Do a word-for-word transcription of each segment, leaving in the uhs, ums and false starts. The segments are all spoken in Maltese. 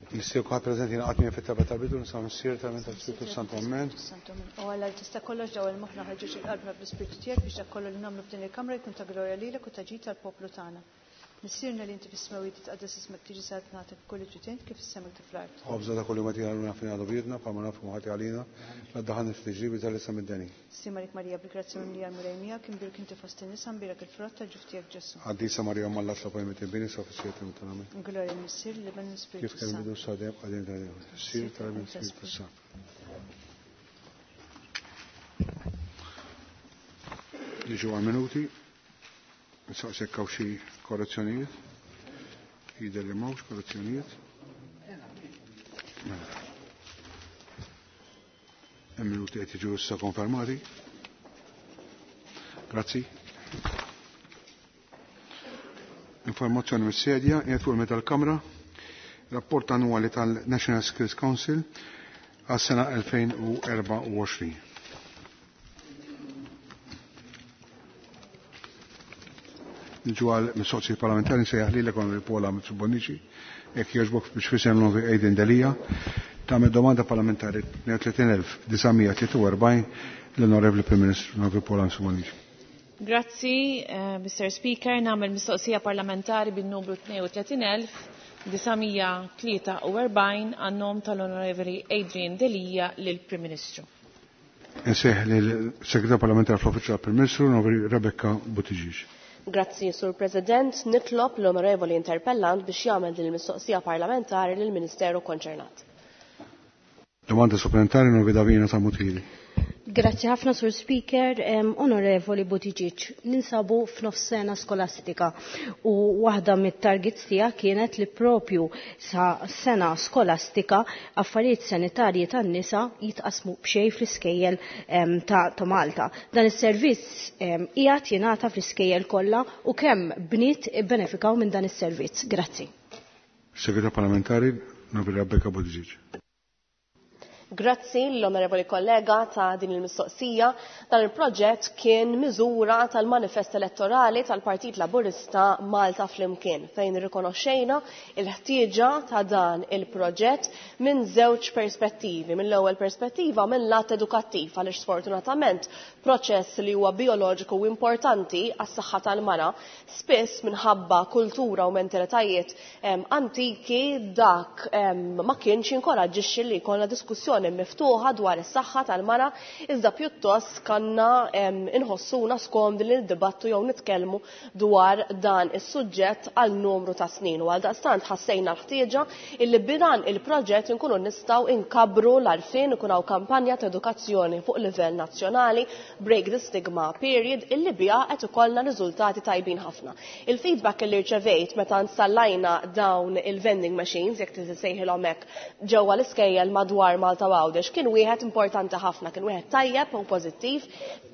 Nistieden kulħadd preżenti jingħaqad miegħi fit-talba tal-bidu nisa Missier tal tal-Spiritu Santu Amen. O Alla li tista' kollox dawwal moħħna ħeġġeġ il-qalbna bl-Ispirtu tiegħek biex dak kollu li nagħmlu f'din il-kamra jkun ta' glorja lilek u ta' ġid tal-poplu tagħna. Missierna li inti fis-smewwiet titqaddes ismek tiġi saltnatek kull ġitint kif is-sema kif fl-art. Ħobżna ta' kuljum agħtina llum aħfrilna dnubietna bħalma naħfru ħati għalina la ddaħħalniex f'tiġrib iżda ħlisna mid-deni. Sliem għalik Marija bil-grazzja mimlija l-Mulej miegħek imbierka inti fost in-nisa mbierek il-frott tal-ġuf tiegħek Ġesù. Qaddisa Marija Omm Alla itlob għalina midinbin issa u fis-siegħa tal-mewt tagħna. Amen. Glorja lill-Missier, lill-Iben u l-Ispirtu Kif kien Santu. bidu sa dejjem qadim dejjem. Missier tal-Iben Spiritu Santu. Niġu għal minuti. Nsaqsek hawn xi korrezzjonijiet. Jidher li m'hawnx korrezzjonijiet. Mela. Hemm minuti qed jiġu issa konfermati. Grazzi. Informazzjoni mis-sedja qiegħed fuq il-meta tal-Kamra. Rapport annwali tal-National Skills Council għas-sena elfejn u erbgħa u għoxrin. Niġu għal mistoqsijiet parlamentari nsejjaħ lilek Onorevoli Paula Mifsud Bonnici, jekk jogħġbok biex fisem l-Onorevoli Adrian Delia, tagħmel domanda parlamentari tnejn u tletin elf disa' mija tlieta u erbgħin l-Onorevoli Prim Ministru Onorevoli Paula Mifsud Bonnici. Grazzi, eh, Mister Speaker, nagħmel mistoqsija parlamentari bin-numru tnejn u tletin elf disa' mija tlieta u erbgħin għan-nom tal-Onorevoli Adrian Delia lill-Prim Ministru. Insejħ lill-Segretarju Parlamentari fl-Uffiċċju tal-Prim Ministru, Onorevoli Rebecca Buttigieg. Grazzi, Sur President. Nitlob l-Onorevoli Interpellant biex jagħmel din il-mistoqsija parlamentari lill-Ministeru konċernat. Domanda supplementari Onorevoli Davina Samutili. Grazzi ħafna, Sur Speaker. Em, Onorevoli Buttigieg, ninsabu f'nofs sena skolastika u waħda mit-targets tiegħek kienet li propju sa sena skolastika affarijiet sanitarji tan-nisa jitqasmu b'xejn fl-iskejjel, em, ta', ta' Malta. Dan is-servizz, em, qiegħed jingħata fl-iskejjel kollha u kemm bniet ibbenefikaw minn dan is-servizz. Grazzi. Segretarju Parlamentari Onorevoli Rebecca Buttigieg. Grazzi l-onorevoli kollega ta' din il-mistoqsija. Dan il-proġett kien miżura tal-manifest elettorali tal-Partit Laburista Malta Flimkien, fejn rikonoxxejna il-ħtieġa ta' dan il-proġett minn żewġ perspettivi. Mill-ewwel perspettiva minn lat edukattiv, għaliex sfortunatament proċess li huwa bioloġiku u importanti għas-saħħa tal-mara, spiss minħabba kultura u mentalitajiet, em, antiki dak, em, ma kienx inkoraġġixxi li jkollna diskussjoni miftuħa dwar is-saħħa tal-mara, iżda pjuttost kanna, em, inħossuna skomdi li niddibattu jew nitkellmu dwar dan is-suġġett għal numru ta' snin. U għal daqstant ħassejna l-ħtieġa illi b'dan il-proġett inkunu nistgħu inkabru l-għarfien, ikun hawn kampanja ta' edukazzjoni fuq livell nazzjonali, Break the Stigma Period, illi biha qed ikollna riżultati tajbin ħafna. Il-feedback illi rċevejt meta installajna dawn il-vending machines, jekk tisejħilhom hekk, ġewwa l-iskejjel madwar Malta u Għawdex, kien wieħed importanti ħafna, kien wieħed tajjeb u pożittiv,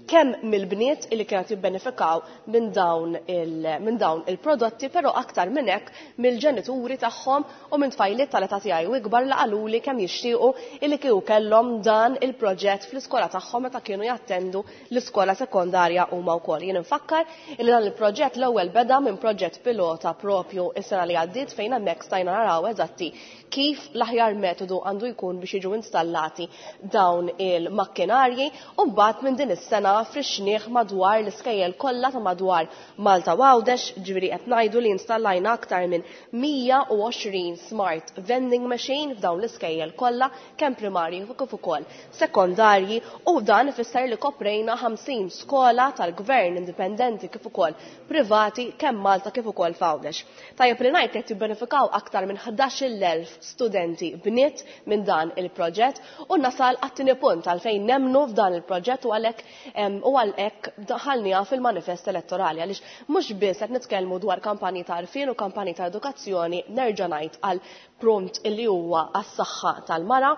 kemm mill-bniet illi kienet jibbenefikaw minn dawn il-, minn dawn il-prodotti, però aktar minn hekk mill-ġenituri tagħhom u minn tfajliet tal-età tiegħi u ikbar li qaluli kemm jixtiequ illi kieku kellhom dan il-proġett fl-iskola tagħhom meta kienu jattendu l-iskola sekondarja huma wkoll. Jien infakkar illi dan il-proġett l-ewwel beda minn proġett pilota propju is-sena li għaddiet, fejn hemmhekk stajna naraw eżatti kif l-aħjar metodu għandu jkun biex jiġu installati dawn il-makkinarji, u mbagħad minn din is-sena frixnieh madwar l-iskejjel kollha ta' madwar Malta u Għawdex, ġifieri qed ngħidu li installajna aktar minn mija u għoxrin smart vending machine f'dawn l-iskejjel kollha, kemm primarji kif ukoll sekondarji, u dan ifisser li koprejna ħamsin skola tal-gvern indipendenti kif ukoll privati kemm Malta kif ukoll f'Għawdex. Tajjeb li ngħid qed jibbenefikaw aktar minn ħdax-il elf studenti bniet minn dan il-proġett, u nasal għat-tieni punt għalfejn nemnu f'dan il-proġett u għalhekk, em, u għalhekk daħalniha fil-manifest elettorali, għaliex mhux biss qed nitkellmu dwar kampanji ta' għarfien u kampanji ta' edukazzjoni, nerġa' ngħid għal prompt illi huwa għas-saħħa tal-mara,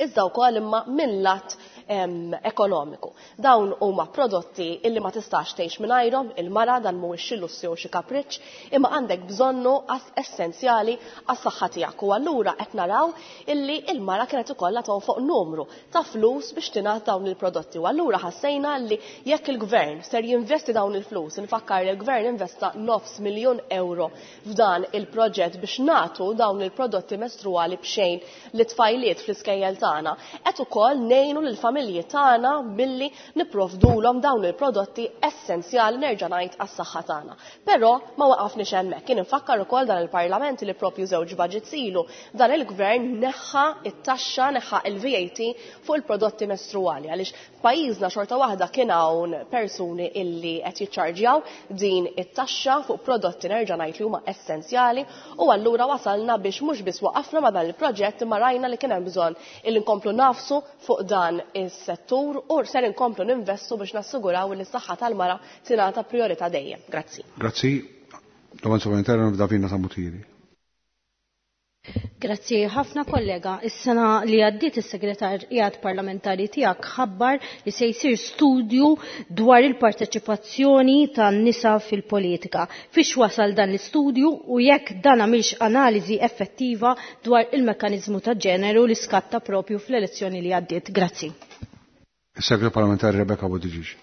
iżda wkoll imma minn lat, ekonomiku. Dawn huma prodotti illi ma tistax tgħix mingħajrhom, il-mara dan mhuwiex xi lussu jew xi kapriċċ, imma għandek bżonnu essenzjali għas-saħħa tiegħek. U allura qed naraw illi il-mara kienet ikollha tonfoq numru ta' flus biex tingħata dawn il-prodotti. U allura ħassejna li jekk il-gvern ser jinvesti dawn il-flus, infakkar li l-gvern investa nofs miljun euro f'dan il-proġett biex nagħtu dawn il-prodotti mestruali b'xejn li tfajliet fl-iskejjel tagħna, qed ukoll ngħinu lill-familji tagħna billi nipprovdulhom dawn il-prodotti essenzjali nerġa' ngħid għas-saħħa tagħna. Però ma waqafniex hemmhekk. Kien infakkar ukoll dan il-Parlament li propju żewġ budgets ilu dan il-gvern neħħa it-taxxa, neħħa il-V A T fuq il-prodotti mestruali, għaliex pajjiżna xorta waħda kien hawn persuni illi qed jiċċarġjaw din it-taxxa fuq prodotti nerġa' ngħid li huma essenzjali, u allura wasalna biex mhux biss waqafna ma' dan il-proġett imma rajna li kien hemm bżonn illi nkomplu nafsu fuq dan is-settur u ser inkomplu ninvestu biex nassiguraw li s-saħħa tal-mara tingħata priorità dejjem. Grazzi. Grazzi. Domanda supplementare Davina Samutiri. Grazzi ħafna kollega. Is-sena li għaddiet is-segretarjat parlamentari tiegħek ħabbar li se jsir studju dwar il-parteċipazzjoni tan-nisa fil-politika. Fiex wasal dan l-istudju u jekk dan għamilx analiżi effettiva dwar il-mekkaniżmu ta' ġeneru li skatta propju fl-elezzjoni li għaddiet. Grazzi. Is-segretarju parlamentari Rebecca Buttigieg.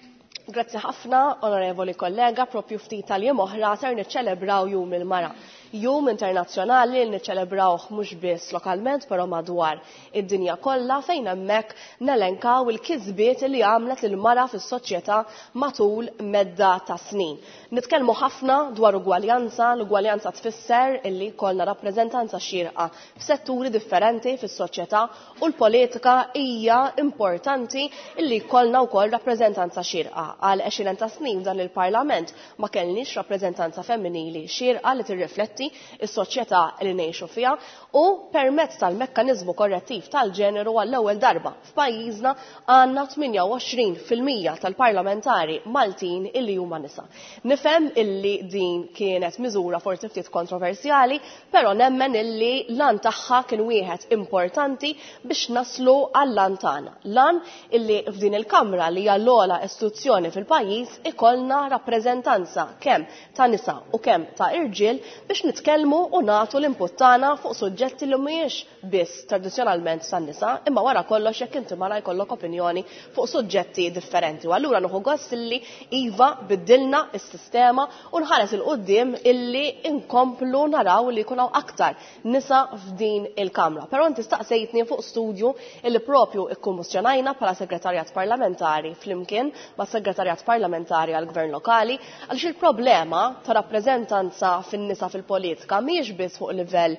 Grazzi ħafna, onorevoli kollega, propju ftit tal-jiem oħra ser niċċelebraw Jum il-Mara. Jum internazzjonali li niċċelebrawh mhux biss lokalment, però madwar id-dinja kollha, fejn hemmhekk nelenkaw il-kisbiet li għamlet il-mara fis-soċjetà matul medda ta' snin. Nitkellmu ħafna dwar ugwaljanza, l-ugwaljanza tfisser illi kollna rappreżentanza xierqa f'setturi differenti fis-soċjetà, u l-politika hija importanti illi kollna wkoll rappreżentanza xierqa. Għal għexieren ta' snin dan il-Parlament ma kellniex rappreżentanza femminili xierqa li tirrifletti is-soċjetà li ngħixu fiha, u permezz tal-mekkaniżmu korrettiv tal-ġeneru għall-ewwel darba f'pajjiżna għandna tmienja u għoxrin fil-mija tal-parlamentari Maltin illi huma nisa. Nifhem illi din kienet miżura forsi ftit kontroversjali, però nemmen illi l-għan tagħha kien wieħed importanti biex naslu għall-għan tagħna. L-għan illi f'din il-Kamra li hija l-ogħla istituzzjoni fil-pajjiż ikollna rappreżentanza kemm ta' nisa u kemm ta' irġiel biex nitkellmu u nagħtu l-input tagħna fuq suġġetti li mhijiex biss tradizzjonalment tan-nisa, imma wara kollox jekk inti mara jkollok opinjoni fuq suġġetti differenti. U allura nieħu gost illi iva biddilna s-sistema u nħares il quddiem illi inkomplu naraw li jkun hawn aktar nisa f'din il-Kamra. Però inti staqsejtni fuq studju illi propju ikkummissjonajna bħala segretarjat parlamentari flimkien ma' segretarjat parlamentari għall-Gvern Lokali, għaliex il-problema ta' rappreżentanza fin-nisa fil-politika mhijiex biss fuq livell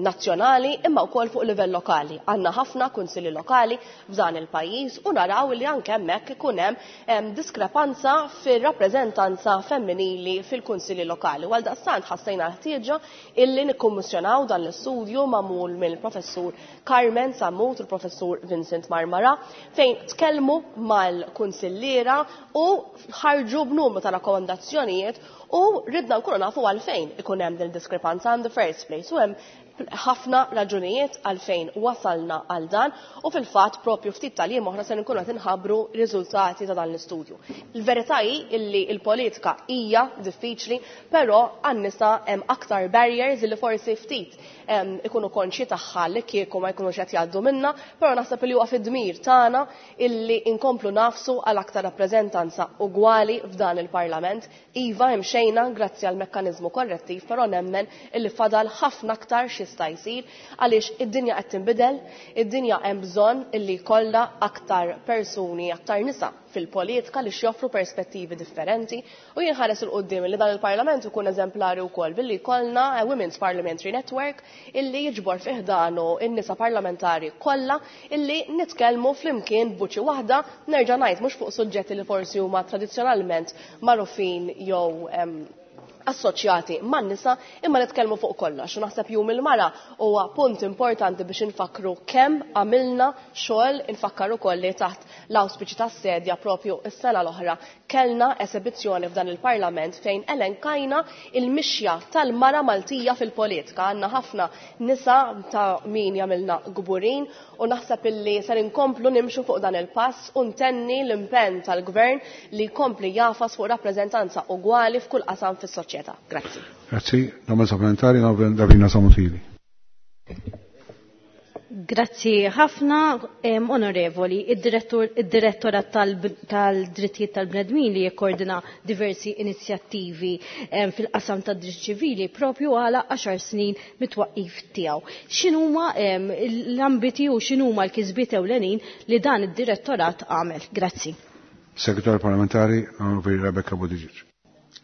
nazzjonali imma wkoll fuq livell lokali. Għandna ħafna kunsilli lokali f'dan il-pajjiż u naraw li anke hemmhekk ikun hemm diskrepanza fir-rappreżentanza femminili fil-kunsilli lokali. U għaldaqstant ħassejna l-ħtieġa illi nikkummissjonaw dan l-istudju magħmul mill-professur Carmen Sammut u l-professur Vincent Marmara, fejn tkellmu mal-kunsilliera u ħarġu b'numru ta' rakkomandazzjonijiet u ridna nkunu nafu għalfejn ikun hemm din diskrepanza in the first place. U hemm ħafna raġunijiet għalfejn wasalna għal dan, u fil-fatt propju ftit tal-jiem oħra se nkunu qed inħabbru riżultati ta' dan l-istudju. Il-verità hi illi l-politika hija diffiċli, però għan-nisa hemm aktar barriers illi forsi ftit, em, ikunu konxji tagħha li kieku ma jkunux qed jgħaddu minna, però naħseb li huwa fid-dmir tagħna illi inkomplu nafsu għal aktar rappreżentanza ugwali f'dan il-Parlament. Iva imxejna grazzi għal mekkaniżmu korrettiv, però nemmen illi fadal ħafna aktar x'jista' jsir għaliex id-dinja qed tinbidel, id-dinja hemm bżonn illi jkollha aktar persuni, aktar nisa fil-politika li joffru perspettivi differenti, u jinħares il quddiem li dan il-Parlament ikun eżemplari wkoll billi jkollna a Women's Parliamentary Network illi jiġbor fih danu in-nisa parlamentari kollha illi nitkellmu flimkien b'vuċi waħda, nerġa' ngħid mhux fuq suġġetti li forsi huma tradizzjonalment magħrufin jew, em, Assoċjati man-nisa, imma nitkellmu fuq kollox. U naħseb Jum il-Mara huwa punt importanti biex infakru kemm għamilna xogħol. Infakkar ukoll li taħt l-awspiċi tas-sedja propju s-sena l-oħra kellna esebizzjoni f'dan il-Parlament fejn elenkajna il-mixja tal-mara Maltija fil-politika. Għandna ħafna nisa ta' min jagħmilna kburin u naħseb illi ser inkomplu nimxu fuq dan il-pass u ntenni l-impenn tal-gvern li jkompli jagħfas fuq rappreżentanza ugwali f'kull qasam fis-soċjetà. Grazzi. Grazzi. Domanda supplementari, Davina Sammut Hili. Grazzi ħafna, onorevoli. Id-direttorat tal-drittijiet tal-bnedmin li jikkoordina diversi inizjattivi fil-qasam tad-dritt ċivili propju għala għaxar snin mit-twaqqif tiegħu. X'inhuma l-ambiti u x'inhuma l-kisbiet ewlenin li dan id-direttorat għamel? Grazzi. Segretarju Parlamentari, Onorevoli Rebecca Buttigieg.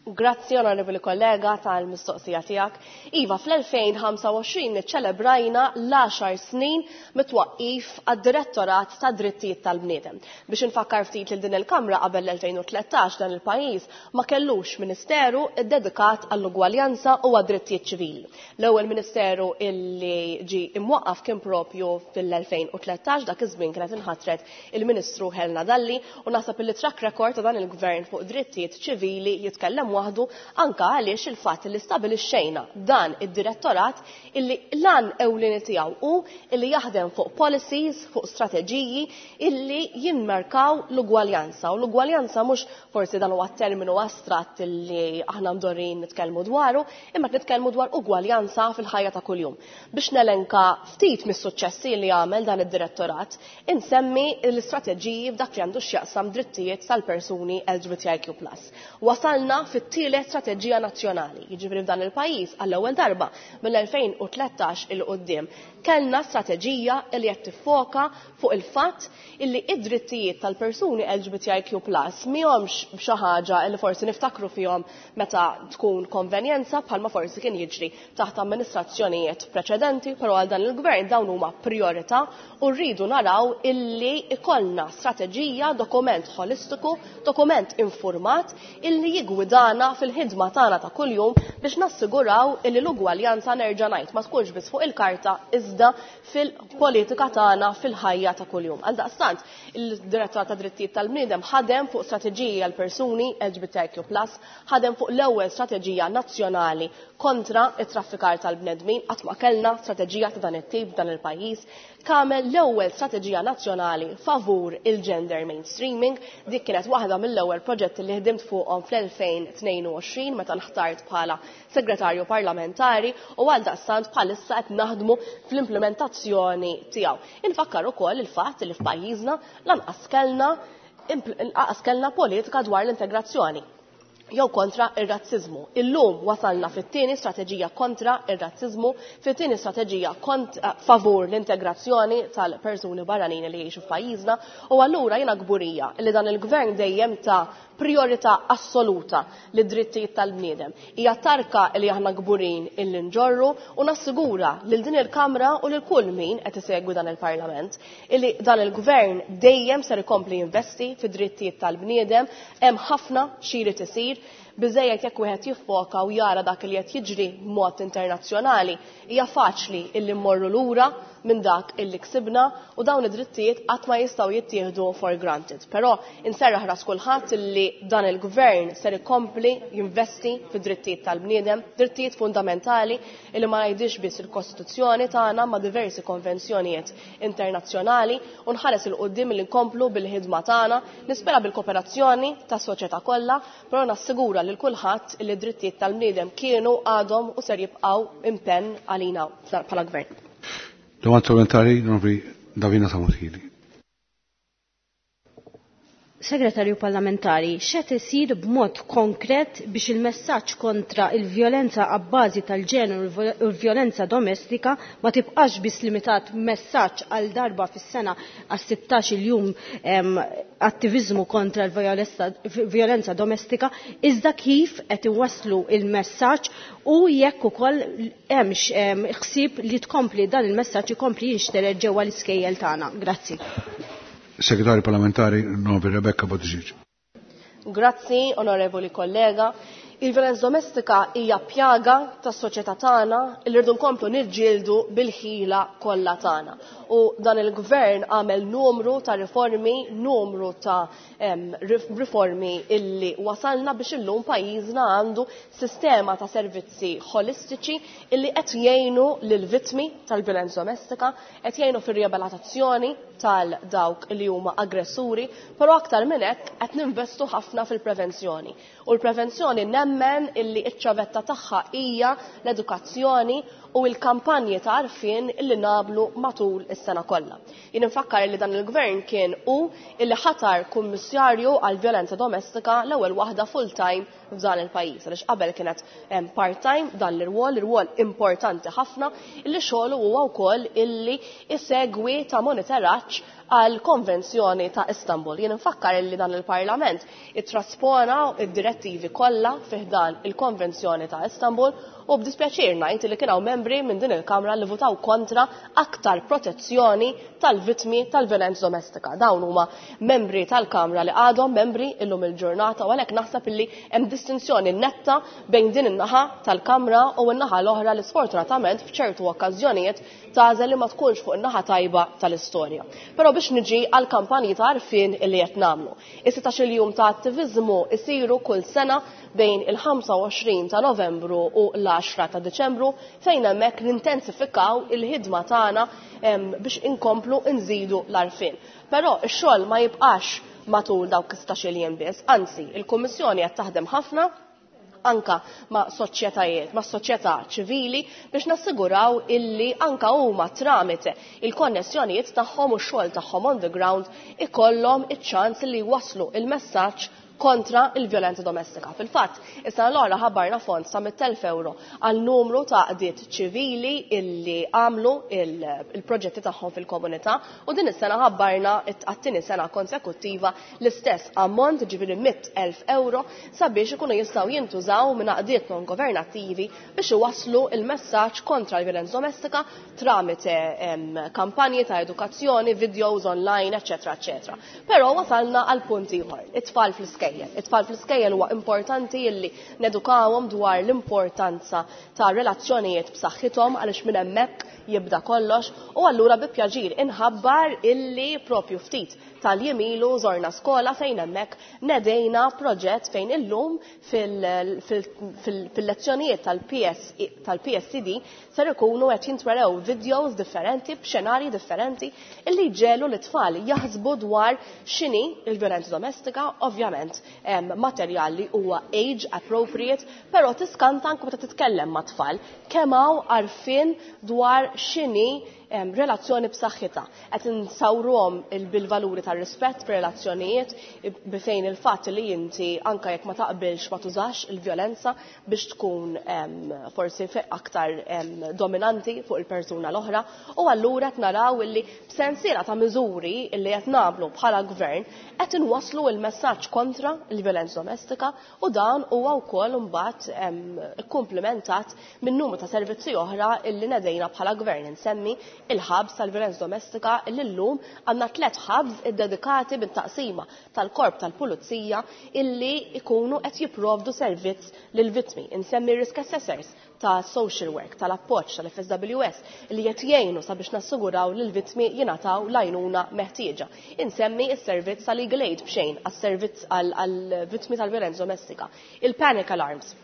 Grazzi, onorevoli kollega, tal-mistoqsija tiegħek. Iva, fl-elfejn ħamsa u għoxrin niċċelebrajna l-għaxar snin mit-twaqqif għad-Direttorat ta' Drittijiet tal-Bniedem. Biex infakkar ftit lil din il-Kamra, qabel l-elfejn u tlettax dan il-pajjiż ma kellux ministeru dedikat għall-ugwaljanza u għad-drittijiet ċivili. L-ewwel ministeru illi ġi imwaqqaf kien propju fil-elfejn u tlettax, dak iż-żmien kienet inħatret il-Ministru Helena Dalli, u naħseb illi track record ta' dan il-gvern fuq drittijiet ċivili jitkellem waħdu, anka għaliex il-fatt li stabilixxejna dan id-direttorat illi l-għan ewlieni tiegħu hu illi jaħdem fuq policies, fuq strateġiji illi jimmarkaw l-ugwaljanza. U l-ugwaljanza mhux forsi dan huwa terminu astratt illi aħna mdorrin nitkellmu dwaru, imma nitkellmu dwar ugwaljanza fil-ħajja ta' kuljum. Biex nelenka ftit mis-suċċessi li għamel dan id-direttorat, insemmi l-istrateġiji f'dak li għandu x'jaqsam drittijiet tal-persuni L G B T I Q plus. Wasalna fit-tielet strateġija nazzjonali, jiġifieri f'dan il-pajjiż għall-ewwel darba mill-elfejn u tlettax 'il quddiem kellna strateġija li qed tiffoka fuq il-fatt illi id-drittijiet tal-persuni L G B T I Q plus mihomx xi ħaġa li forsi niftakru fihom meta tkun konvenjenza, bħalma forsi kien jiġri taħt amministrazzjonijiet preċedenti, però għal dan il-gvern dawn huma priorità u rridu naraw illi ikollna strateġija, dokument holistiku, dokument informat illi jigwidana fil-ħidma tagħna ta' kuljum biex nassiguraw illi l-ugwaljanza, nerġa' ngħid, ma tkunx biss fuq il-karta iżda fil-politika tagħna fil-ħajja ta' kuljum. Għaldaqstant, il-Direttorat ta' Drittijiet tal-Bniedem ħadem fuq strateġiji għal persuni L G B T I Q plus, ħadem fuq l-ewwel strateġija nazzjonali kontra it-traffikar tal-bnedmin, qatt ma kellna strateġija ta' dan it-tip f'dan il-pajjiż, għamel l-ewwel strateġija nazzjonali favur il-gender mainstreaming. Dik kienet waħda mill-ewwel proġetti li ħdimt fuqhom fl-elfejn u tnejn u għoxrin meta nħtart bħala segretarju parlamentari u għaldaqstant bħalissa qed naħdmu fl-implementazzjoni tiegħu. Infakkar ukoll il-fatt li f'pajjiżna lanqas kellna lanqas kellna politika dwar l-integrazzjoni jew kontra ir-razzizmu. Illum wasalna fit-tieni strateġija kontra ir-razzizmu, fit-tieni strateġija kont favur l-integrazzjoni tal-persuni barranin li jgħixu f'pajjiżna, u allura jiena kburija li dan il-gvern dejjem ta priorità assoluta lid-drittijiet tal-bniedem. Hija tarka li aħna kburin illi nġorru u nassigura lil din il-Kamra u lil kull min qed isegwi dan il-Parlament illi dan il-gvern dejjem ser ikompli jinvesti fid-drittijiet tal-bniedem. Hemm ħafna xi jrid isir, biżejjed jekk wieħed jiffoka u jara dak li qed jiġri b'mod internazzjonali, hija faċli illi mmorru lura minn dak illi ksibna u dawn id-drittijiet qatt ma jistgħu jittieħdu for granted. Però inserraħ ras kulħadd illi dan il-gvern ser ikompli jinvesti fid-drittijiet tal-bniedem, drittijiet fundamentali illi ma jgħidix biss il-Kostituzzjoni tagħna ma' diversi konvenzjonijiet internazzjonali, u nħares 'il quddiem li nkomplu bil-ħidma tagħna, nispera bil-kooperazzjoni tas-soċjetà kollha, però nassigura lil kulħadd li d-drittijiet tal-bniedem kienu, għadhom u ser jibqgħu impenn għalina bħala gvern. Domanda supplementari, Onorevoli Davina Sammut Hili. Segretarju Parlamentari, x'qed isir b'mod konkret biex il-messaġġ kontra il-vjolenza abbażi tal-ġeneru u l-vjolenza domestika ma tibqax biss limitat messaġġ għal darba fis-sena għas sittax il-jum attivizmu kontra l-vjolenza domestika, iżda kif qed iwasslu il-messaġġ u jekk ukoll hemmx ħsieb li tkompli dan il-messaġġ ikompli jinxtered ġewwa l-iskejjel tagħna? Grazzi. Segretarju Parlamentari, Onorevoli Rebecca Buttigieg. Grazzi, onorevoli kollega. Il-violenza domestika hija pjaga tas-soċjetà tagħna li rridu nkomplu niġġieldu bil-ħila kollha tagħna. U dan il-gvern għamel numru ta' riformi, numru ta' riformi illi wasalna biex illum pajjiżna għandu sistema ta' servizzi holistiċi illi qed jgħinu lill-vittmi tal-violenza domestika, qed jgħinu fir-riabilitazzjoni tal-dawk li huma aggressuri, però aktar minn hekk qed ninvestu ħafna fil-prevenzjoni. U l-prevenzjoni nemmen illi iċ-ċavetta tagħha hija l-edukazzjoni u l-kampanji ta' għarfien illi nagħmlu matul is-sena kollha. Jien infakkar li dan il-gvern kien hu illi ħatar kummissarju għal violenza domestika l-ewwel waħda full-time f'dan il-pajjiż, għaliex qabel kienet part-time dan l-irwol, irwol importanti ħafna illi xogħlu huwa wkoll illi isegwi ta' monitoraġġ għal konvenzjoni ta' Istanbul. Jien infakkar illi dan il-Parlament ittraspona id-direttivi kollha fi ħdan il-konvenzjoni ta' Istanbul u b'dispjaċir ngħid li kien hawn membri minn din il-Kamra li votaw kontra aktar protezzjoni tal-vittmi tal-violenza domestika. Dawn huma membri tal-Kamra li għadhom membri illum il-ġurnata u għalhekk naħseb illi hemm distinzjoni netta bejn din in-naħa tal-Kamra u n-naħa l-oħra li sfortunatament f'ċertu okkażjonijiet tagħżel li ma tkunx fuq in-naħa tajba tal-istorja. Però biex niġi għal kampanji ta' għarfien illi qed nagħmlu. Is-sittax-il jum ta' attiviżmu isiru kull sena bejn il-ħamsa u għoxrin ta' Novembru u l-għaxra ta' Deċembru fejn hemmhekk nintensifikaw il-ħidma tagħna biex inkomplu nżidu l-għarfien. Però x-xogħol ma jibqax matul dawk is-sittax-il jiem biss, anzi il-Kummissjoni qed taħdem ħafna anka ma' soċjetajiet, ma' soċjetà ċivili biex nassiguraw illi anka huma tramite il-konnessjonijiet tagħhom u x-xogħol tagħhom on the ground ikollhom iċ-ċans li jwasslu il-messaġġ kontra il-violenza domestika. Fil-fatt, is-sena l-oħra ħabbarna fond sa mitt elf euro għal numru ta' għaqdiet ċivili illi għamlu il-proġetti tagħhom fil-komunità u din is-sena ħabbarna għat-tieni sena konsekuttiva l-istess ammont, ġifieri mitt elf euro, sabiex ikunu jistgħu jintużaw minn għaqdiet non governattivi biex iwasslu il-messaġġ kontra l-violenza domestika tramite, em, kampanji ta' edukazzjoni, videos online, eċċetera, eċċetera. Però wasalna għal punt ieħor, it-tfal fl-iskejjel. It-tfal fl-iskejjel huwa importanti illi nedukawhom dwar l-importanza ta' relazzjonijiet b'saħħithom għaliex minn hemmhekk jibda kollox u allura bi pjaċir inħabbar illi propju ftit tal-jiem ilu żorna skola fejn hemmhekk nedejna proġett fejn illum fil-, fil-, fil-, fil-lezzjonijiet tal-P S C D ser ikunu qed jintwerew videos differenti b'xenarji differenti illi jġelu l-tfal jaħsbu dwar x'inhi l-violenza domestika, ovvjament materjal li huwa age appropriate, però tiskanta anke meta titkellem ma' tfal kemm hawn għarfien dwar x'inhi em, relazzjoni b'saħħitha. Qed insawruhom il-, bil-valuri tar-rispett fir-relazzjonijiet bi fejn il-fatt li inti anke jekk ma taqbilx ma tużax il-vjolenza biex tkun, em, forsi fe-, aktar, em, dominanti fuq il-persuna l-oħra u allura qed naraw illi b'sensiela ta' miżuri illi qed nagħmlu bħala gvern qed inwasslu l-messaġġ kontra l-vjolenza domestika u dan huwa wkoll imbagħad, em, ikkumplimentat minn numru ta' servizzi oħra illi nedejna bħala gvern. Insemmi il-ħabs tal-violenza domestika illi llum għandna tliet ħabs iddedikati bit-taqsima tal-korp tal-pulizija illi ikunu qed jipprovdu servizz lill-vittmi. Insemmi risk assessors ta' social work, tal-appoġġ tal-F S W S li qed jgħinu sabiex nassiguraw li l-vittmi jingħataw l-għajnuna meħtieġa. Insemmi s-servizz tal-legal aid b'xejn għas-servizz għall-vittmi tal-violenza domestika. Il-panic alarms.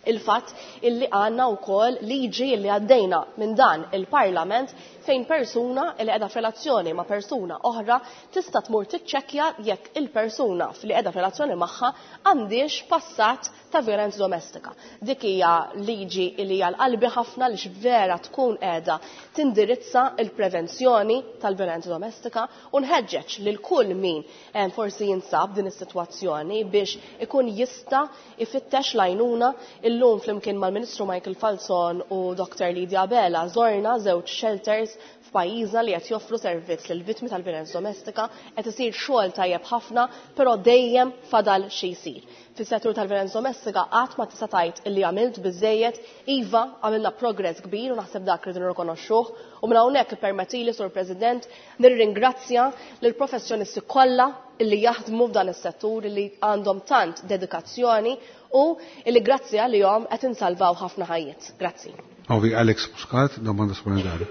Il-fatt illi għandna wkoll liġi illi għaddejna minn dan il-Parlament fejn persuna illi qiegħda f'relazzjoni ma' persuna oħra tista' tmur tiċċekkja jekk il-persuna li qiegħda f'relazzjoni magħha għandix passat ta' violenza domestika. Dik hija liġi li hija l-qalbi ħafna li vera tkun qiegħda tindirizza l-prevenzjoni tal-violenza domestika u nħeġġeġ lil kull min, eh, forsi jinsab din is-sitwazzjoni biex ikun jista' ifittex l-għajnuna. Illum flimkien mal-Ministru Michael Falzon u Doktor Lydia Abela żorna żewġ shelters f'pajjiżna li qed joffru servizz lil vittmi tal-violenza domestika, qed isir xogħol tajjeb ħafna, però dejjem fadal xi jsir. Fis-settur tal-violenza domestika qatt ma tista' tgħid illi għamilt biżejjed, iva għamilna progress kbir u naħseb dak rridu nirrikonoxxuh u minn hawnhekk ippermettili, Sur President, nirringrazzja lill-professjonisti kollha illi jaħdmu f'dan is-settur li għandhom tant dedikazzjoni u illi grazzi għalihom qed insalvaw ħafna ħajjiet. Grazzi. Ovi Alex Muscat, domanda supplementari.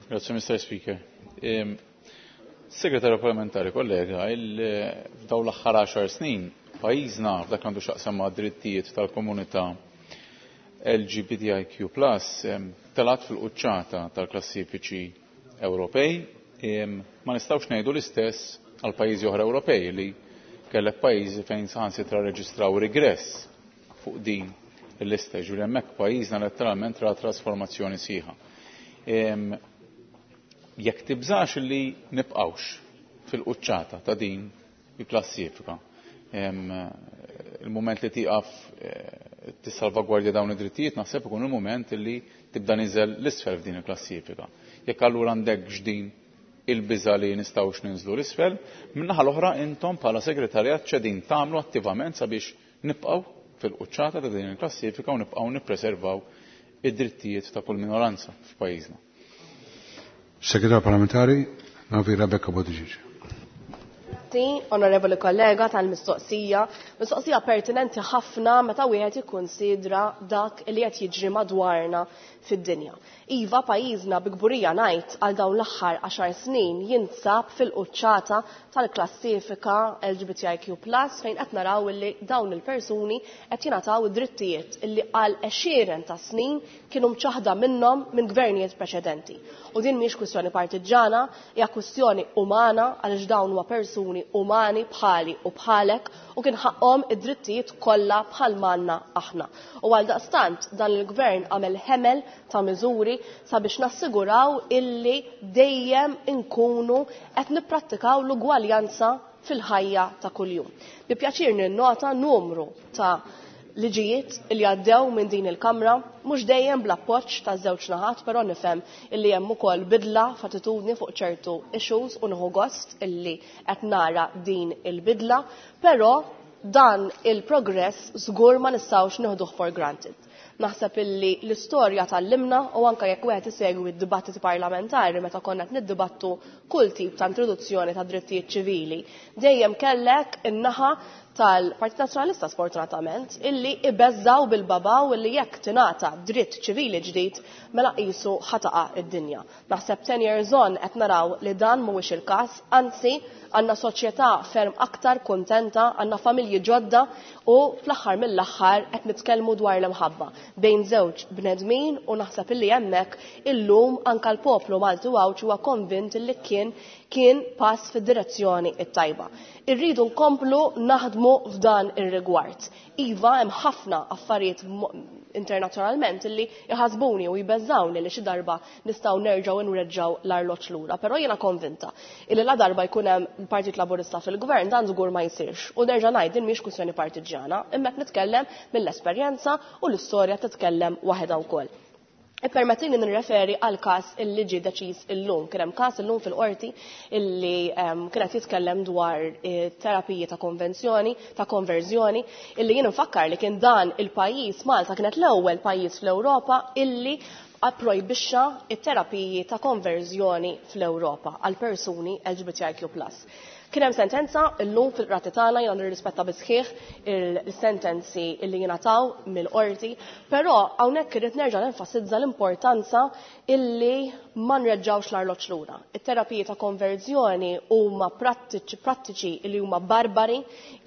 Grazie, Mister Speaker. Um, Segretarju parlamentari, kollega, f'dawn l-aħħar għaxar snin pajjiżna f'dak għandu x'aqsam ma' drittijiet tal-komunità L G B T I Q plus telat fil-quċċata tal-klassifiċi Ewropej. Ma nistgħux ngħidu l-istess għal pajjiżi oħra Ewropej, li kellek pajjiżi fejn saħansitra reġistraw regress fuq din il-lista, ġifieri hemmhekk pajjiżna letteralment ra trasformazzjoni sħiħa. Jekk tibżax li nibqgħux fil-quċċata ta' din il-klassifika, il-moment li tieqaf eh, tissalvagwardja dawn id-drittijiet naħseb ikun il-moment li tibda niżel l-isfel f'din il-klassifika. Jekk allura għandek x'din il-biża li nistgħux ninżlu l-isfel, min-naħa l-oħra intom bħala segretarjat x'qegħdin tagħmlu attivament sabiex nibqgħu fil-quċċata ta' din il-klassifika u nibqgħu nippreservaw id-drittijiet ta' kull minoranza f'pajjiżna? Segretarju parlamentari, Navi Rebecca Buttigieg. Grazzi, onorevoli kollega, tal-mistoqsija. Mistoqsija pertinenti ħafna meta wieħed ikkunsidra dak li qed jiġri madwarna fid-dinja. Iva, pajjiżna bi kburija ngħid għal dawn l-aħħar għaxar snin jinsab fil-quċċata tal-klassifika L G B T I Q plus, fejn qed naraw li dawn il-persuni qed jingħataw id-drittijiet illi għal għexieren ta' snin kienu mċaħda minnhom minn gvernijiet preċedenti. U din mhix kwistjoni partiġġana, hija kwistjoni umana, għaliex dawn huma persuni umani bħali u bħalek u kien ħaqhom id-drittijiet kollha bħal manna aħna. U għal daqstant dan il-gvern għamel ħemel ta' miżuri sabiex nassiguraw illi dejjem inkunu qed nipprattikaw l-ugwaljanza fil-ħajja ta' kuljum. Bi pjaċir ninnota numru ta' liġijiet li għaddew minn din il-Kamra, mhux dejjem bl-appoġġ ta' żewġ naħat, però nifhem illi hemm ukoll bidla f'attitudni fuq ċertu issues u nieħu gost illi qed nara din il-bidla, però dan il-progress żgur ma nistgħux nieħduh for granted. Naħseb illi l-istorja tgħallimna, u anka jekk wieħed isegwi d-dibattiti parlamentari meta konna qed niddibattu kull tip ta' introduzzjoni ta' drittijiet ċivili, dejjem kellek in-naħa tal-Partit Nazzjonalista, sfortunatament, illi ibeżżaw bil-babaw illi jekk tingħata dritt ċivili ġdid mela qisu ħa taqa' id-dinja. Naħseb ten years on qed naraw li dan mhuwiex il-każ, anzi għandna soċjetà ferm aktar kontenta, għandna familji ġodda u fl-aħħar mill-aħħar qed nitkellmu dwar l-imħabba bejn żewġ bnedmin, u naħseb illi hemmhekk illum anka l-poplu Malti u Għawdxi huwa konvint illi kien kien pass fid-direzzjoni it-tajba. Irridu nkomplu naħdmu f'dan ir-rigward. Iva, hemm ħafna affarijiet internazzjonalment illi jħasbuni u jbeżżawni li xi darba nistgħu nerġgħu nreġgħu l-arloġġ lura, però jiena konvinta illi la darba jkun hemm il-Partit Laburista fil-Gvern dan żgur ma jsirx. U nerġa' ngħid, din mhix kwistjoni partiġġjana, imma qed nitkellem mill-esperjenza u l-istorja titkellem waħedha wkoll. Ippermettini nirreferi għal każ illi ġie deċiż illum. Kien hemm każ illum fil-qorti illi um, kienet jitkellem dwar eh, terapiji ta' konvenzjoni, ta' konverżjoni, illi jien nfakkar li kien dan il-pajjiż, Malta kienet l-ewwel pajjiż fl-Ewropa illi approjbixxa it-terapiji ta' konverżjoni fl-Ewropa għal persuni L G B T I Q plus. Kien hemm sentenza llum fil-qrati tagħna, jiena nirrispetta bisħieħ il-sentenzi illi jingħataw mill-qorti, però hawnhekk irrid nerġa' nenfasizza l-importanza illi ma nreġgħux l-arloġġ lura. It-terapiji ta' konverżjoni huma prattiċi prattiċi illi huma barbari,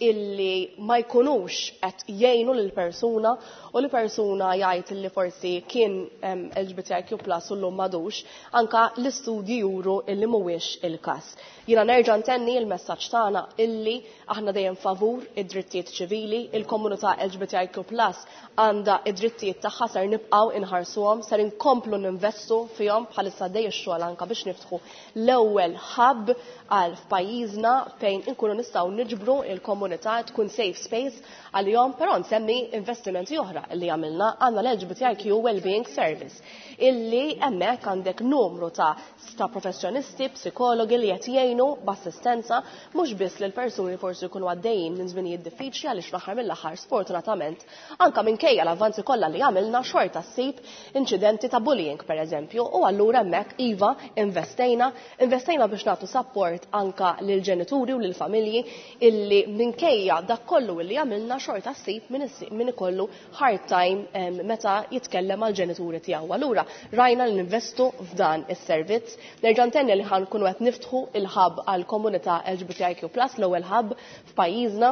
illi ma jkunux qed jgħinu lil persuna, u li persuna jgħid illi forsi kien L G B T I Q plus u llum m'għadux, anka l-istudji juru illi mhuwiex il-każ. Jiena nerġa' ntenni il-messaġġ tagħna illi aħna dejjem favur id-drittijiet ċivili, il-komunità L G B T I Q plus għandha id-drittijiet tagħha, ser nibqgħu inħarsuhom, ser inkomplu ninvestu fihom. Bħalissa dej ix-xogħol anka biex niftħu l-ewwel hub għal f'pajjiżna fejn inkunu nistgħu niġbru il-komunità, tkun safe space għalihom, però nsemmi investimenti oħra li għamilna: għandna l-L G B T I Q Wellbeing Service illi hemmhekk għandek numru ta' ta' professjonisti, psikologi li qed jgħinu b'assistenza. mhux biss lil persuni forsi jkunu għaddejjin minn żminijiet diffiċli, għaliex fl-aħħar mill-aħħar sfortunatament anke minkejja l-avvanzi kollha li għamilna xorta ssib inċidenti ta' bullying pereżempju, u allura hemmhekk iva investejna, investejna biex nagħtu support anka lil ġenituri u lil familji illi minkejja dak kollu illi għamilna xorta ssib min ikollu hard time meta jitkellem mal ġenituri tiegħu. Allura rajna li ninvestu f'dan is-servizz. Nerġa' ntenni li ħankunu qed niftħu il-hub għall komunità L G B T I Q plus, l-ewwel hub f'pajjiżna,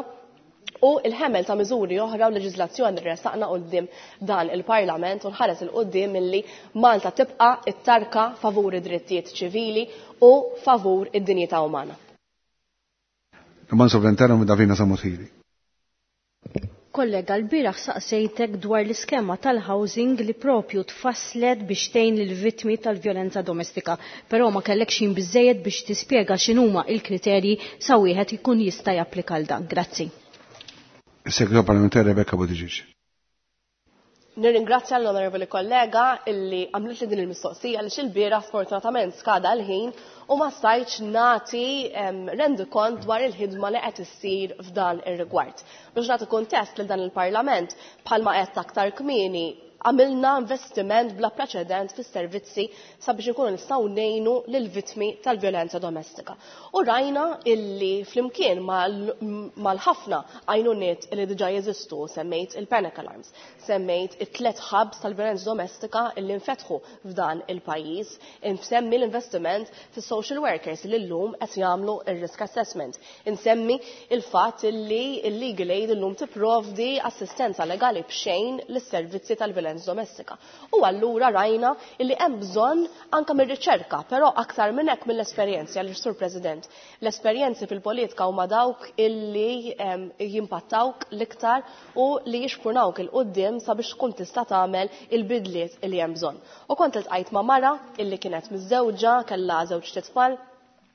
u il-ħemel ta' miżuri oħra u leġiżlazzjoni li ressaqna quddiem dan il-Parlament, u nħares il quddiem milli Malta tibqa' it-tarka favur id-drittijiet ċivili u favur id-dinjità umana. Domanda supplementari minn Davina Sammut Hili. Kollega, l-bieraħ saqsejtek dwar l-iskema tal-housing li propju tfasslet biex tgħin lill-vittmi tal-vjolenza domestika, però ma kellekx ħin biżejjed biex tispjega x'inhuma l-kriterji sa wieħed ikun jista' japplika għal dan. Grazzi. Is-Segretarju Parlamentari Rebecca Buttigieg. Nirringrazzja l-onorevoli kollega illi għamlet li din il-mistoqsija għaliex il-bieraħ sfortunatament skada l-ħin u ma stajtx nagħti rendikont dwar il-ħidma li qed issir f'dan ir-rigward. Biex nagħti kuntest lil dan il-Parlament, bħalma qed aktar kmieni għamilna investiment bla preċedent fis-servizzi sabiex inkunu nistgħu ngħinu lill-vittmi tal-vjolenza domestika. U rajna illi flimkien mal-ħafna għajnuniet illi diġà jeżistu, semmejt il-panic alarms, semmejt it-tlet hubs tal-vjolenza domestika illi nfetħu f'dan il-pajjiż, insemmi l-investiment fis-social workers li llum qed jagħmlu ir-risk assessment, insemmi il-fatt illi l-legal aid illum tipprovdi assistenza legali b'xejn lis-servizzi tal-vjolenza domestika. U allura rajna illi hemm bżonn anke mir-riċerka, però aktar minn hekk mill-esperjenzi, għaliex Sur President, l-esperjenzi fil-politika huma dawk illi jimpattawk l-iktar u li jixprunawk il-qudiem sabiex tkun tista' tagħmel il-bidliet illi hemm bżonn. U kont iltqajt ma' mara illi kienet miżżewġa, kellha żewġ titfal,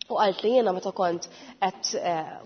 u qalt li jiena meta kont qed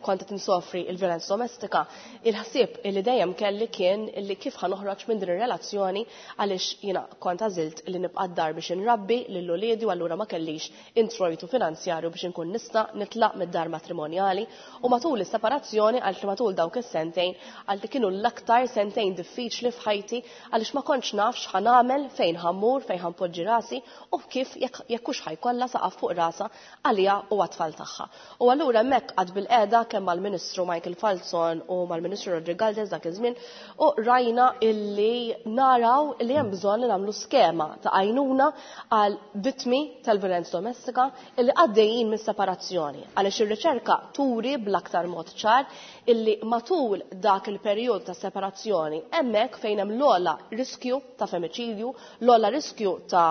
kont qed insofri l-vjolenza domestika, il-ħsieb illi dejjem kelli kien illi kif ħanoħroġ minn din ir-relazzjoni, għaliex jiena kont għażilt li nibqa' d-dar biex inrabbi lil uliedi u allura ma kellix introjtu finanzjarju biex inkun nista' nitlaq mid-dar matrimonjali. U matul is-separazzjoni, qalt li matul dawk is-sentejn, qalt li kienu l-aktar sentejn diffiċli f'ħajti għaliex ma kontx naf x'ħa nagħmel, fejn ħammur, fejn ħanpoġġi rasi u kif jekk hux ħajkollha saqaf fuq rasha għaliha u għat-tfal tagħha. U allura hemmhekk qatt bil-qiegħda kemm mal-Ministru Michael Falzon u mal-Ministru Roderick Galdes dak iż-żmien, u rajna illi naraw illi hemm bżonn li nagħmlu skema ta' għajnuna għal vittmi tal-violenza domestika illi għaddejjin mis-separazzjoni, għaliex ir-riċerka turi bl-aktar mod ċar illi matul dak il-perjodu ta' separazzjoni hemmhekk fejn hemm l-ogħla riskju ta' femiċidju, l-ogħla riskju ta'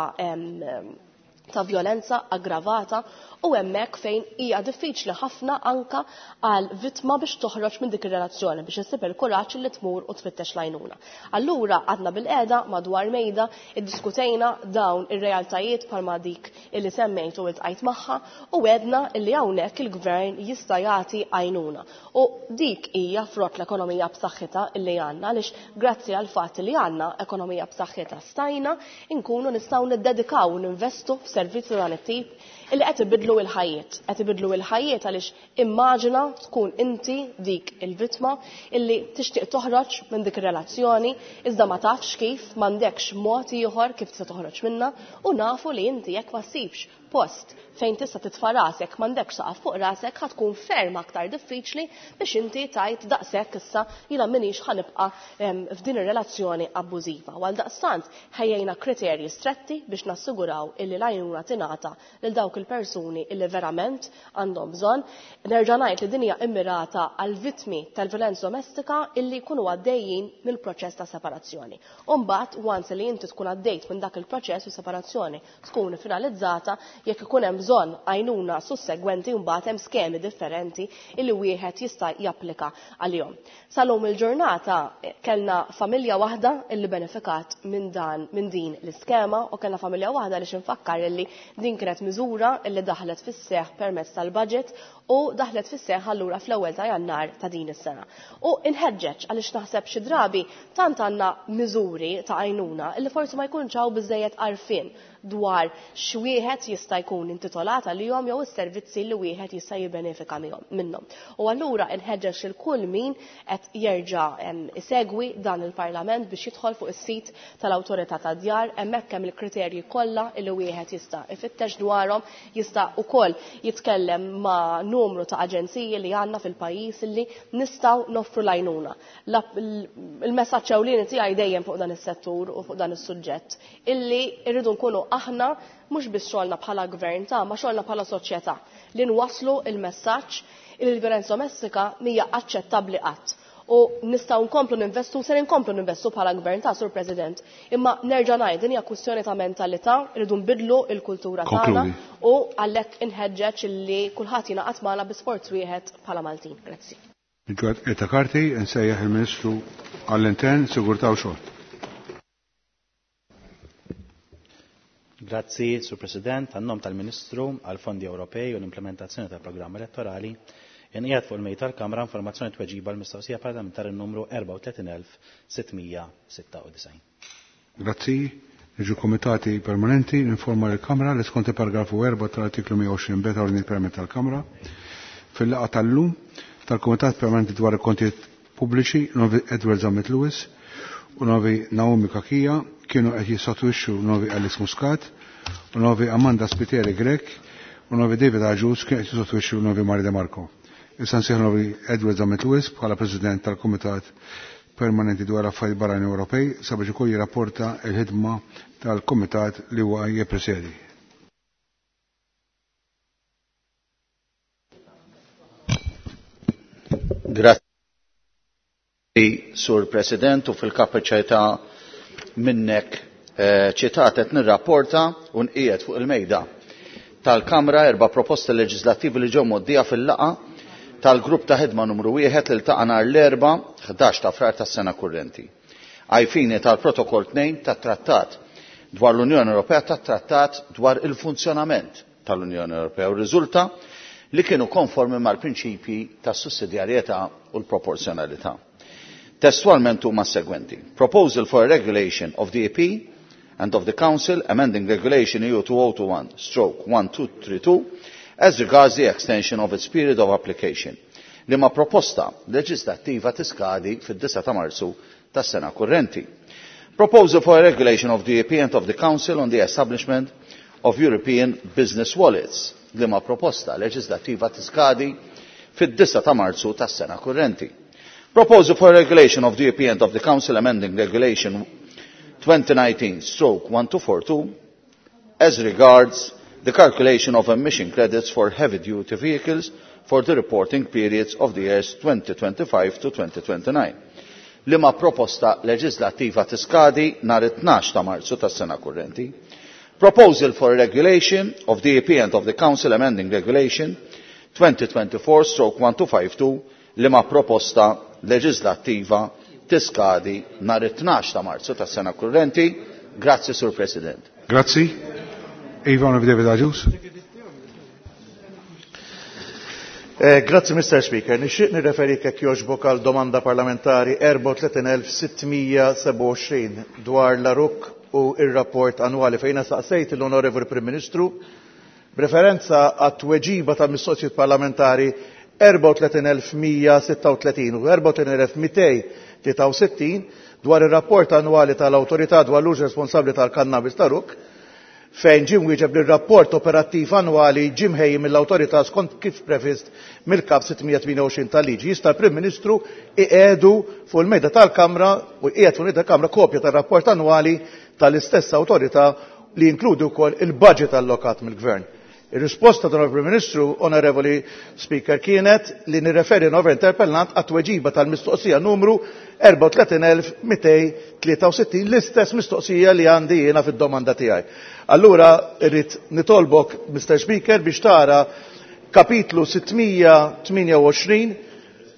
ta' violenza aggravata, u hemmhekk fejn hija diffiċli ħafna anka għal vittma biex toħroġ minn dik ir-relazzjoni, biex issib il-kuraġġ li tmur u tfittex l-għajnuna. Allura għadna bil-qiegħda madwar mejda, iddiskutejna dawn ir-realtajiet bħalma dik illi semmejt u iltqajt magħha, u għedna illi hawnhekk il-gvern jista' jagħti għajnuna. U dik hija frott l-ekonomija b'saħħitha illi għandna, għaliex grazzi għal fatt li għandna ekonomija b'saħħitha stajna nkunu nistgħu niddedikaw u ninvestu f'servizzi dan it-tip illi qed ibidlu l-ħajjiet. Qed ibidlu l-ħajjiet għaliex immaġina tkun inti dik il-vittma illi tixtieq toħroġ minn dik ir-relazzjoni, iżda ma tafx kif, m'għandekx mod ieħor kif tista' toħroġ minnha, u nafu li inti jekk ma ssibx post fejn tista' titfa' rasek, m'għandekx saqaf fuq rasek, ħa tkun ferm aktar diffiċli biex inti tajt daqshekk issa jiena m'iniex ħanibqa' f'din ir-relazzjoni abbużiva. U għaldaqstant ħejjejna kriterji stretti biex nassiguraw illi l-għajnuna tingħata lil dawk il-persuni illi verament għandhom bżonn. Nerġa' ngħid li din hija immirata għal vittmi tal-violenza domestika illi jkunu għaddejjin mill-proċess ta' separazzjoni. U mbagħad once li inti tkun għaddejt minn dak il-proċess u separazzjoni tkun finalizzata, jekk ikun hemm bżonn għajnuna sussegwenti mbagħad hemm skemi differenti illi wieħed jista' japplika għalihom. Salum il-ġurnata kellna familja waħda illi benefikat minn dan minn din l-iskema, u kellna familja waħda li xinfakkar illi din kienet miżura illi daħlet fis-seħħ permezz tal-budget u daħlet fis-seħħ allura fl-ewwel ta' Jannar ta' din is-sena. U inħeġġeġ għaliex naħseb xi drabi tant għandna miżuri ta' għajnuna illi forsi ma jkunx hawn biżejjed għarfien dwar x'wieħed jista' jkun intitolat għalihom jew is-servizzi li wieħed jista' jibbenefika minnhom. U allura inħeġġeġ lil kull min qed jerġa' isegwi dan il-Parlament biex jidħol fuq is-sit tal-Awtorità tad-Djar, hemmhekk hemm il-kriterji kollha li wieħed jista' ifittex dwarhom, jista' ukoll jitkellem ma' numru ta' aġenziji li għandna fil-pajjiż li nistgħu noffru l-għajnuna. Il-messaġġ ewlieni tiegħi dejjem fuq dan is-settur u fuq dan is-suġġett illi rridu nkunu aħna mhux biss xogħolna bħala gvern ta' ma xogħolna bħala soċjetà li nwasslu il-messaġġ li l-vjolenza domestika mhija aċċettabbli qatt. U nistgħu nkomplu ninvestu, ser nkomplu ninvestu bħala gvern ta' Sur President. Imma nerġa' ngħid din hija kwistjoni ta' mentalità, rridu nbidlu l-kultura tagħna u għalhekk inħeġġeġ illi kulħadd jingħaqad magħna bi sforz wieħed bħala Maltin. Grazzi. Eta Karti, nsejjaħ il-Ministru għall-Intern, Sigurtà u Xogħol. Grazzi, Sur President, għan-nom tal-Ministru għal-Fondi Ewropej u l-implementazzjoni tal-programm elettorali, inqiegħed fuq il-mejda tal-Kamra informazzjoni tweġiba l-mistoqsija parlamentari numru erbgħa u tletin elf sitt mija sitta u disgħin. Grazzi, niġu komitati permanenti, ninforma l-Kamra li skont il-paragrafu erba' tal-artiklu mija u għoxrin b tal-Ordni Permanenti tal-Kamra, fil-laqgħa tal-lum tal-Kumitat Permanenti dwar il-Kontijiet Pubbliċi, Novi Edward Zammit Lewis u Novi Naomi Kakija kienu qed jissotwixxu Novi Alice Muscat u Novi Amanda Spiteri Grech u Novi David Agius kienu qed jissotwixxu Novi Mari De Marco. Issa nsejħ Novi Edward Zammit Lewis bħala President tal-Kumitat Permanenti dwar Affarijiet Barranin Ewropej sabiex ukoll jirrapporta l-ħidma tal-Kumitat li huwa jippresedi. Grazzi, Sur President, u fil-kapaċità minnek ċitat qed nirrapporta u nqiegħed fuq il-mejda tal-Kamra erba' proposti leġislattivi li ġew mgħoddija fil-laqgħa tal-grupp ta' ħidma numru wieħed li ltaqa' nhar l-erba' ħdax ta' Frar tas-sena kurrenti. Għajfini tal-Protokoll tnejn tat-Trattat dwar l-Unjoni Ewropea tat-Trattat dwar il-funzjonament tal-Unjoni Ewropea u riżulta li kienu konformi mal-prinċipji tas-sussidjarjetà u l-proporzjonalità. Testualment huma s-segwenti. Proposal for a regulation of the E P and of the Council amending Regulation E U two oh two one stroke one two three two as regards the extension of its period of application. Liema proposta leġislattiva tiskadi fid-disgħa ta' Marzu tas-sena kurrenti. Proposal for a regulation of the E P and of the Council on the establishment of European Business Wallets. Liema proposta leġislattiva tiskadi fid-disgħa ta' Marzu tas-sena kurrenti. Proposal for a regulation of the E P and of the Council amending Regulation twenty nineteen stroke one two four two as regards the calculation of emission credits for heavy-duty vehicles for the reporting periods of the years twenty twenty-five to twenty twenty-nine. Liema proposta leġislattiva tiskadi nhar it-tnax ta' Marzu tas-sena kurrenti. Proposal for a regulation of the E P and of the Council amending Regulation twenty twenty-four stroke one two five two liema proposta leġislattiva tiskadi nhar it-tnax ta' Marzu tas-sena kurrenti. Grazzi, Sur President. Grazzi. Ivan David Agius. Eh, grazzi, Mister Speaker. Nixtieq nirreferi kek jogħġbok għal domanda parlamentari erbgħa u tletin elf sitt mija sebgħa u għoxrin dwar l-A R U C u ir-rapport annwali fejn saqsejt l-Onorevoli Prim Ministru b'referenza għat-tweġiba ta' mistoqsijiet parlamentari erbgħa u tletin elf mija sitta u tletin u erbgħa u tletin elf mitej tlieta u sittin dwar ir-rapport annwali tal-Awtorità dwar l-użu responsabbli tal-kannabis ta' R U C fejn ġie mwieġeb li r-rapport operattiv annwali ġie mħejji mill-awtorità skont kif previst mill-Kap sitt mija tmienja u għoxrin tal-liġi. Jista' l-Prim Ministru iqiegħdu fuq il-mejda tal-Kamra u jqiegħed fuq il-mejda tal-Kamra kopja tar-rapport annwali tal-istess awtorità li jinkludi wkoll il-budget allokat mill-Gvern. Ir-risposta tal-Prim Ministru, Onorevoli Speaker, kienet li nirreferi n-over interpellant għat-tweġiba tal-mistoqsija numru erbgħa u tletin elf mitej tlieta u sittin, l-istess mistoqsija li għandi jiena fid-domanda tiegħi. Allura irrid nitolbok, Mister Speaker, biex tara kapitlu sitt mija tmienja u għoxrin,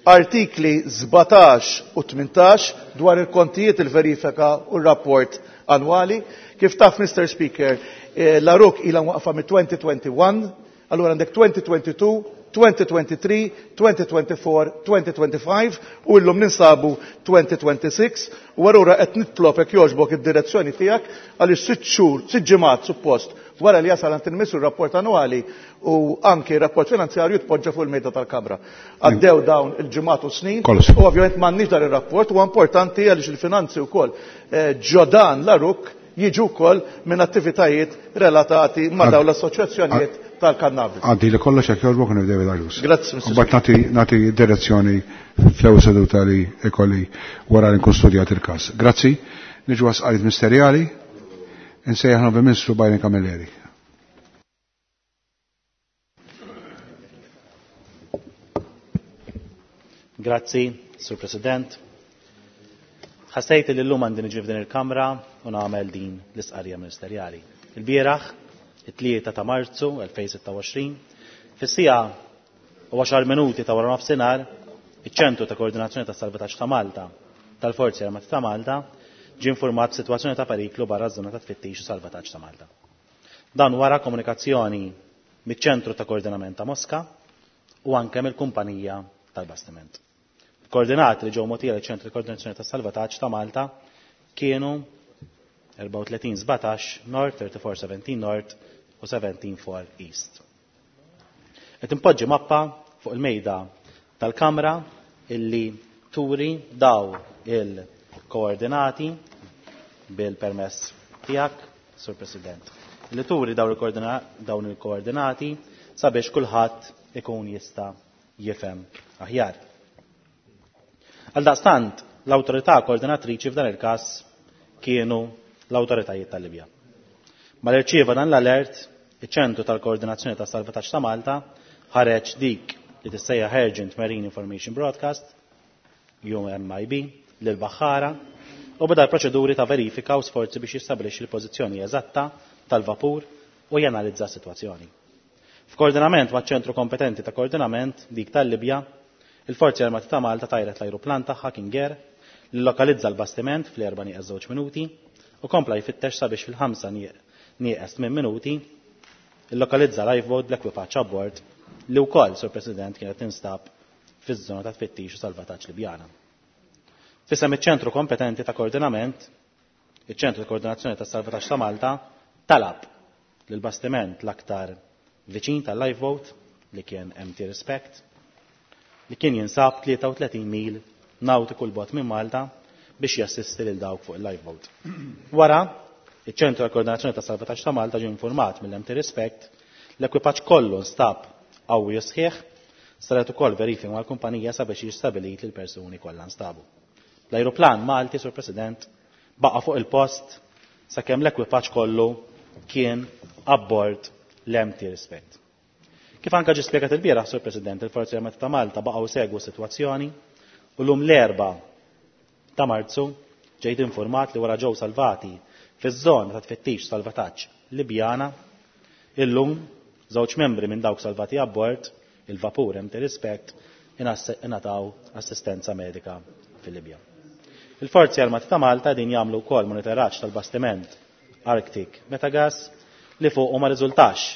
artikli sbatax u tmintax dwar il-kontijiet, il-verifika u r-rapport annwali. Kif taf, Mister Speaker, eh, l-A R U C ilha waqfa mit twenty twenty-one, allura għandek twenty twenty-two, twenty twenty-three, twenty twenty-four, twenty twenty-five u llum ninsabu twenty twenty-six u allura qed nitlob jekk jogħġbok id-direzzjoni tiegħek għaliex sitt xhur, sitt ġimgħat suppost wara li jasal għand il-Ministru r-rapport annwali u anki r-rapport finanzjarju tpoġġa fuq il-mejda tal-Kamra. Għaddew dawn il-ġimgħat u snin u ovvjament m'għandniex dan ir-rapport u importanti għaliex il-finanzi wkoll ġodan l-aruk jiġu wkoll minn attivitajiet relatati ma' dawn l-assoċjazzjonijiet tal-kannabis. Għaddi li kollox jekk jogħġbok nibdew il-Agius. Grazzi, Mister Mbagħad nagħti nagħti direzzjoni fl-ewwel seduta li ikolli wara li nkun studjat il-każ. Grazzi. Niġu għas ministerjali. Insejjaħ Ministru Byron Camilleri. Grazzi, Sur President. Ħassejt li llum għandi niġi f'din il-Kamra u nagħmel din l-istqarrija ministerjali. Il-bieraħ, it-tlieta ta' Marzu elfejn sitta u għoxrin, fis-siegħa u għaxar minuti ta' wara nofsinhar, iċ-Ċentru ta' Koordinazzjoni tas Salvataġġ ta' Malta tal-Forzi Armati ta' Malta ġie informat b'sitwazzjoni ta' periklu barra ż-żona ta' tfittix u salvataġġ ta' Malta. Dan wara komunikazzjoni miċ-Ċentru ta' Koordinament ta' Mosca u anke mill-kumpanija tal-bastiment. Koordinati li ġew mogħtija liċ-Ċentru ta' Koordinazzjoni tas Salvataġġ ta' Malta kienu erbgħa u tletin sbatax North, thirty-four seventeen North u seventeen four East. Qed impoġġi mappa fuq il-mejda tal-Kamra illi turi daw il-koordinati bil-permess tiegħek, Sur President. Illi turi dawn il-koordinati sabiex kulħadd ikun jista' jifhem aħjar. Għaldaqstant, l-awtorità koordinatriċi f'dan il-każ kienu l-awtoritajiet tal-Libja. Mal-irċieva dan l-alert, iċ-Ċentru tal-Koordinazzjoni tas Salvataġġ ta' Malta ħareġ dik li tissejjaħ Urgent Marine Information Broadcast, U M I B, lil Baħħara u beda l-proċeduri ta' verifika u sforzi biex jistabilixxi l-pożizzjoni eżatta tal-vapur u janalizza s-sitwazzjoni. F'koordinament maċ-ċentru kompetenti ta' koordinament dik tal-Libja, il-Forzi Armati ta' Malta tajret l-ajruplan tagħha King Air li lokalizza l-bastiment fl-erba' nieqes żewġ minuti u kompla jfittex sabiex fil-ħamsa nieqes tmien minuti illokalizza lifeboat bl-ekwipaġġ abbord li wkoll, Sur President, kienet tinstab fiż-żona ta' tfittix u salvataġġ Libjana. Fisem iċ-ċentru kompetenti ta' koordinament, iċ-ċentru ta' koordinazzjoni tas salvataġġ ta' Malta talab lil bastiment l-aktar viċin tal-lifeboat li kien M T Respect li kien jinsab tlieta u tletin mil nautiku l bogħod minn Malta biex jassisti lil dawk fuq il-lifeboat. Wara, iċ-ċentru ta' koordinazzjoni tas salvataġġ ta' Malta ġie informat mill-M T Respect l-ekwipaġġ kollu nstab qawwi sħiħ, saret ukoll verifika mal-kumpanija sabiex jistabilit li l-persuni kollha nstabu. L-ajruplan Malti, Sur President, baqa' fuq il-post sakemm l-ekwipaġġ kollu kien abbord l-M T Respect. Kif anka ġie spjegat il-bieraħ, Sur President, il-Forzi Armati ta' Malta baqgħu segwu s-sitwazzjoni u llum l-erba' ta' Marzu ġejt informat li wara ġew salvati fiż-żona ta' tfittix salvataġġ Libjana, illum żewġ membri minn dawk salvati abbord il-vapur M T Respect ingħataw assistenza medika fil-Libja. Il-Forzi Armati ta' Malta din jagħmlu wkoll monitoraġġ tal-bastiment Arctic Metagas li fuq u ma riżultax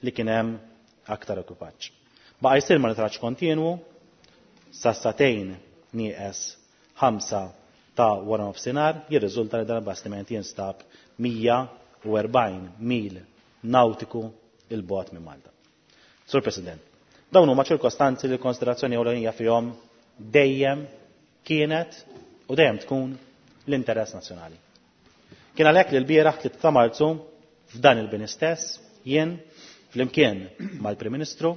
li kien hemm aktar ekwipaġġ. Baqa' jsir monitoraġġ kontinwu sa satejn nieqes ħamsa ta' wara nofsinhar jirriżulta li dan il-bastiment jinstab mija u erbgħin mil nautiku il-bogħod minn Malta. Sur President, dawn huma ċirkostanzi li l-konsiderazzjoni ewlenija fihom dejjem kienet u dejjem tkun l-interess nazzjonali. Kien għalhekk li l-bieraħ tlieta ta' Marzu f'dan il-bini stess jien flimkien mal-Prim Ministru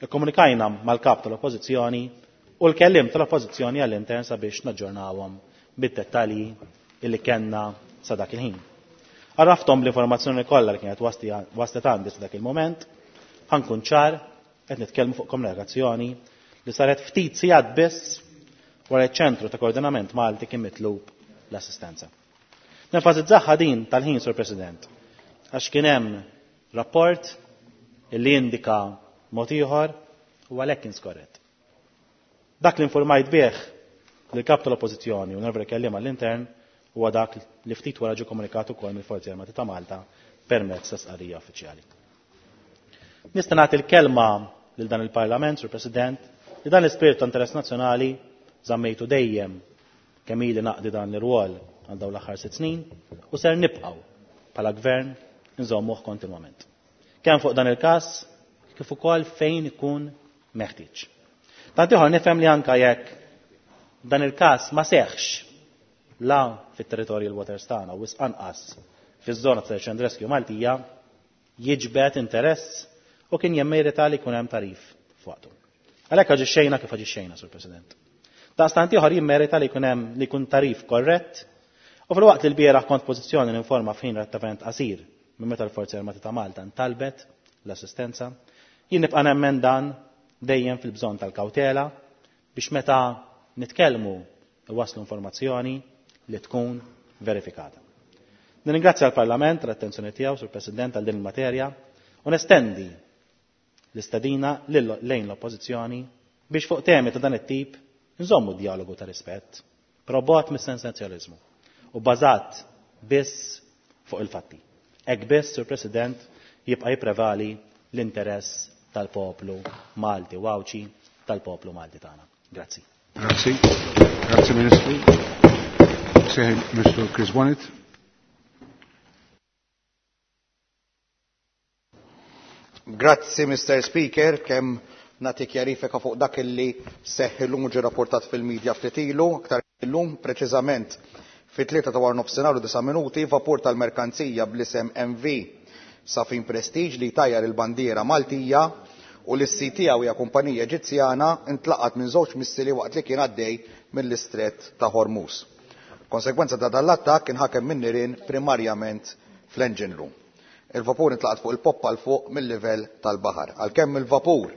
ikkomunikajna mal-kap tal-Oppożizzjoni u l-kellim tal-Oppożizzjoni għall-intern sabiex naġġornawhom bid-dettalji illi kellna sa dak il-ħin. Għarrafthom l-informazzjoni kollha li kienet waslet għandi sa dak il-moment, ħankun ċar qed nitkellmu fuq komunikazzjoni li saret ftit sigħat biss wara ċ-ċentru ta' koordinament Malti kien mitlub l-assistenza. Nenfasizzaħħa din tal-ħin, Sur President, għax kien hemm rapport illi indika mod ieħor u għalhekk kien skorrett. Dak li informajt bih lill-kap tal-Oppożizzjoni u nervri kelliem għall-intern huwa dak li ftit wara ġie komunikat ukoll mill-Forzi Armati ta' Malta permezz ta' stqarrija uffiċjali. Nista' nagħti l-kelma lil dan il-Parlament, Sur President, li dan l-ispirtu ta' interess nazzjonali żammejtu dejjem kemm ili naqdi dan l-irwol għal dawn l-aħħar sitt snin u ser nibqgħu bħala gvern nżommuh kontinwament. Kemm fuq dan il-każ kif ukoll fejn ikun meħtieġ. Tant ieħor nifhem li anke jekk dan il-każ ma seħħx la fit-territorial waters tagħna u wisq anqas fiż-żona ta' search and rescue Maltija jiġbed interess u kien jemmerita li jkun hemm tagħrif f'waqtu. Għalhekk aġixxejna kif aġixxejna, Sur President. Daqstant ieħor jimmerita li jkun hemm li jkun tagħrif korrett u fil-waqt li l-bieraħ kont pożizzjoni ninforma f'ħin relattivament qasir minn meta l-Forzi Armati ta' Malta ntalbet l-assistenza, jien nibqa' nemmen dan dejjem fil-bżonn tal-kawtela biex meta nitkellmu iwasslu informazzjoni li tkun verifikata. Nirringrazzja l-Parlament tal-attenzjoni tiegħu, Sur President, għal din il-materja u nestendi l-istedina lejn l-oppożizzjoni biex fuq temi ta' dan it-tip nżommu dialogu ta' rispett, però bogħod mis-sensazzjonaliżmu u bażat biss fuq il-fatti. Hekk biss, Sur President, jibqa' jipprevali l-interess tal-poplu Malti u Għawdxi, tal-poplu Malti tagħna. Grazzi. Grazzi. Grazzi Ministru. Sejħ Ministru Chris Bonnet. Grazzi, Mister Speaker, kemm nagħti kjarifika fuq dak illi seħħ illum u ġie rapportat fil-medja ftit ilu, aktar illum preċiżament fit-tlieta ta' wara nofsinhar u disa' minuti, vapur tal-merkanzija bl-isem M V Safin Prestige li tajjar il-bandiera Maltija u li s-sit tiegħu hija kumpanija Eġizzjana intlaqat minn żewġ missili waqt li kien għaddej mill-istret ta' Hormuz. Konsegwenza ta' dan l-attakk kien ħakem minn nirien primarjament fl-engine room. Il-vapur intlaqat fuq il-poppa l fuq mill-livell tal-baħar. Għalkemm il-vapur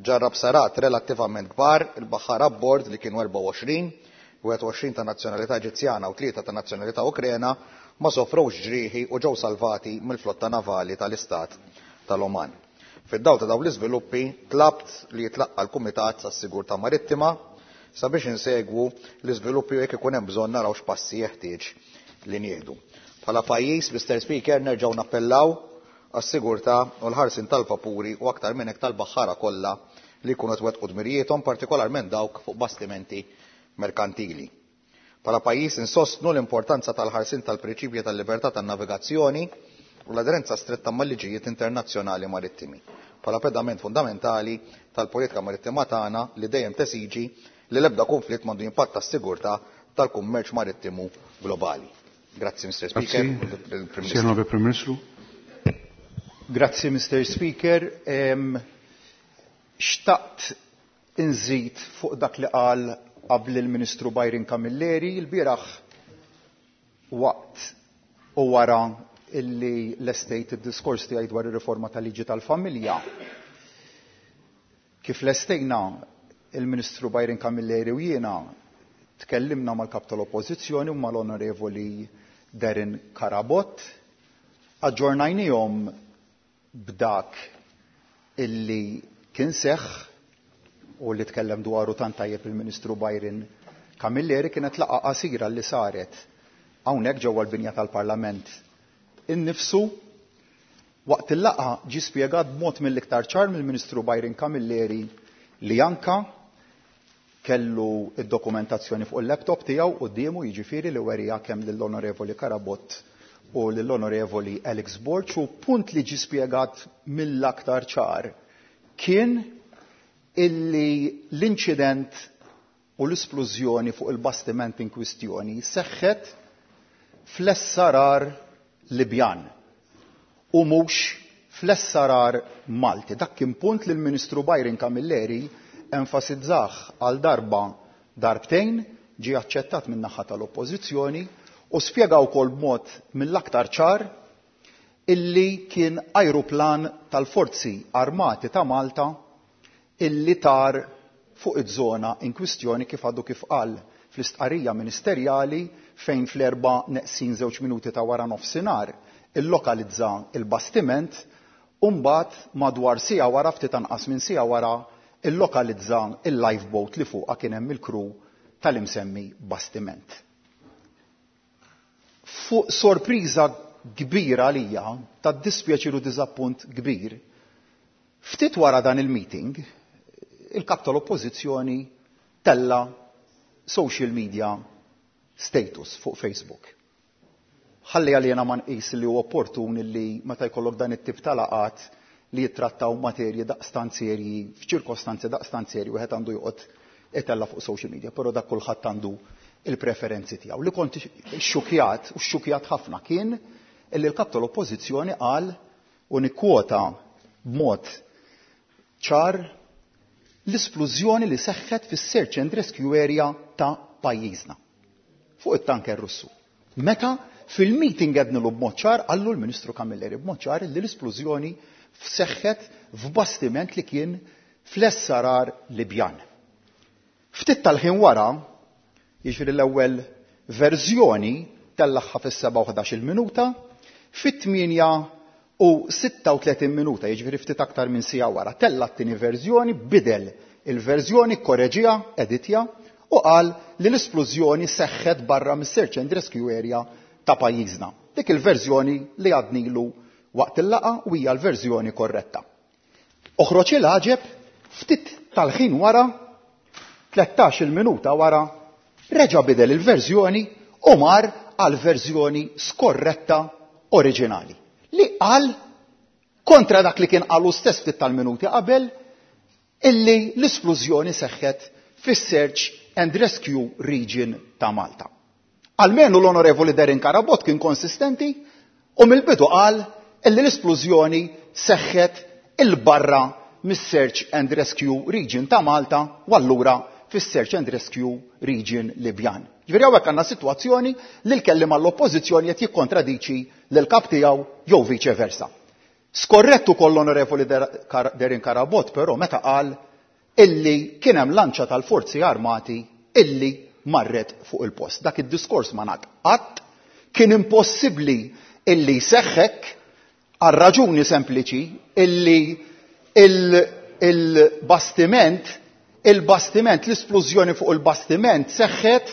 ġarrab sarat relattivament kbar, il-baħar abbord li kienu erbgħa u għoxrin, wieħed u għoxrin ta' nazzjonalità Eġizzjana u tlieta ta' nazzjonalità Ukrena ma sofrewx ġrieħi u ġew salvati mill-flotta navali tal-Istat tal-Oman. Fid-dawl ta' dawn l-iżviluppi tlabt li jitlaqqa l-Kumitat tas-Sigurtà Marittima sabiex insegwu l-iżviluppi u jekk ikun hemm bżonn naraw x'passi jeħtieġ li nieħdu. Bħala pajjiż, Mister Speaker, nerġgħu nappellaw għas-sigurtà u l-ħarsin tal-vapuri u aktar minn hekk tal-baħħara kollha li jkunu qed wettqu dmirijiethom, partikolarment dawk fuq bastimenti merkantili. Bħala pajjiż insostnu l-importanza tal-ħarsin tal-prinċipji tal-libertà tan-navigazzjoni u l-aderenza stretta mal-liġijiet internazzjonali marittimi, bħala pedament fundamentali tal-politika marittima tagħna li dejjem tesiġi li l-ebda konflitt m'għandu jimpatta s-sigurtà tal-kummerċ marittimu globali. Grazzi, Mister Speaker. Grazzi. Signor Prim Ministru. Grazzi, Mister Speaker. Em, xtaqt inżid fuq dak li qal qabel il-Ministru Byron Camilleri l-bieraħ waqt u wara illi lestejt id-diskors tiegħi dwar ir-riforma tal-liġi tal-familja. Kif lestejna il-Ministru Byron Camilleri u jiena tkellimna mal-kap tal-Oppożizzjoni u mal-Onorevoli Darren Carabott, aġġornajnihom b'dak illi kien seħħ u li tkellem dwaru tant tajjeb il-Ministru Byron Camilleri. Kienet laqgħa qasira li saret hawnhekk ġewwa l-binja tal-Parlament innifsu. Waqt il-laqgħa ġie spjegat b'mod mill-iktar ċar mill-Ministru Byron Camilleri li anka kellu id-dokumentazzjoni fuq il-laptop tiegħu quddiemu, jiġifieri li werija kemm lill-Onorevoli Carabott u lill-Onorevoli Alex Borg, u punt li ġie spjegat mill-aktar ċar kien illi l-inċident u l-isplużjoni fuq il-bastiment in kwistjoni seħħet fl-S R R Libjan u mhux fl-S R R Malti. Dak kien punt li l-Ministru Byron Camilleri enfasizzah għal darba darbtejn, ġie aċċettat min-naħa tal-Oppożizzjoni u spjega wkoll b'mod mill-aktar ċar illi kien ajruplan tal-Forzi Armati ta' Malta illi tar fuq iż-żona in kwistjoni, kif għadu kif qal fl-istqarrija ministerjali, fejn fl-erba' neqsin żewġ minuti ta' wara nofsinhar illokalizza il-bastiment u mbagħad madwar siegħa wara, ftit anqas minn siegħa wara, illokalizza il-lifeboat li fuqha kien hemm il-crew tal-imsemmi bastiment. Fuq sorpriża kbira għalija, ta' dispjaċir u diżappunt kbir, Ftit wara dan il-meeting, il-kap tal-oppożizzjoni tella social media status fuq Facebook. Ħalli għalina ma nqis li huwa opportun li meta jkollok dan it-tip ta' laqgħat li jittrattaw materji daqstant serji, f'ċirkostanzi daqstant serji, wieħed għandu joqgħod itella fuq social media, però dak kulħadd għandu il-preferenzi tiegħu. Li kont xxukjat, u xxukjat ħafna, kien illi l-kap tal-oppożizzjoni qal, u nikkwota b'mod ċar, l-isplużjoni li seħħet fis-search and rescue area ta' pajjiżna fuq it-tanker Russu. Meta fil-meeting għednilu b'mod ċar, qallu l-Ministru Camilleri b'mod ċar li l-isplużjoni seħħet f'bastiment li kien fl-S R R Libjan. Ftit tal-ħin wara, jiġifieri l-ewwel verżjoni tellagħha fis-sebgħa u ħdax-il minuta, fit-tmienja u sitta u tletin minuta, jiġifieri ftit aktar minn siegħa wara, tella' t-tieni verżjoni, bidel il-verżjoni, korreġiha, editja, u qal li l-isplużjoni seħħet barra mis-search and rescue area ta' pajjiżna. Dik il-verżjoni li għadnilu waqt il-laqgħa u hija l-verżjoni korretta. Oħroġ il-għaġeb, ftit tal-ħin wara, tlettax-il minuta wara, reġa' bidel il-verżjoni u mar għal verżjoni skorretta oriġinali. Li qal kontra dak li kien qalu stess ftit tal-minuti qabel, illi l-isplużjoni seħħet fis-Search and Rescue Region ta' Malta. Almenu l-Onorevoli Darren Carabott kien konsistenti u mill-bidu qal illi l-isplużjoni seħħet il-barra mis-Search and Rescue Region ta' Malta u allura fis-Search and Rescue Region Libjan. Ġifieri hawnhekk għandna sitwazzjoni li l-kelliem għall-oppożizzjoni qed jikkontradiċi lil kap tiegħu jew viċe versa. Skorrettu koll l-Onorevoli Darren Carabott però meta qal illi kien hemm lanċa tal-Forzi Armati illi marret fuq il-post. Dak id-diskors ma ngħad qatt, kien impossibbli illi seħħek għal raġuni sempliċi illi il-bastiment, il-bastiment, l-isplużjoni fuq il-bastiment seħħet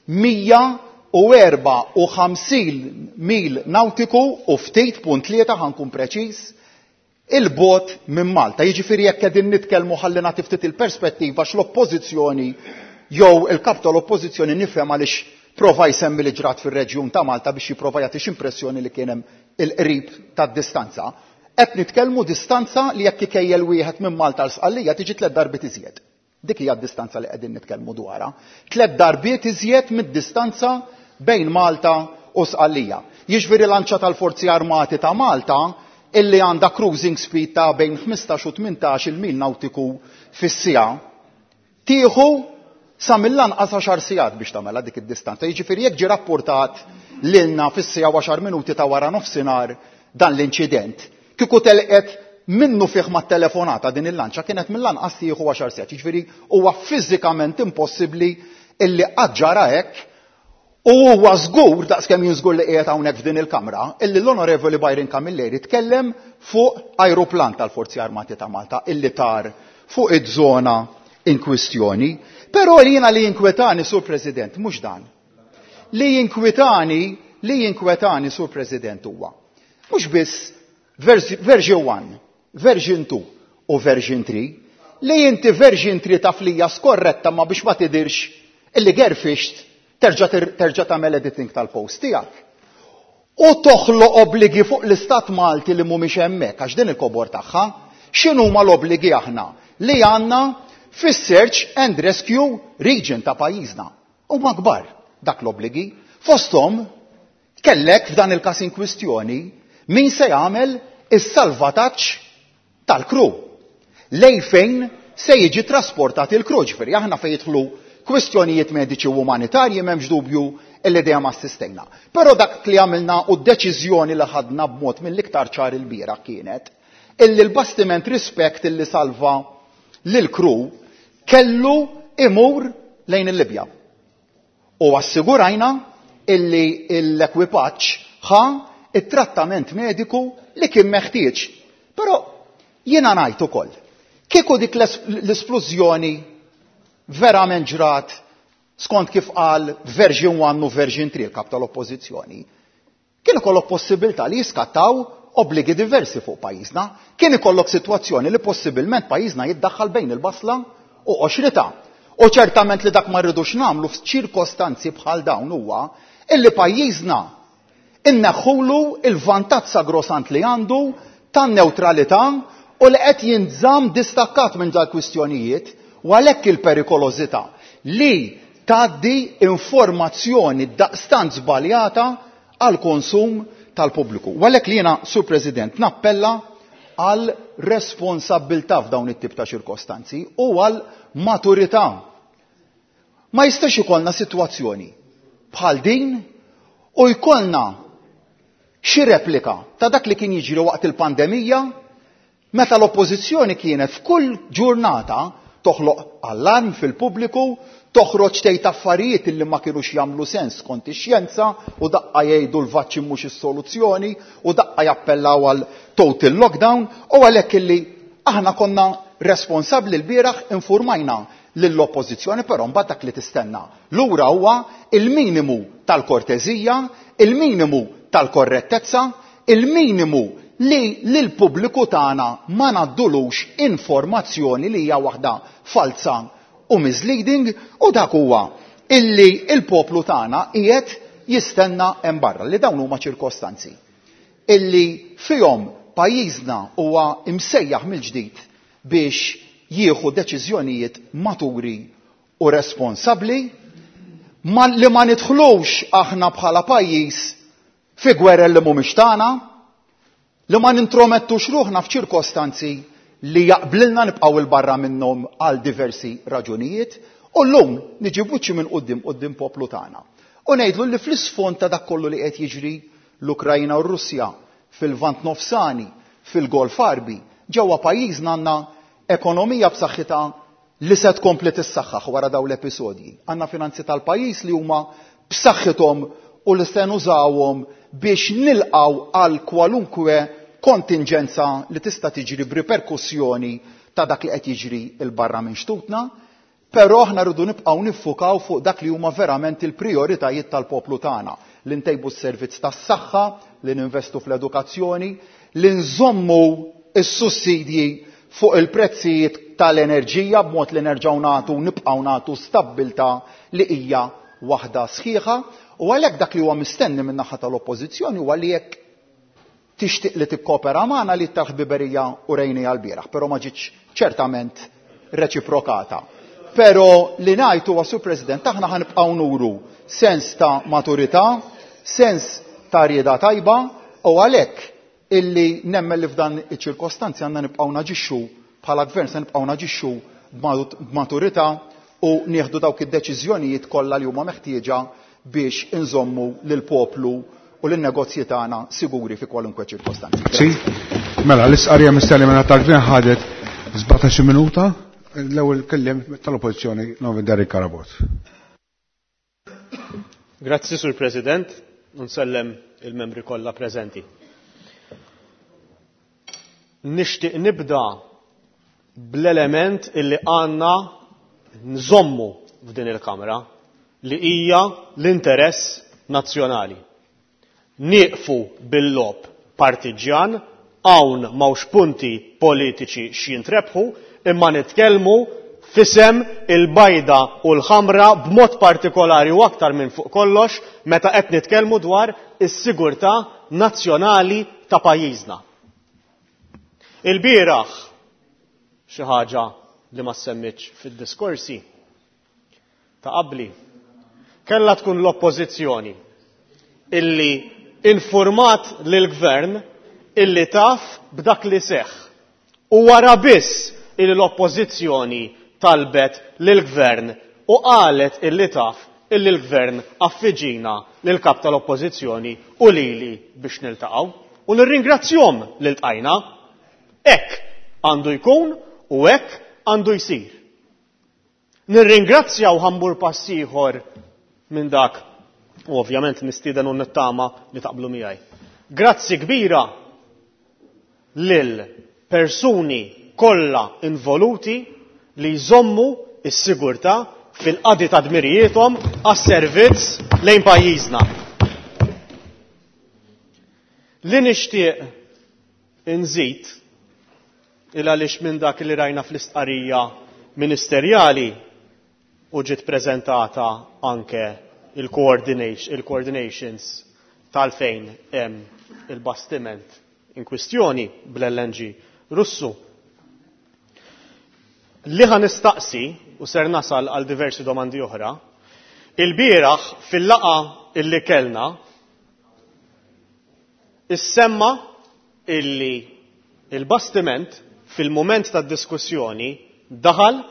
mija u erba' u ħamsin mil nautiku u ftit punt tlieta, ħankun preċiż, il-bot minn Malta. Jiġifieri jekk qegħdin nitkellmu ħalli nagħti ftit il-perspettiva x'l-oppożizzjoni jew il-kap tal-oppożizzjoni nifhem għaliex prova jsemmi li ġrat fir-reġjun ta' Malta biex jipprova jagħti x'impressjoni li kien hemm il-qrib tad-distanza. Qed nitkellmu distanza li jekk ikejjel wieħed minn Malta l Sqallija tiġi tliet darbiet iżjed. Dik hija d-distanza li qegħdin nitkellmu dwarha. Tliet darbiet iżjed mid-distanza bejn Malta u Sqallija. Jiġifieri lanċa tal-Forzi Armati ta' Malta illi għandha cruising speed ta' bejn ħmistax u tmintax il-mil nautiku fis-siegħa tieħu sa mill-anqas għaxar sigħat biex tagħmilha dik id-distanza. Jiġifieri jekk ġie rappurtat lilna fis-siegħa u għaxar minuti ta' wara nofsinhar dan l-inċident, kieku telqet minnu fih mat-telefonata din il-lanċa kienet mill-anqas tieħu għaxar sigħat. Jiġifieri huwa fiżikament impossibbli illi qatt ġara hekk. U huwa żgur, daqskemm jien żgur li qiegħed hawnhekk f'din il-Kamra, illi l-Onorevoli Byron Camilleri tkellem fuq ajruplan tal-Forzi Armati ta' Malta illi tar fuq iż-żona in kwistjoni. Però li jiena li jinkwetani, Sur President, mhux dan. Li jinkwetani, li jinkwetani, Sur President, huwa mhux biss version one, version two u version three, li inti version three taf li hija skorretta ma biex ma tidirx illi gerfixt terġa' ter-, terġa' tagħmel editing tal-post tiegħek. U toħloq obbligi fuq l-Istat Malti li mhumiex hemmhekk, għax din il-kobor tagħha, x'inhuma l-obbligi aħna li għandna fis-Search and Rescue Region ta' pajjiżna. Huma kbar dak l-obbligi. Fosthom kellek f'dan il-każ in kwistjoni min se jagħmel is-salvataġġ tal-kru. Lej fejn se jiġi trasportat il-kru, ġifieri aħna fejn jidħlu kwistjonijiet mediċi u umanitarji m'hemmx dubju illi dejjem assistejna. Però dak li għamilna u d-deċiżjoni li ħadna b'mod mill-iktar ċar il-bieraħ kienet illi l-bastiment Respect illi salva lil-kru kellu imur lejn il-Libja. U assigurajna illi l-ekwipaġġ ħa it-trattament mediku li kien meħtieġ. Però jiena ngħid ukoll, kieku dik l-esplużjoni verament ġrat skont kif qal version one u version three l-kap tal-oppożizzjoni, kien ikollok possibilità li jiskattaw obbligi diversi fuq pajjiżna, kien ikollok sitwazzjoni li possibilment pajjiżna jiddaħħal bejn il-basla u qoxrita. U ċertament li dak ma rridux nagħmlu f'ċirkostanzi bħal dawn huwa illi pajjiżna inneħħulu il-vantaġġ sagrosant li għandu tan-newtralità u li qed jinżamm distakkat minn dal kwistjonijiet u għalhekk il-perikolożità li tgħaddi informazzjoni daqstant żbaljata għal konsum tal-pubbliku. U għalhekk li jiena, Sur President, nappella għal responsabbiltà f'dawn it-tip ta' ċirkostanzi u għal maturità. Ma jistax ikollna sitwazzjoni bħal din u jkollna xi replika ta' dak li kien jiġri waqt il-pandemija meta l-oppożizzjoni kienet f'kull ġurnata toħloq allarm fil-pubbliku, toħroġ tgħid affarijiet illi ma kinux jagħmlu sens skont ix-xjenza u daqqa jgħidu l-vaċċin mhux is-soluzzjoni u daqqa jappellaw għal total lockdown u għalhekk illi aħna konna responsabbli l-bieraħ infurmajna lill-oppożizzjoni, però mbagħad dak li tistenna. Lura huwa il-minimu tal-korteżija, il-minimu tal-korrettezza, il-minimu li lill-pubbliku tagħna ma ngħaddulux informazzjoni li hija waħda falsa u misleading, u dak huwa illi il-poplu tagħna qiegħed jistenna hemm barra li dawn huma ċirkostanzi illi fihom pajjiżna huwa imsejjaħ mill-ġdid biex jieħu deċiżjonijiet maturi u responsabbli, ma li ma nidħlux aħna bħala pajjiż fi gwerer li mhumiex tagħna, li ma nintromettux ruħna f'ċirkostanzi li jaqblilna nibqgħu il barra minnhom għal diversi raġunijiet, u llum niġi buċċi minn quddiem quddiem poplu tagħna. U ngħidlu li fl-isfond ta' dak kollu li qed jiġri l-Ukrajna u r-Russja, fil-Lvant Nofsani, fil-Golf Għarbi, ġewwa pajjiżna għandna ekonomija b'saħħitha li se tkompli tissaħħaħ wara dawn l-episodji. Għandna finanzi tal-pajjiż li huma b'saħħithom u li se nużawhom biex nilqgħu għal kwalunkwe kontingenza li tista' tiġri b'riperkussjoni ta' dak li qed jiġri il barra minn xtutna, però aħna rridu nibqgħu niffukaw fuq dak li huma verament il-prijoritajiet tal-poplu tagħna, li ntejbu s-servizz tas-saħħa, li ninvestu fl-edukazzjoni, li nżommu s-sussidji fuq il-prezzijiet tal-enerġija b'mod li nerġgħu nagħtu nibqgħu nagħtu stabbiltà li hija waħda sħiħa, u għalhekk dak li huwa mistenni min-naħa tal-oppożizzjoni huwa li jekk tixtieq li tikkopera magħna li tal-ħbiberija u rejni għall-bieraħ, però ma ġietx ċertament reċiprokata. Però li ngħid huwa, Sur President, aħna ħanibqgħu nuru sens ta' maturità, sens ta' rieda tajba, u għalhekk illi nemmen li f'dan iċ-ċirkostanzi għandna nibqgħu naġixxu bħala gvern, se nibqgħu naġixxu b'maturità u nieħdu dawk id-deċiżjonijiet kollha li huma meħtieġa biex inżommu lill-poplu u lin-negozji tagħna siguri fi kwalunkwe ċirkostanzi. Sì, mela l-isqarija mistenni minn tal-gvern ħadet sbatax-il minuta. L-ewwel kelliem tal-Oppożizzjoni Novi Derek Carabott. Grazzi, Sur President, u nsellem il-membri kollha preżenti. Nixtieq nibda bl-element illi għandna nżommu f'din il-Kamra li hija l-interess nazzjonali. Nieqfu bil-lob partiġjan, hawn m'hawnx punti politiċi x'jintrebħu, imma nitkellmu fisem il-bajda u l-ħamra b'mod partikolari u aktar minn fuq kollox meta qed nitkellmu dwar is-sigurtà nazzjonali ta' pajjiżna. Il-bieraħ xi ħaġa li ma semmitx fid-diskorsi ta' qabli, kellha tkun l-oppożizzjoni illi informat lill-gvern illi taf b'dak li seħħ. U wara biss illi l-oppożizzjoni talbet lill-gvern u qalet illi taf illi l-gvern affiġina lill-kap tal-oppożizzjoni u lili biex niltaqgħu. U nirringrazzjahom li ltqajna. Hekk għandu jkun u hekk għandu jsir. Nirringrazzja u ħambur pass ieħor minn dak, u ovvjament nistieden u nittama li taqblu miegħi. Grazzi kbira lil persuni kollha involuti li jżommu s-sigurtà fil-qadi ta' dmirijiethom għas-servizz lejn pajjiżna. Li nixtieq inżid il għaliex minn dak li rajna fl-istqarrija ministerjali u ġiet preżentata anke il-coordinations tal-fejn hemm il-bastiment in kwistjoni bl-L N G Russu. Li ħa nistaqsi, u ser nasal għal diversi domandi oħra, il-bieraħ fil-laqgħa illi kellna, issemma illi il-bastiment fil-moment tad diskussjoni daħal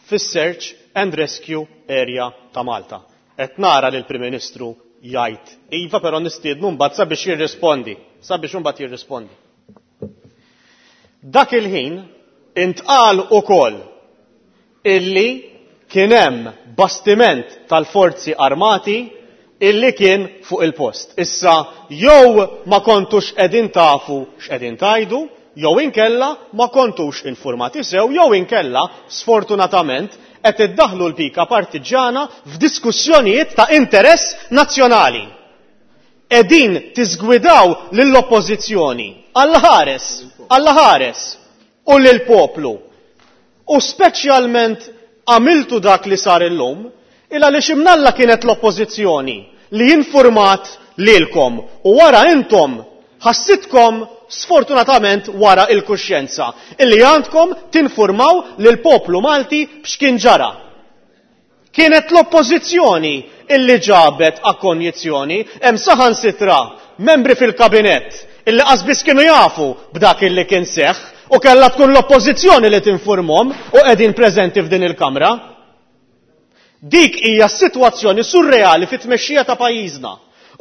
fis-search and rescue area ta' Malta. Qed nara lil prim Ministru jgħid iva, però nistiednu mbagħad sabiex jirrispondi, sabiex imbagħad jirrispondi. Dak il-ħin intqal ukoll illi kien hemm bastiment tal-forzi armati illi kien fuq il-post. Issa jew ma kontux qegħdin tafu x'qegħdin tgħidu, jew inkella ma kontux informati sew, jew inkella sfortunatament qed iddaħlu l-pika partiġana f'diskussjonijiet ta' interess nazzjonali. Qegħdin tiżgwidaw lill-oppożizzjoni, Alla ħares, Alla ħares, u lill-poplu. U speċjalment għamiltu dak li sar illum, il għaliex imnalla kienet l-oppożizzjoni li informat lilkom u wara intom ħassitkom sfortunatament wara il-kuxjenza illi għandkom tinformaw lil poplu Malti b'x'kien ġara. Kienet l-oppożizzjoni illi ġabet akkonjizzjoni, hemm saħansitra membri fil-kabinett illi qasbis kienu jafu b'dak illi kien seħħ u kellha tkun l-oppożizzjoni li tinformhom u qegħdin preżenti f'din il-kamra. Dik hija s-sitwazzjoni surreali fit-tmexxija ta' pajjiżna.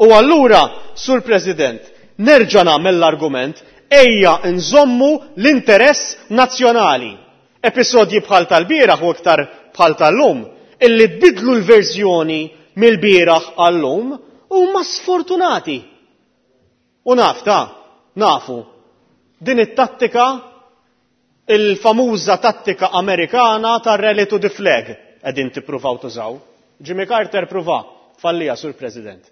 U allura, Sur President, nerġa' nagħmel l-argument: ejja nżommu l-interess nazzjonali. Episodji bħal tal-bieraħ u iktar bħal tal-lum, illi tbidlu l-verżjoni mill-bieraħ għall-lum, huma sfortunati. U naf ta' nafu, din it-tattika, il-famuża tattika Amerikana tar-rally to the flag qegħdin tippruvaw tużaw. Jimmy Carter pruva, fallija, Sur President.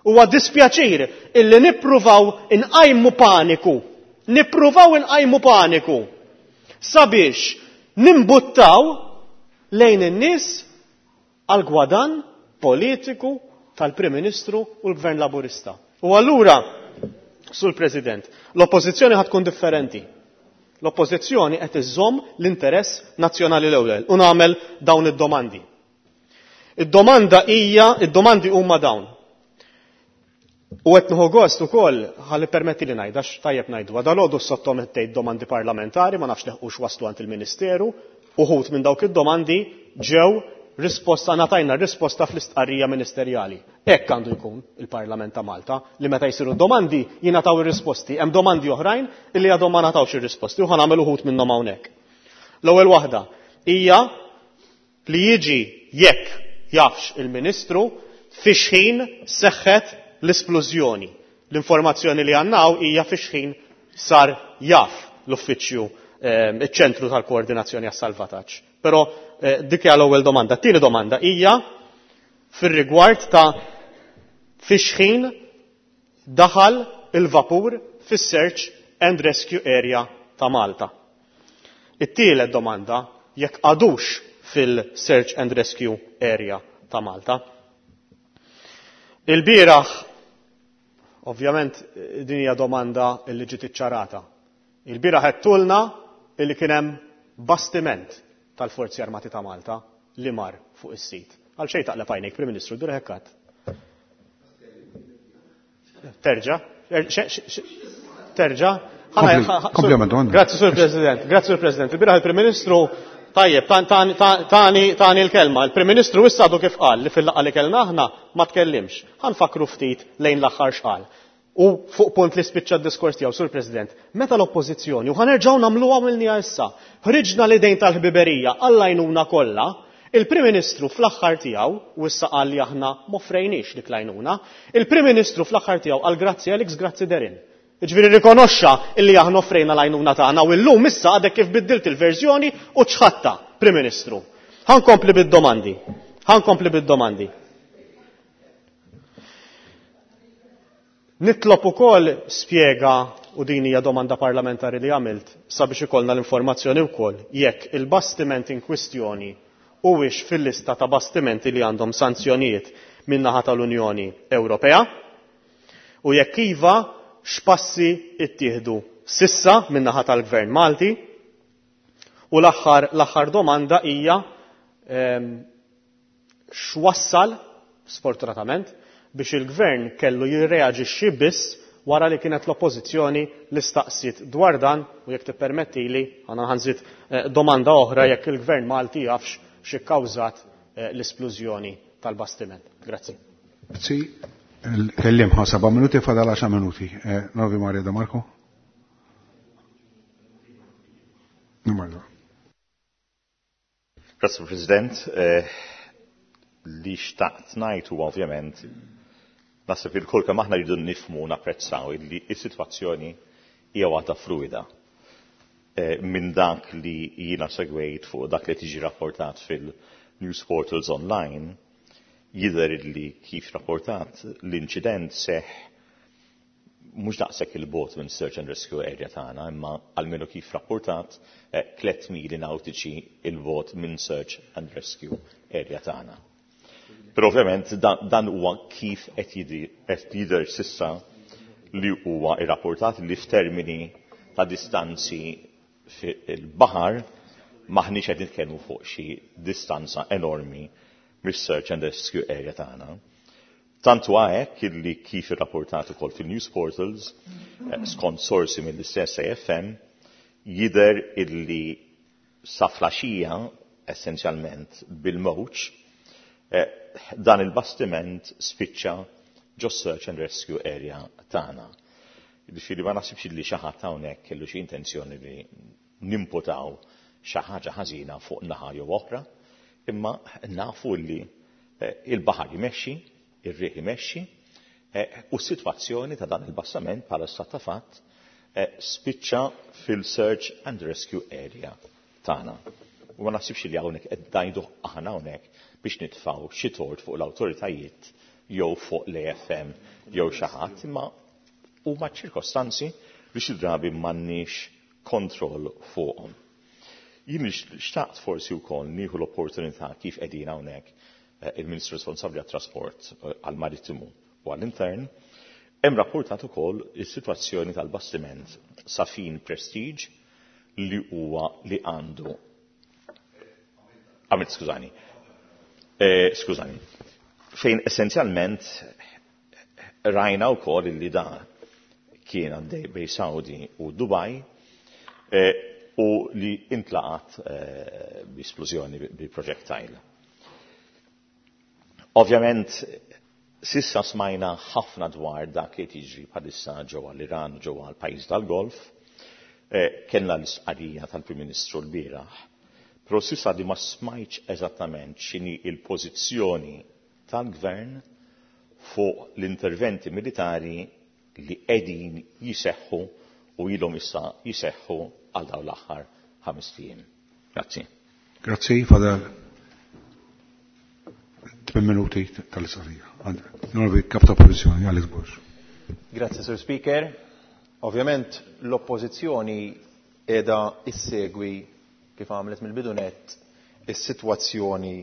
Huwa dispjaċir illi nippruvaw inqajmu paniku, nippruvaw inqajmu paniku sabiex nimbuttaw lejn in-nies għal gwadan politiku tal-Prim Ministru u l-Gvern Laburista. U allura, Sur President, l-oppożizzjoni ħad tkun differenti. L-oppożizzjoni qed iżżomm l-interess nazzjonali l-ewwel u nagħmel dawn id-domandi. Id-domanda hija, id-domandi huma dawn. U qed nieħu gost ukoll ħalli permetti li ngħid, għax tajjeb ngħidu, dalgħodu sottomettejt domandi parlamentari, ma nafx leħqux waslu għand il-Ministeru, uħud minn dawk id-domandi ġew risposta, ngħatajna risposta fl-istqarrija ministerjali. Hekk għandu jkun il-Parlament ta' Malta, li meta jsiru domandi jingħataw ir-risposti. Hemm domandi oħrajn illi għadhom ma ngħatawx ir-risposti u ħa nagħmel uħud minnhom hawnhekk. L-ewwel waħda hija li jiġi jekk jafx il-Ministru fi xħin seħħet l-isplużjoni. L-informazzjoni li għandna hija fi xħin sar jaf l-uffiċċju, iċ-ċentru tal-koordinazzjoni għas-salvataġġ. Però dik hija l-ewwel domanda. Tieni domanda hija fir-rigward ta' fi xħin daħal il-vapur fis-search and rescue area ta' Malta. It-tielet domanda jekk għadux fil-search and rescue area ta' Malta. Il-bieraħ, ovvjament, din hija domanda li ġiet iċċarata. Il-bieraħ għedtulna illi kien hemm bastiment tal-Forzi Armati ta' Malta li mar fuq is-sit. Għal xejn taqleb għajnejk, Prim Ministru, dur hekkat. Terġa? Terġa? Grazzi, Sur President. Grazzi, Sur President. Il-bieraħ il-Prim Ministru, tajjeb, tani tani l-kelma. Il-Prim Ministru issa għadu kif qal li fil-laqgħa li kellna aħna ma tkellimx. Ħa nfakru ftit lejn l-aħħar x'qal. U fuq punt li spiċċa d-diskors tiegħu, Sur President, meta l-oppożizzjoni, u ħa nerġgħu nagħmluha għamilniha issa, ħriġna l-idejn tal-ħbiberija għall-għajnuna kollha, il-Prim Ministru fl-aħħar tiegħu, u issa qal li aħna m'offrejniex dik l-għajnuna, il-Prim Ministru fl-aħħar tiegħu qal grazzi Alex, grazzi Darren. Jiġifieri rikonoxxa illi aħna offrejna l-għajnuna tagħna u llum issa għadek kif biddilt il-verżjoni u ċħatta, Prim Ministru. Ħa nkomplid-domandi. Ħa nkompli bid-domandi. Nitlob ukoll spjega, u din hija domanda parlamentari li għamilt sabiex ikollna l-informazzjoni wkoll, jekk il-bastiment in kwistjoni huwiex fil-lista ta' bastimenti li għandhom sanzjonijiet min-naħa tal-Unjoni Ewropea u jekk iva x'passi ttieħdu sissa min-naħa tal-Gvern Malti. U l-aħħar l-aħħar domanda hija x'wassal, sfortunatament, biex il-Gvern kellu jirreaġixxi biss wara li kienet l-Oppożizzjoni li staqsiet dwar dan, u jekk tippermettili għandna ħanżid domanda oħra jekk il-Gvern Malti jafx xi kkawżat l-isplużjoni tal-bastiment. Grazzi. Grazzi. Kellim ħa seba' minuti, fadal għaxar minuti. Novi Maria De Marco. Grazie President. Li xtaqt ngħid huwa ovvjament naħseb il-kull kemm aħna rridu nifhmu napprezzaw li s-sitwazzjoni hija waħda fluida. Minn dak li jiena segwejt fuq dak li tiġi rapportat fil-news portals online, jidher li kif rapportat l-inċident seħ mhux daqshekk il-bot minn search and rescue area tagħna, imma almenu kif rapportat tliet mili nautiċi il-bot minn search and rescue area tagħna. Però ovvjament dan huwa kif qed jidher sissa li huwa irrapportat li f'termini ta' distanzi fil-baħar maħniex qed nitkellmu fuq xi distanza enormi mis-search and rescue area tagħna. Tant huwa hekk illi kif irrapportat ukoll fil-news portals, skont sorsi mill-istess A F M, jidher illi sa flaxija essenzjalment bil-mowġ dan il-bastiment spiċċa ġo search and rescue area tagħna. Jiġifieri ma naħsibx li xi ħadd hawnhekk kellu xi intenzjoni li nimputaw xi ħaġa ħażina fuq naħa jew oħra, imma nafu li il-baħar jmexxi, ir-riħ imexxi, u s-sitwazzjoni ta' dan il-bastiment bħala stat ta' fatt spiċċa fil-search and rescue area tagħna. U ma naħsibx li hawnhekk qed ngħidu aħna hawnhekk biex nitfgħu xi tort fuq l-awtoritajiet jew fuq l-A F M jew xi ħadd, imma huma ċirkostanzi li xi drabi m'għandniex kontroll fuqhom. Jien xtaqt forsi wkoll nieħu l-opportunità kif qegħdin hawnhekk il-Ministru responsabbli għat-trasport għall-marittimu u għall-intern, hemm rapportat ukoll is-sitwazzjoni tal-bastiment Safin Prestige li huwa li għandu għamilt skużani. Eh, skużani. Fejn essenzjalment rajna wkoll li da kien għaddej bej Saudi u Dubai eh, u li intlaqat eh, bi splużjoni bi projectile. Ovvjament, sissa smajna ħafna dwar dak li tiġri bħalissa ġewwa l-Iran u ġewwa l-pajjiż tal-Golf, eh, kellna l-istqarrija tal-Prim Ministru l-bieraħ, però sissa di ma smajtx eżattament x'inhi l-pożizzjoni tal-Gvern fuq l-interventi militari li qegħdin jiseħħu u ilhom issa jiseħħu għal dawn l-aħħar ħames ijiem. Grazzi. Grazzi, fadal tmien minuti tal-istqarrija. Onorevoli Kap ta' Oppożizzjoni, Alex Borg. Grazzi, Sur Speaker. Ovvjament l-Oppożizzjoni qiegħda issegwi kif għamlet mill-bidunet is-sitwazzjoni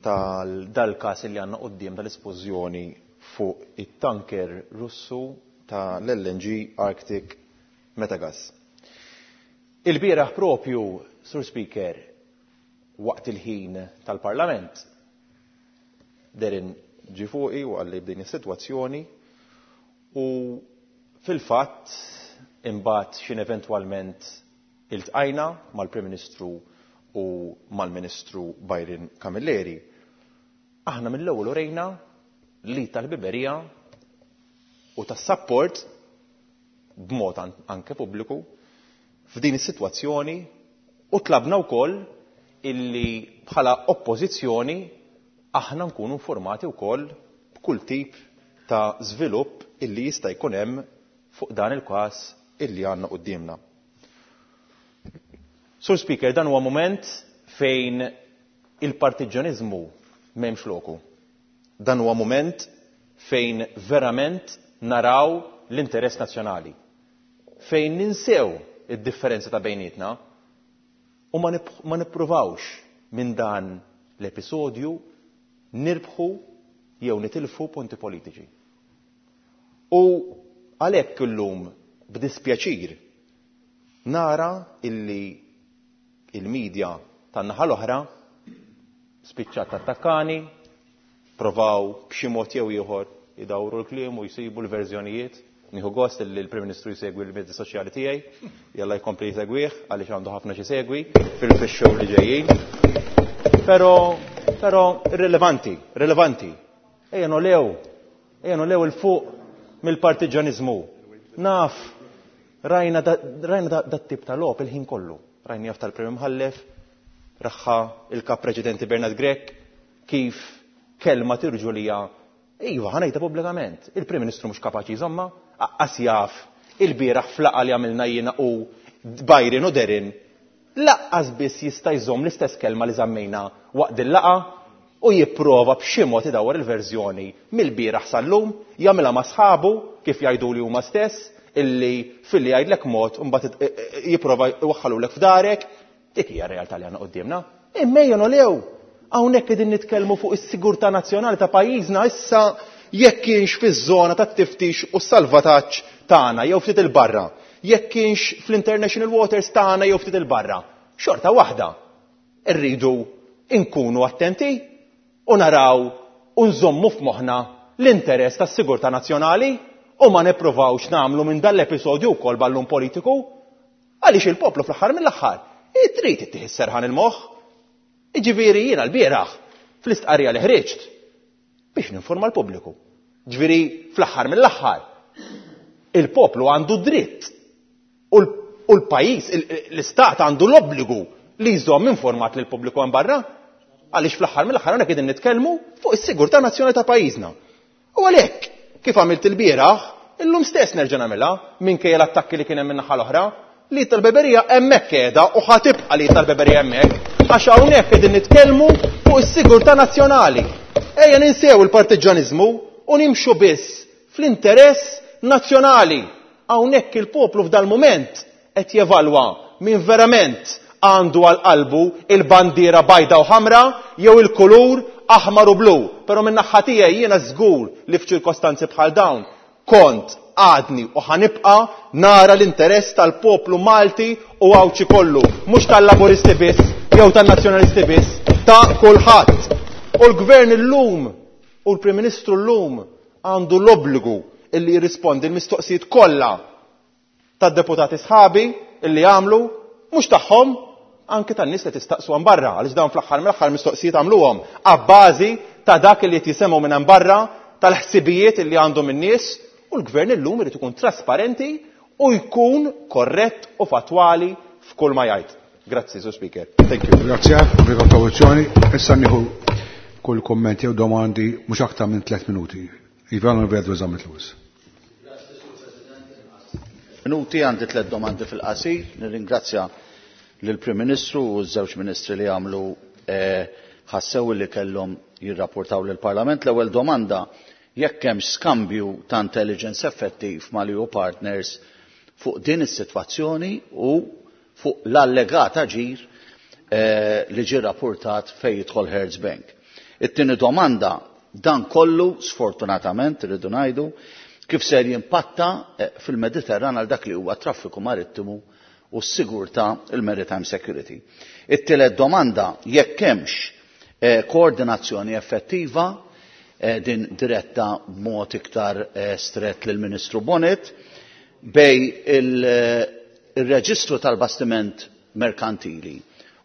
tal-dal-każ li għandna quddiem tal-espożjoni fuq it-tanker Russu tal-L N G Arctic Metagas. Il-bieraħ propju, Sur Speaker, waqt il-ħin tal-Parlament, Darren ġie fuqi u qalli b'din is-sitwazzjoni u fil-fatt imbagħad x'in eventwalment iltqajna mal-Prim Ministru u mal-Ministru Byron Camilleri. Aħna mill-ewwel urejna li tal-biberija u tas-sapport b'mod anke pubbliku f'din is-sitwazzjoni u tlabna wkoll illi bħala oppożizzjoni aħna nkunu informati wkoll b'kull tip ta' żvilupp illi jista' jkun hemm fuq dan il-każ illi għandna quddiemna. Sur Speaker, dan huwa moment fejn il-partiġjaniżmu m'hemmx loku. Dan huwa moment fejn verament naraw l-interess nazzjonali. Fejn ninsew id-differenza ta' bejnietna u ma nippruvawx minn dan l-episodju nirbħu jew nitilfu punti politiċi. U għalhekk illum b'dispjaċir nara illi il-medja tan-naħa l-oħra spiċċat attakkani, provaw b'xi mod jew ieħor idawru l-kliem u jsibu l-verżjonijiet. Nieħu gost li l-Prim Ministru jsegwi l-mezzi soċjali tiegħi, jalla jkompli jsegwih għaliex għandu ħafna xi segwi fil-fix-show li ġejjin. Però però irrilevanti, rilevanti. Ejja nolew, ejja nolew il fuq mill-partiġaniżmu. Naf, rajna rajna dat tip ta' logħob il-ħin kollu. Rajni jaf tal-Prim Imħallef, raħħa il-kap preċedenti Bernard Grech, kif kelma tirġulija, iva, ħa ngħidha pubblikament, il-Prim Ministru mhux kapaċi jżomma, aqqas jaf il-bieraħ flaqa li għamilna jiena u Byron u Darren, laqqas biss jista' jżomm l-istess kelma li żammejna waqt il-laqa u jipprova b'xi mod idawwar il-verżjoni mill-bieraħ sal-lum, jagħmilha ma' sħabu kif jgħidu li huma stess, illi filli jgħidlek mod mbagħad jipprova jwaħħalulek f'darek, dik hija r-realtà li għandna quddiemna. Imma ejja nolew, hawnhekk qegħdin nitkellmu fuq is-sigurtà nazzjonali ta' pajjiżna issa jekk kienx fiż-żona tat-tiftix u s-salvataġġ tagħna jew ftit il-barra, jekk kienx fl-international waters tagħna jew ftit il-barra. Xorta waħda, irridu nkunu attenti u naraw u nżommu f'moħħna l-interess tas-sigurtà nazzjonali u ma nippruvawx nagħmlu minn dan l-episodju wkoll ballun politiku għaliex il-poplu fl-aħħar mill-aħħar trid ittih is-serħan il-moħħ. Jiġifieri jiena l-bieraħ fl-istqarrija li ħriġt biex ninforma l-pubbliku. Ġifieri fl-aħħar mill-aħħar il-poplu għandu dritt u l-pajjiż, l-istat għandu l-obbligu li jżomm informat lil pubbliku hemm barra għaliex fl-aħħar mill-aħħar hawnhekk qegħdin nitkellmu fuq is-sigurtà nazzjonali ta' pajjiżna. U għalhekk kif għamilt il-bieraħ, illum stess nerġa' nagħmilha minkejja l-attakki li kien hemm min-naħa l-oħra, li tal-beberija hemmhekk qiegħda u ħa tibqa' li tal-beberija hemmhekk għax hawnhekk qegħdin nitkellmu fuq is-sigurtà nazzjonali. Ejja ninsew il-partiġġaniżmu u nimxu biss fl-interess nazzjonali. Hawnhekk il-poplu f'dal-mument qed jevalwa min verament għandu għal qalbu il-bandiera bajda u ħamra jew il-kulur aħmar u blu. Però minn naħa tiegħi jiena żgur li f'ċirkostanzi bħal dawn kont għadni u ħanibqa nara l-interess tal-poplu Malti u Għawdxi kollu, mhux tal-Laburisti biss jew tan-Nazzjonalisti biss, ta' kulħadd. U l-Gvern illum u l-Prim Ministru llum għandu l-obbligu illi jirrispondi l-mistoqsijiet kollha tad-deputati sħabi illi għamlu, mhux tagħhom, anke tan-nies li tistaqsu hemm barra, għaliex dawn fl-aħħar mill-aħħar mistoqsijiet għamluhom abbażi ta' dak li qed jisemgħu minn hemm barra, tal-ħsibijiet illi għandhom in-nies, u l-gvern illum irid ikun trasparenti u jkun korrett u fatwali f'kull ma jgħid. Grazzi, Sur Speaker. Thank you. Grazzi, bil-kontribuzzjoni. Issa nieħu kull komment jew domandi mhux aktar minn tliet minuti. Ivan Alfredo Zammit Lewis. Minuti għandi tliet domandi fil-qasir. Nirringrazzja lill-Prim Ministru u ż-żewġ ministri li għamlu ħassew li kellhom jirrapportaw lill-Parlament. L-ewwel domanda, jekk hemm skambju ta' intelligence effettiv mal-E U partners fuq din is-sitwazzjoni u fuq l-allegat aġir li ġie rapportat fejn jidħol Hertz Bank. It-tieni domanda, dan kollu sfortunatament irridu ngħidu kif ser jimpatta fil-Mediterran għal dak li huwa traffiku marittimu u s-sigurtà il-maritime security. It-tielet domanda, jekk hemmx koordinazzjoni effettiva din diretta b'mod iktar strett lill-Ministru Bonett bej il-reġistru tal-bastiment merkantili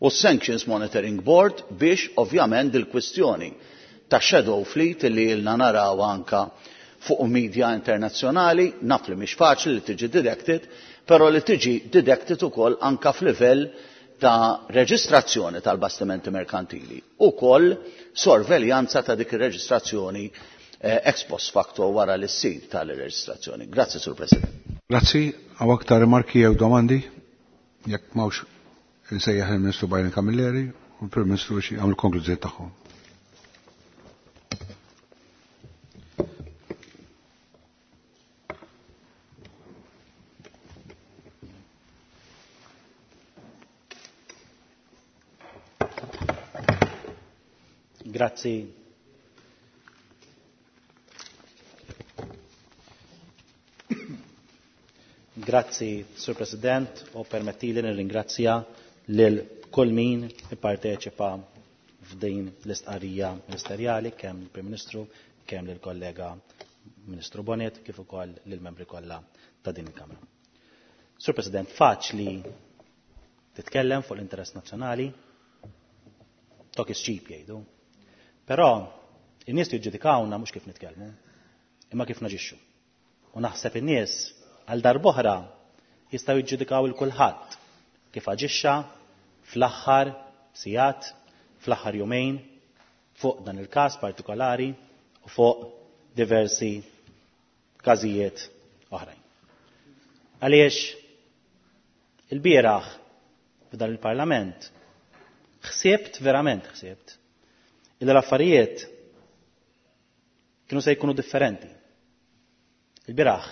u s-Sanctions Monitoring Board biex ovvjament il-kwistjoni ta' shadow fleet li ilna naraw anka fuq media internazzjonali, naf li mhix faċli li tiġi detected, però li tiġi detected ukoll anka f'livell ta' reġistrazzjoni tal-bastimenti merkantili, ukoll sorveljanza ta' dik ir-reġistrazzjoni ex post facto wara li ssir tal-reġistrazzjoni. Grazzi, Sur President. Grazzi, għaw aktar rimarki jew domandi, jekk m'hawnx insejjaħ il-Ministru Byron Camilleri u l-Prim Ministru biex jagħmlu konklużjoni tagħhom. Grazzi. Grazzi, Sur President, u permettili nirringrazzja lil kull min ipparteċipa f'din l-istqarrija ministerjali, kemm il-Prim Ministru, kemm lill-kollega Ministru Bonett, kif ukoll lill-membri kollha ta' din il-Kamra. Sur President, faċli titkellem fuq l-interess nazzjonali, talk is cheap jgħidu. Però in-nies jiġġudikawna mhux kif nitkellmu, imma kif naġixxu. U naħseb in-nies għal darb'oħra jistgħu jiġġudikaw il kulħadd kif aġixxa fl-aħħar sigħat, fl-aħħar jumejn fuq dan il-każ partikolari u fuq diversi każijiet oħrajn. Għaliex il-bieraħ f'dan il-Parlament ħsibt, verament ħsibt, illi l-affarijiet kienu se jkunu differenti. Il-bieraħ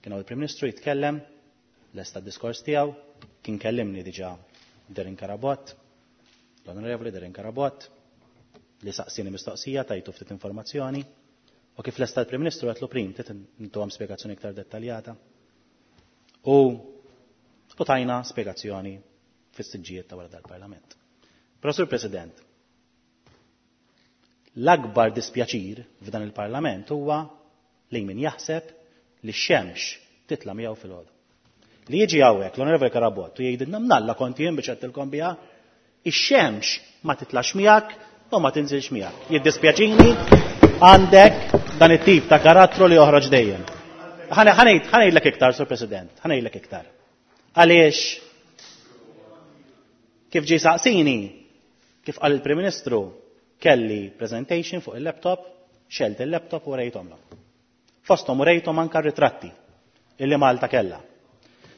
kien il-Prim Ministru jitkellem, lesta d-diskors tiegħu, kien kellimni diġà Darren Carabott, l-Onorevoli Darren Carabott, li saqsini mistoqsija, tajtu ftit informazzjoni, u kif lesta l-Prim Ministru għedtlu Prim, trid intuhom spjegazzjoni iktar dettaljata. U u tajna spjegazzjoni fis-siġġijiet ta' wara dal-Parlament. Però Sur President, l-akbar dispjaċir f'dan il-Parlament huwa li min jaħseb li x-xemx titla' miegħu fil-ħodu. Li jiġi hawnhekk l-Onorevoli Carabott u jgħidilna mnalla kont jien biex għedtilkom biha, ix-xemx ma titlax miegħek u ma tinżilx miegħek. Jiddispjaċini għandek dan it-tip ta' karattru li joħroġ dejjem. Ħa ngħidlek iktar, Sur President, ħa ngħidlek iktar. Għaliex kif ġie saqsini, kif qal il-Prim Ministru, kelli presentation fuq il-laptop, xgħelt il-laptop u rejthomlok. Fosthom u rejthom anka ritratti illi Malta kella.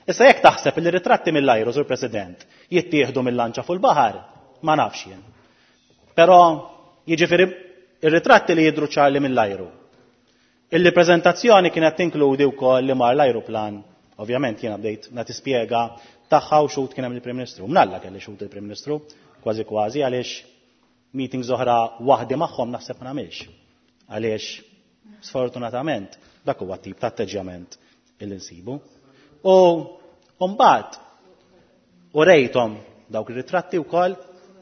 Issa jekk taħseb li ritratti mill-ajru, Sur President, jittieħdu mill-lanċa fuq il-baħar, ma nafx jien. Però jiġifieri ir-ritratti li jidru ċarli mill-ajru. Illi prezentazzjoni kienet tinkludi wkoll li mar l-ajruplan, ovvjament jiena bdejt nagħti spjega tagħha u xhud kien hemm il-Prim Ministru. Mnalla kelli xhud il-Prim Ministru, kważi kważi għaliex meetings oħra waħdi magħhom naħseb ma nagħmilx. Għaliex sfortunatament dak huwa tip ta' atteġġjament illi nsibu. U mbagħad u rejthom dawk ir-ritratti wkoll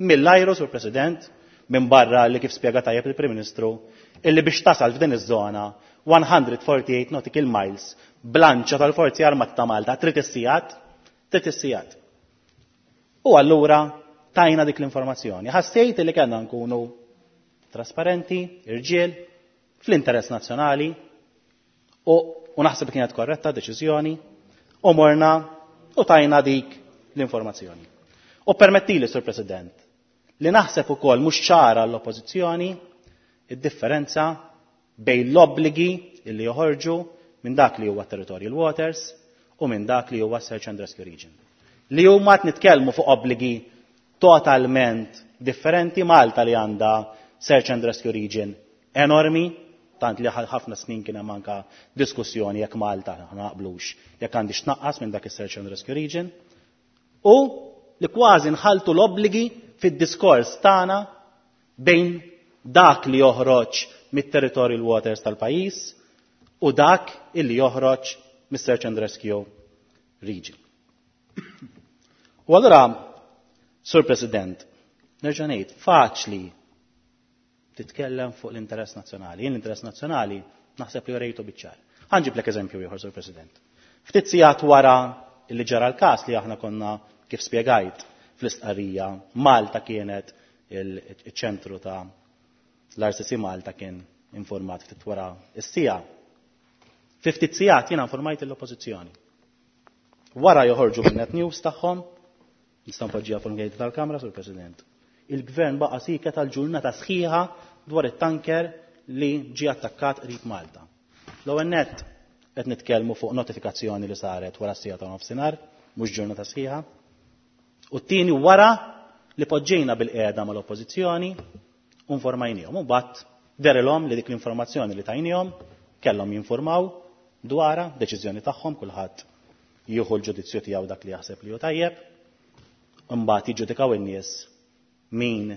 mill-ajru, Sur President, minn barra li kif spjega tajjeb il-Prim Ministru, illi biex tasal f'din iż-żona one hundred forty-eight nautical miles b'lanċa tal-Forzi Armati ta' Malta trid is-sigħat, trid is-sigħat. U allura tajna dik l-informazzjoni. Ħassejt li kellna nkunu trasparenti, irġiel, fl-interess nazzjonali u, u naħseb kienet korretta deċiżjoni u morna u tajna dik l-informazzjoni. U permettili, Sur President, li naħseb ukoll mhux ċara l-oppożizzjoni id-differenza bejn l-obbligi illi joħorġu minn dak li huwa territorial waters u minn dak li huwa search and rescue region. Li huma qed nitkellmu fuq obbligi totalment differenti. Malta li għandha search and rescue region enormi, tant li ħafna snin kien hemm anka diskussjoni jekk Malta naqblux jekk għandix tnaqqas minn dak is-search and rescue region, u li kważi nħaltu l-obbligi fid-diskors tagħna bejn dak li joħroġ mit-territorial waters tal-pajjiż u dak illi joħroġ mis-search and rescue region. U allura, Sur President, nerġa' ngħid, faċli titkellem fuq l-interess nazzjonali. Jien l-interess nazzjonali naħseb li rejtu biċ-ċar. Ħa nġiblek eżempju ieħor, Sur President. Ftit sigħat wara illi ġara l-każ li aħna konna kif spjegajt fl-istqarrija, Malta kienet il-ċentru ta' l-R C C Malta kien informat ftit wara is-siegħa. Fi ftit sigħat jiena informajt l-oppożizzjoni. Wara joħorġu bin-net news tagħhom, nista' npoġġiha fuq il tal-Kamra, Sur President. Il-gvern baqa' sieket tal-ġurnata sħiħa dwar it-tanker li ġie attakkat qrib Malta. L-ewwel nett qed nitkellmu fuq notifikazzjoni li saret wara s-siegħa ta' nofsinhar, mhux ġurnata sħiħa. U t-tieni wara li poġġejna bil-qiegħda mal-oppożizzjoni u informajnihom. U mbagħad dehrilhom li dik l-informazzjoni li tajnihom kellhom jinformaw dwarha, deċiżjoni tagħhom, kulħadd jieħu l-ġudizzju tiegħu dak li jaħseb li hu tajjeb. Imbagħad jiġġudikaw in-nies min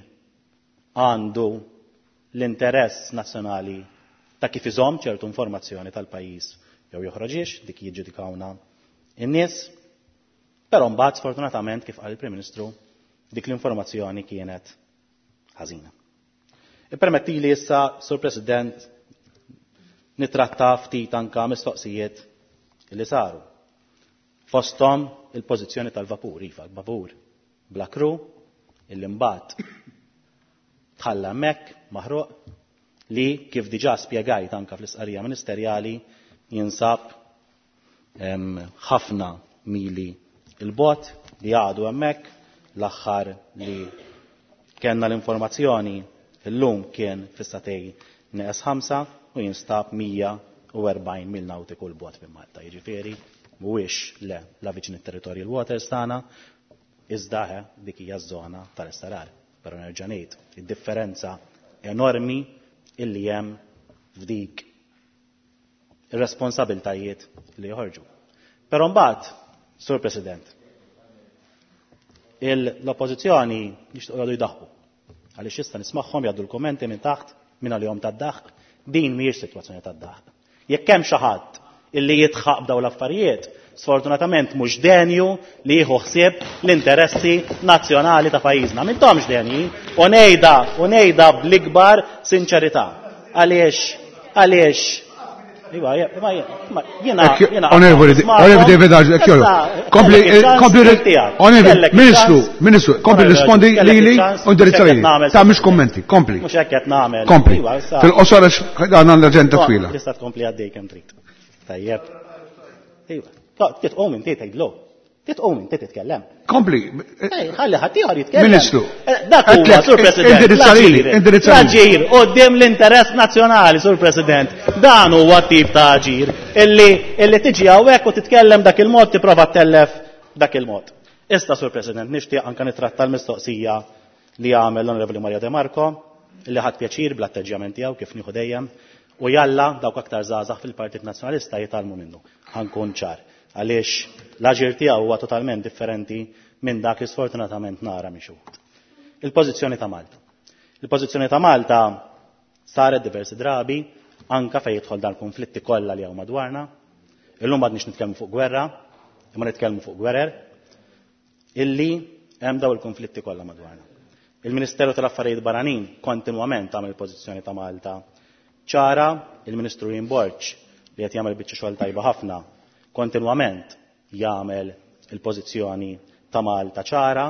għandu l-interess nazzjonali ta' kif iżomm ċertu informazzjoni tal-pajjiż jew joħroġiex, dik jiġġudikawna in-nies. Però mbagħad sfortunatament kif qal il-Prim Ministru dik l-informazzjoni kienet ħażina. Ippermettili issa, Sur President, nitratta ftit anka mistoqsijiet li saru. Fosthom il-pożizzjoni tal-vapur, iva, l-vapur bla kru, illi mbagħad tħalla hemmhekk maħruq li kif diġà spjegajt anka fl-istqarrija ministerjali jinsab ħafna mili il-bot li għadu hemmhekk. L-aħħar li kellna l-informazzjoni illum kien fis-satej neqes ħamsa u jinstab mija u erbgħin mil nautiku l-bot minn Malta. Jiġifieri mhuwiex le la viċin it-territorial waters tagħna, iżda dik hija ż-żona tal-estarar. Però nerġa' ngħid id-differenza enormi illi hemm f'dik ir-responsabiltajiet li joħorġu. Però mbagħad, Sur President, l-oppożizzjoni jixtiequ jgħidu jdaħħu. Għaliex issa nismagħhom jgħaddu l-kummenti minn taħt minn għalihom tad-daħq, din mhijiex sitwazzjoni tad-daħq. Jekk hemm xi ħadd illi jitħaq b'dawn l-affarijiet, sfortunatament mhux denju li jieħu ħsieb l-interessi nazzjonali ta' pajjiżna. M'intomx denji, u ngħidha u ngħidha bl-ikbar sinċerità. Għaliex, għaliex, iva, ma jiena jiena Onorevoli David Agius, kompli kompli Onorevoli Ministru, Ministru, kompli rispondi lili u indirizza lili. Ta' mhux kummenti, kompli. Mhux hekk qed nagħmel. Kompli. Fil-qosor għax għandna l-aġenda twila. Tista' tkompli għaddej kemm trid. Tajjeb. Iva. Titqum inti tgħidlu. Titqum inti titkellem. Kompli. Ħalli ħadd ieħor jitkellem. Ministru. Dak huwa, Sur President. Indirizza lili, indirizza lili. L-aġir quddiem l-interess nazzjonali, Sur President. Dan huwa tip ta' aġir illi illi tiġi hawnhekk u titkellem dak il-mod tipprova ttellef dak il-mod. Issa, Sur President, nixtieq anke nitratta l-mistoqsija li għamel l-Onorevoli Mario De Marco, illi ħadd pjaċir bl-atteġġjament tiegħu kif nieħu dejjem, u jalla dawk aktar żgħażagħ fil-Partit Nazzjonalista jitgħallmu minnu. Ħankun ċar. Għaliex l-aġir tiegħu huwa totalment differenti minn dak li sfortunatament nara minn xi wħud. Il-pożizzjoni ta' Malta. Il-pożizzjoni ta' Malta saret diversi drabi anka fejn jidħol dan konflitti kollha li hawn madwarna. Illum m'għadniex nitkellmu fuq gwerra, imma nitkellmu fuq gwerer, illi hemm daw il-konflitti kollha madwarna. Il-Ministeru tal-Affarijiet Barranin kontinwament għamel il-pożizzjoni ta' Malta ċara, il-Ministru Ian Borg li qed jagħmel biċċa xogħol tajba ħafna kontinwament jagħmel il-pożizzjoni ta' Malta ċara,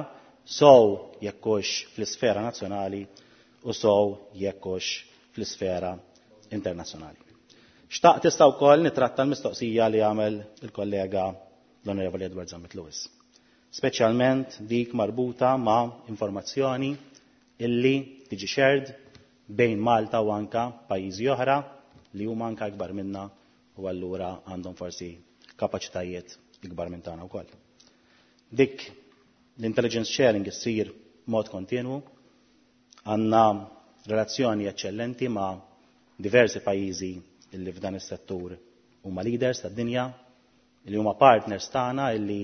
sow jekkux fl-isfera nazzjonali u sow jekkux fl-isfera internazzjonali. Xtaqt tista' wkoll nitratta l-mistoqsija li għamel il-kollega l-Onorevoli Edward Zammit Lewis. Speċjalment dik marbuta ma' informazzjoni illi tiġi shared bejn Malta u anka pajjiżi oħra li huma anka ikbar minna u allura għandhom forsi kapaċitajiet ikbar minn tagħna wkoll. Dik l-intelligence sharing issir mod kontinwu, għandna relazzjoni eċċellenti ma' diversi pajjiżi illi f'dan is-settur huma leaders tad-dinja, illi huma partners tagħna illi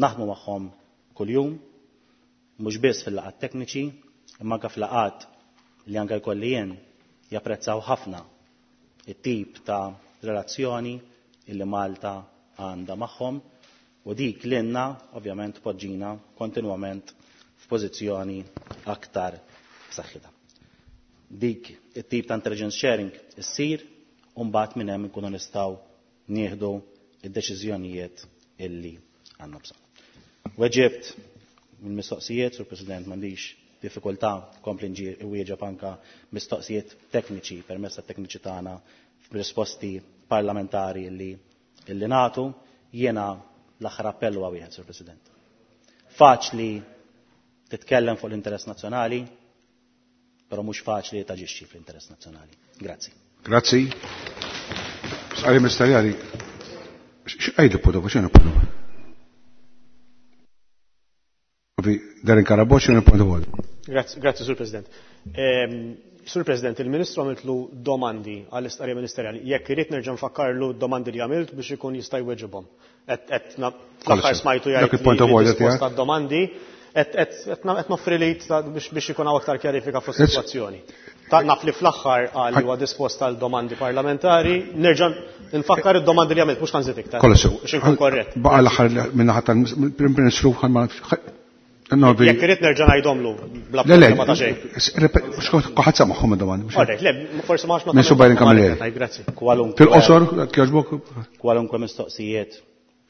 naħdmu magħhom kuljum, mhux biss fil-laqgħat tekniċi, imma anke fil-laqgħat li anke jkolli jien japprezzaw ħafna it-tip ta' relazzjoni illi Malta għandha magħhom u dik lilna ovvjament poġġina kontinwament f'pożizzjoni aktar b'saħħitha. Dik it-tip ta' intelligence sharing issir u mbagħad minn hemm inkunu nistgħu nieħdu id-deċiżjonijiet illi għandna bżonn. Weġibt mill-mistoqsijiet, Sur President, m'għandix diffikultà kompli nwieġeb anka mistoqsijiet tekniċi permezz tat-tekniċi tagħna f'risposti parlamentari illi illi nagħtu. Jiena l-aħħar appell huwa wieħed, Sur President. Faċli titkellem fuq l-interess nazzjonali, però mhux faċli taġixxi fl-interess nazzjonali. Grazzi. Grazzi. Sqari ministerjali, x'għidu pudu, x'inhu pudu? Darren Carabott, x'inhu pudu? Grazzi, grazzi, Sur President. Sur President, il-Ministru għamiltlu domandi għall-istqarrija ministerjali. Jekk irid nerġa' nfakkarlu domandi li għamilt biex ikun jista' jweġibhom. Qed l-aħħar smajtu jgħid Dak il-point of order risposta tiegħek. domandi. Qed noffri li biex ikun hawn aktar kjarifika fuq is-sitwazzjoni. Naf li fl-aħħar qal li huwa dispost għal domandi parlamentari, nerġa' nfakkar id-domandi li għamilt mhux ħanżid iktar. Biex inkun korrett. Baqa' l-aħħar min-naħa tal-Prim Ministru. Jekk irid nerġa' ngħidhomlu bla problema ta' xejn. Kulħadd samagħhom id-domandi. Alright, le, forsi ma ħax Ministru Byron Camilleri. Grazzi. Fil-qosor, jogħġbok. Kwalunkwe mistoqsijiet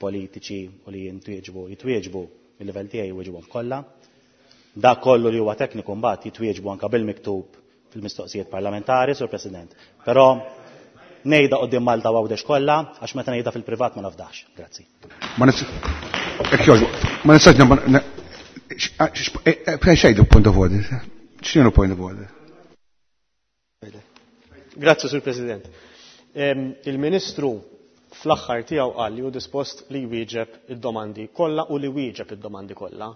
politiċi u li jintwieġbu, jitwieġbu il-livell tiegħi jwieġbuhom kollha. Dak kollu li huwa tekniku mbagħad jitwieġbu anke bil-miktub fil-mistoqsijiet parlamentari, Sur President. Però ngħidha quddiem Malta u Għawdex kollha għax meta ngħidha fil-privat ma nafdax. Grazzi. Ma nistax xejdu point of order. X'inhu point of order? Grazzi, Sur President. Il-Ministru fl-aħħar tiegħu qal li hu dispost li jwieġeb id-domandi kollha u li wieġeb id-domandi kollha.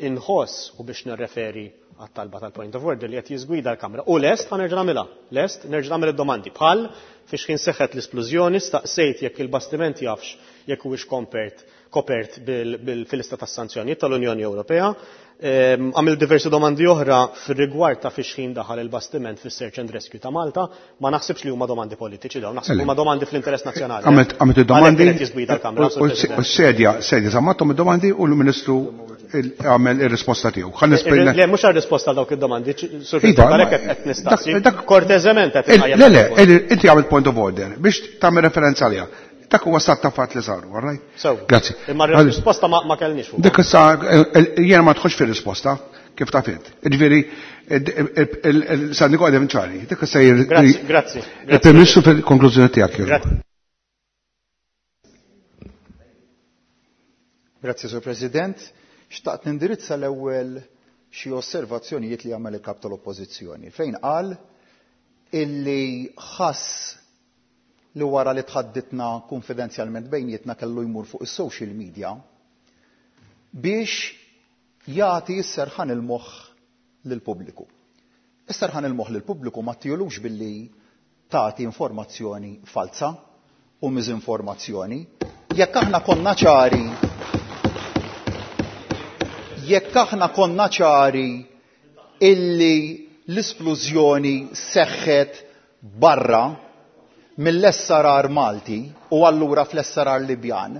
Inħoss u biex nirreferi għat-talba tal-point of order li qed jiżgwida l-Kamra. U lest ħa nerġa' nagħmilha. Lest nerġa' nagħmel id-domandi. Bħal fiex kien seħħet l-isplużjoni staqsejt jekk il-bastiment jafx jekk huwiex kompert kopert fil-lista tas-sanzjonijiet tal-Unjoni Ewropea. Għamil diversi domandi oħra fir-rigward ta' fiex ħin daħal il-bastiment fis-Search and Rescue ta' Malta, ma naħsibx li huma domandi politiċi dawn, naħseb huma domandi fl-interess nazzjonali. Għamilt id-domandi u s-sedja, sedja żammathom id-domandi u l-Ministru għamel ir-risposta tiegħu. Le, mhux għar-risposta għal dawk id-domandi, Sur President, qed nistaqsi. Korteżement qed inqajjem. Le, le, inti għamilt point of order biex tagħmel referenza għaliha. Dak huwa stat ta' fatt li saru, all right? Grazzi. Imma r-risposta ma kellniex fuq. Dik issa jiena ma tħossx fir-risposta kif taf int. Jiġifieri sa niqgħod ċari. Dik issa Grazzi, grazzi. Il-Prim Ministru fil-konklużjoni tiegħek. Grazzi, Sur President. Xtaqt nindirizza l-ewwel xi osservazzjonijiet li għamel il-kap tal-Oppożizzjoni fejn qal illi ħass li wara li tħadditna konfidenzjalment bejnietna kellu jmur fuq is-social media biex jagħti s-serħan il-moħħ lill-pubbliku. Is-serħan il-moħħ lill-pubbliku ma tijolux billi tagħti informazzjoni falsa u miżinformazzjoni. Jekk aħna konna ċari jekk aħna konna ċari illi l-isplużjoni seħħet barra mill-S R R Malti u allura fl-S R R Libjan,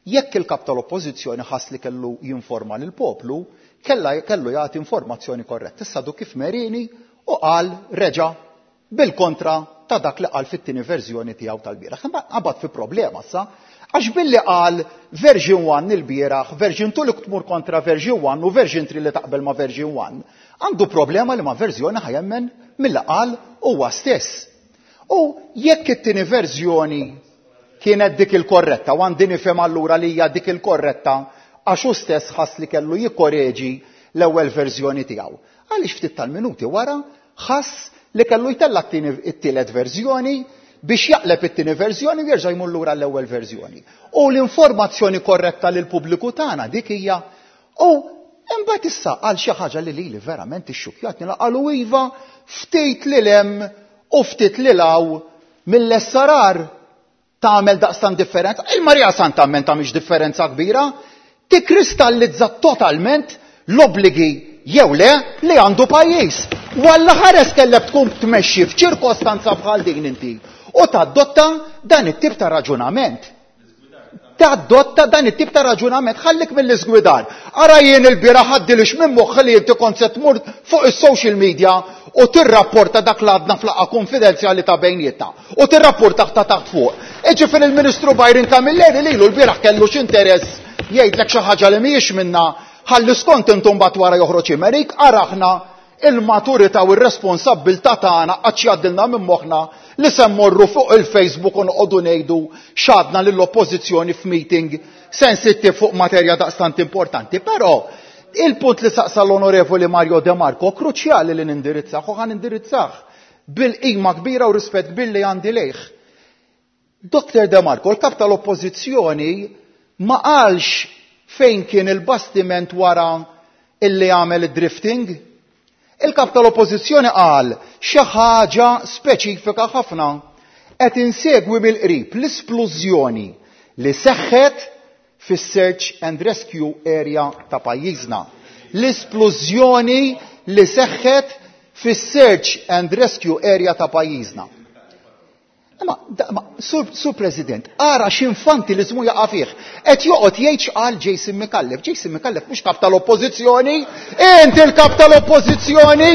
jekk il-kap tal-Oppożizzjoni ħass li kellu jinforma lill-poplu, kellu jagħti informazzjoni korretta. Issa du kif merini u qal reġa' bil-kontra ta' dak li qal fit-tieni verżjoni tiegħu tal-bieraħ. Imma qabad fi problema issa, għax billi qal version one il-bieraħ, version two li tmur kontra version one u version three li taqbel ma' version one, għandu problema li ma' verżjoni ħajemmen mill-li qal huwa stess. U jekk it-tieni verżjoni kienet dik il-korretta, u għandi nifhem allura li hija dik il-korretta għax hu stess ħass li kellu jikkoreġi l-ewwel verżjoni tiegħu. Għaliex ftit tal-minuti wara ħass li kellu jtella' t-tielet verżjoni biex jaqleb it-tieni verżjoni u jerġa' jmur lura l-ewwel verżjoni. U l-informazzjoni korretta lil pubbliku tagħna dik hija u imbagħad issa qal xi ħaġa li lili verament ixxukkjatni la qalu iva ftit lil hemm u ftit lil hawn mill-S R R tagħmel daqstan differenza. Il-Marija Santa għamel tagħmilx differenza kbira, tikkristallizza totalment l-obbligi jew le li għandu pajjiż. Walla ħares kellek tkun tmexxi f'ċirkostanza bħal din inti u tadotta dan it-tip ta' raġunament. Tadotta dan it-tip ta' raġunament, ħallik mill-iżgwidar. Ara jien il-bieraħ ħaddilix minn moħħi li inti kont se tmur fuq is-social media u tirrapporta dak li għadna fl-laqgħa konfidenzjali ta' bejnietna u tirrapporta ta' taħt fuq. Iġifieri il-Ministru Byron Camilleri lilu l-bieraħ kellu x'interess jgħidlek xi ħaġa li mhijiex minna, ħalli skont intom mbagħad wara joħroġ imerik, ara aħna il-maturità u r-responsabbiltà tagħna qatt jgħaddilna minn moħħna li se mmorru fuq il-Facebook u noqogħdu ngħidu x'għadna lill-oppożizzjoni f'meeting sensittiv fuq materja daqstant importanti. Però il-punt li saqsa l-Onorevoli Mario De Marco kruċjali li nindirizzah u ħa nindirizzah bil-qima kbira u rispett kbir li għandi lejh. Doktor De Marco, il-kap tal-oppożizzjoni ma qalx fejn kien il-bastiment wara illi għamel id-drifting. Il-kap tal-oppożizzjoni qal xi ħaġa speċifika ħafna. Qed insegwi mill-qrib l-isplużjoni li seħħet fis-search and rescue area ta' pajjiżna. L-isplużjoni li seħħet fis-search and rescue area ta' pajjiżna. Ma, ma sur, sur President, ara x'infantilizmu jaqa' fih. Qed joqgħod jgħid x'qal Jason Micallef. Jason Micallef mhux kap tal-Oppożizzjoni, int il-kap tal-Oppożizzjoni,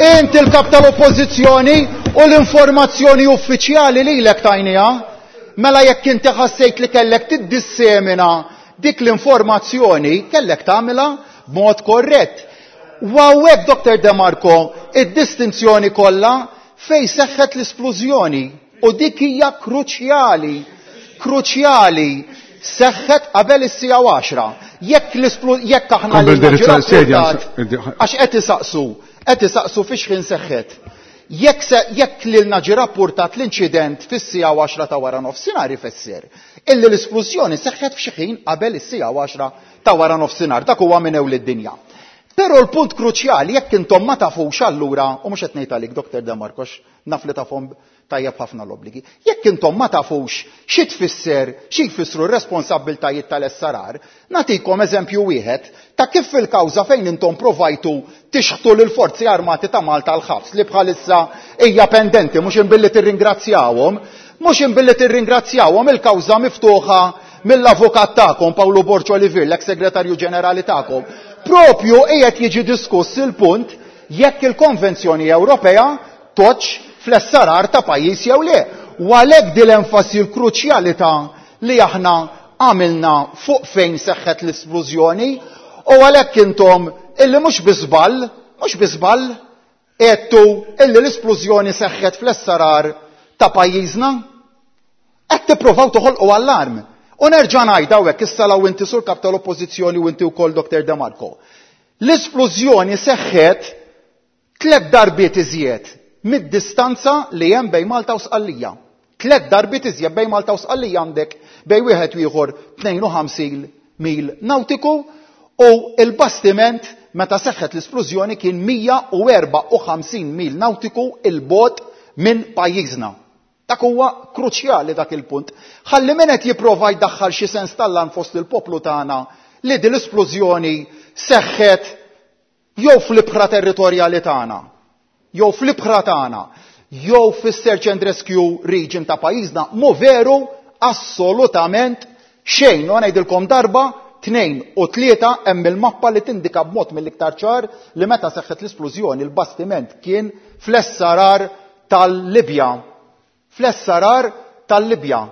int il-kap tal-Oppożizzjoni u l-informazzjoni uffiċjali lilek tajniha. Mela jekk inti ħassejt li kellek tiddissemina dik l-informazzjoni, kellek tagħmilha b'mod korrett. U hawnhekk, Doktor De Marco, id-distinzjoni kollha fej seħħet l-isplużjoni u dik hija kruċjali, kruċjali seħħet qabel is-sija għaxra. Jekk l-isplu-, jekk aħna Kompli lilna indirizza ġie s-sedja, rappurtat, għax qed isaqsu, qed isaqsu fiex ħin seħħet. Jekk se, jekk lilna ġie rappurtat l-inċident fis-sija għaxra ta' wara nofsinhar ifisser illi l-isplużjoni seħħet f'xi ħin qabel is-sija għaxra ta' wara nofsinhar, dak huwa minn ewl id-dinja. Però l-punt kruċjali jekk intom ma tafux allura, u mhux qed ngħid għalik Doktor De Marcos, naf li tafhom tajjeb ħafna l-obbligi, jekk intom ma tafux xi tfisser, xi jfissru r-responsabbiltajiet tal-S R R, nagħtikom eżempju wieħed ta' kif fil-kawża fejn intom provajtu tixħtu lill-Forzi Armati ta' Malta l-ħabs li bħalissa hija pendenti, mhux imbilli tirringrazzjawhom, mhux imbilli tirringrazzjawhom il-kawża miftuħa mill-avukat tagħkom Paolo Borg Olivier, l-ex-segretarju ġenerali tagħkom. Propju qiegħed jiġi diskuss il-punt jekk il-Konvenzjoni Ewropea toċ fl-S R R ta' pajjiż jew le. U għalhekk din l-enfasi l-kruċjalità li aħna għamilna fuq fejn seħħet l-isplużjoni, u għalhekk intom illi mhux bi żball, mhux bi żball għedtu illi l-isplużjoni seħħet fl-S R R ta' pajjiżna, qed tippruvaw toħolqu allarm. U nerġa' ngħid hawnhekk issa law inti sur kap tal-Oppożizzjoni u inti wkoll Doktor De Marco. L-isplużjoni seħħet tliet darbiet iżjed mid-distanza li hemm bejn Malta u Sqallija. Tliet darbiet iżjed bejn Malta u Sqallija għandek bejn wieħed u ieħor tnejn u ħamsin mil nautiku, u il-bastiment meta seħħet l-isplużjoni kien mija u erba' u ħamsin mil nautiku il-bogħod minn pajjiżna. Dak huwa kruċjali dak il-punt. Ħalli min qed jipprova jdaħħal xi sens tal-lan fost il-poplu tagħna li din l-isplużjoni seħħet jew fl-ibħra territorjali tagħna, jew fl-ibħra tagħna, jew fis-search and rescue region ta' pajjiżna, mhu veru assolutament xejn. U ngħidilkom darba, tnejn u tlieta hemm il-mappa li tindika b'mod mill-iktar ċar li meta seħħet l-isplużjoni l-bastiment kien fl-S R R tal-Libja. Fl-S R R tal-Libja.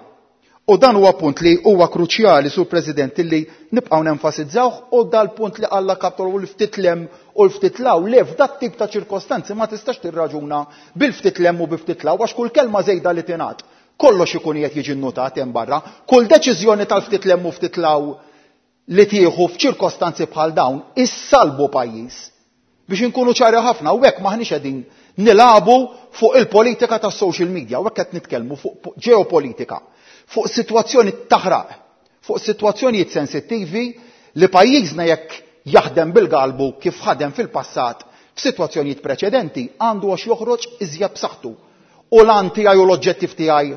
U dan huwa punt li huwa kruċjali, Sur President, illi nibqgħu nenfasizzawh, u dal-punt li qalla kaptol u l-ftit lem u l-ftit law, le f'dat tip ta' ċirkostanzi ma tistax tirraġuna bil-ftit lem u bil-ftit law, għax kull kelma żejda li tingħad, kollox ikun qed jiġi nnotat hemm barra, kull deċiżjoni tal-ftit lem u ftit law li tieħu f'ċirkostanzi bħal dawn issalbu pajjiż. Biex inkunu ċari ħafna, u hekk maħniex qegħdin nilabu fuq il-politika tas-social media, u hekk qed nitkellmu fuq ġeopolitika, fuq sitwazzjoni taħraq, fuq sitwazzjonijiet sensittivi li pajjiżna jekk jaħdem bil-galbu kif ħadem fil-passat f'sitwazzjonijiet preċedenti għandu għax joħroġ iżjed b'saħħtu. U l-għan tiegħi u l-oġġettiv tiegħi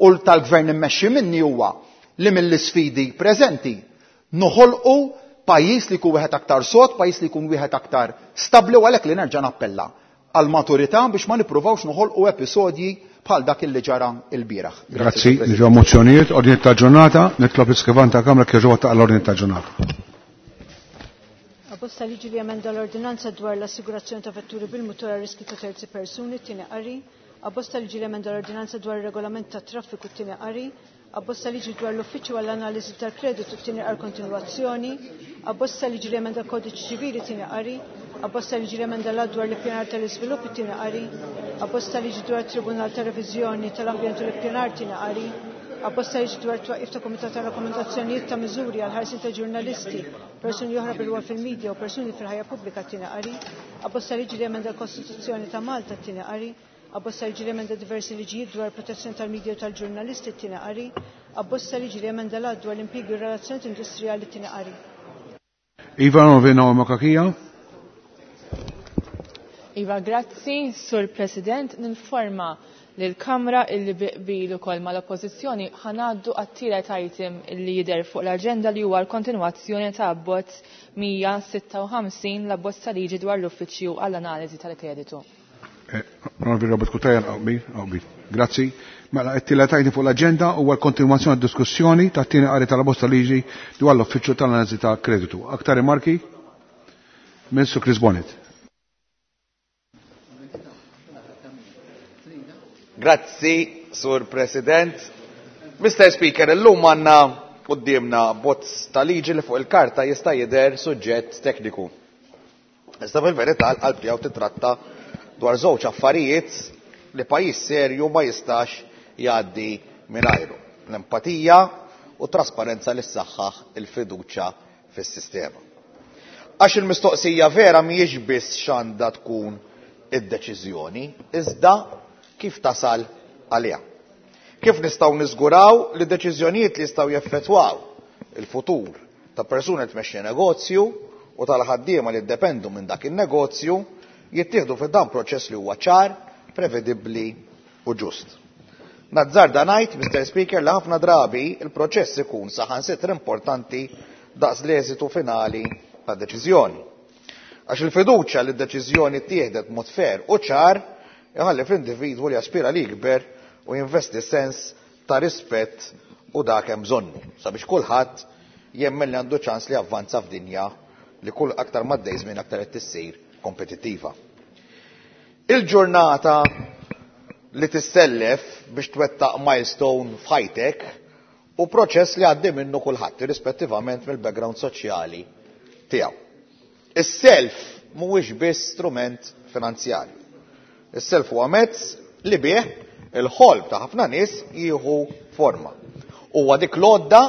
u tal-gvern immexxi minni huwa li mill-isfidi preżenti noħolqu pajjiż li jkun wieħed aktar sod, pajjiż li jkun wieħed aktar stabbli, u għalhekk li nerġa' nappella għal maturità biex ma nippruvawx noħolqu episodji bħal dak li ġara l-bieraħ. Grazzi, niġu mozzjonijiet, ordni ta' ġurnata, nitlob l-iskrivan ta' Kamra kif ġewwa ta' l-ordni ta' ġurnata. Abbozz ta' liġi li emenda l-ordinanza dwar l-assigurazzjoni ta' vetturi bil-mutur għal riski ta' terzi persuni, tieni qari. Abbozz ta' liġi li emenda l-ordinanza dwar ir-regolament ta' traffiku, tieni qari. Abbozz ta' liġi dwar l-uffiċċju għall-analiżi tal-kreditu, tieni qari kontinwazzjoni. Abbozz ta' liġi li emenda l-kodiċi ċivili, tieni qari. Abbozz ta' liġi li emenda l-att dwar l-ippjanar tal-iżvilupp, tieni qari. Abbozz ta' liġi dwar it-Tribunal ta' Reviżjoni tal-Ambjent u l-Ippjanar, tieni qari. Abbozz ta' liġi dwar twaqif ta' Kumitat ta' Rakkomandazzjonijiet ta' Miżuri għal ħarsien ta' ġurnalisti, persuni oħra bil-rwol fil-medja u persuni fil-ħajja pubblika, tieni qari. Abbozz ta' liġi li emenda l-Kostituzzjoni ta' Malta, tieni qari. Abbozz ta' liġi li emenda diversi liġijiet dwar protezzjoni tal-medja u tal-ġurnalisti, tieni qari. Abbozz ta' liġi li emenda l-att dwar l-impjiegi u r-relazzjonijiet industrijali, tieni qari. Iva Novena Makakija. Iva, grazzi, Sur President. Ninforma lill-Kamra illi bi qbil ukoll mal-Oppożizzjoni ħa ngħaddu għat-tielet item illi jidher fuq l-aġenda li huwa l-kontinwazzjoni ta' abbozz mija sitta u ħamsin l-abbozz ta' liġi dwar l-Uffiċċju għall-Analiżi tal-Kreditu. Onorevoli Robert Cutajar, qbil, qbil. Grazzi. Mela, it-tielet item fuq l-aġenda huwa l-kontinwazzjoni tad-diskussjoni tat-tieni qari tal-abbozz ta' liġi dwar l-Uffiċċju tal-Analiżi tal-Kreditu. Aktar rimarki? Ministru Chris Bonett. Grazzi, Sur President. Mister Speaker, illum għandna quddiemna bozz ta' liġi li fuq il-karta jista' jidher suġġett tekniku. Iżda fil-verità l-qalb tiegħu titratta dwar żewġ affarijiet li pajjiż serju ma jistax jgħaddi mingħajru: l-empatija u trasparenza li ssaħħaħ il-fiduċja fis-sistema. Għax il-mistoqsija vera mhijiex biss x'għandha tkun id-deċiżjoni, iżda kif tasal għaliha. Kif nistgħu niżguraw li deċiżjonijiet li jistgħu jeffettwaw il-futur ta' persuna li tmexxi negozju u tal-ħaddiema li jiddependu minn dak in-negozju jittieħdu fi dan proċess li huwa ċar, prevedibbli u ġust. Nazzarda ngħid, Mister Speaker, li ħafna drabi il-proċess ikun saħansitra importanti daqs l-eżitu finali ta' deċiżjoni. Għax il-fiduċja li d-deċiżjoni ttieħdet mod fair u ċar iħalli fl-individwu li jaspira li jikber u jinvesti sens ta' rispett u dak hemm bżonnu sabiex kulħadd jemmen li għandu ċans li javvanza f'dinja li kull aktar m'għaddej żmien aktar qed tissir kompetittiva. Il-ġurnata li tissellef biex twettaq milestone f'ħajtek u proċess li għaddi minnu kulħadd irrispettivament mill-background soċjali tiegħu. Is-self mhuwiex biss strument finanzjarju. Is-self huwa mezz li bih il-ħolm ta' ħafna nies jieħu forma. Huwa dik l-għodda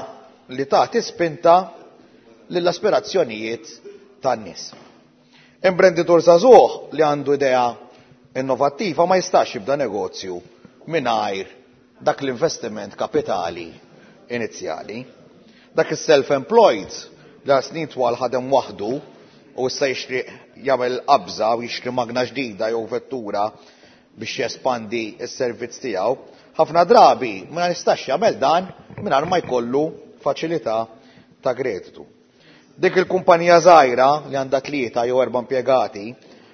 li tagħti spinta lill-aspirazzjonijiet tan-nies. Imprenditur żagħżugħ li għandu idea innovattiva ma jistax jibda negozju mingħajr dak l-investiment kapitali inizjali. Dak is-self-employed li għal snin twal ħadem waħdu u issa jixtieq jagħmel qabża u jixtri magna ġdida jew vettura biex jespandi s-servizz tiegħu, ħafna drabi ma jistax jagħmel dan mingħajr ma jkollu faċilità ta' kreditu. Dik il-kumpanija żgħira li għandha tlieta jew erba' impjegati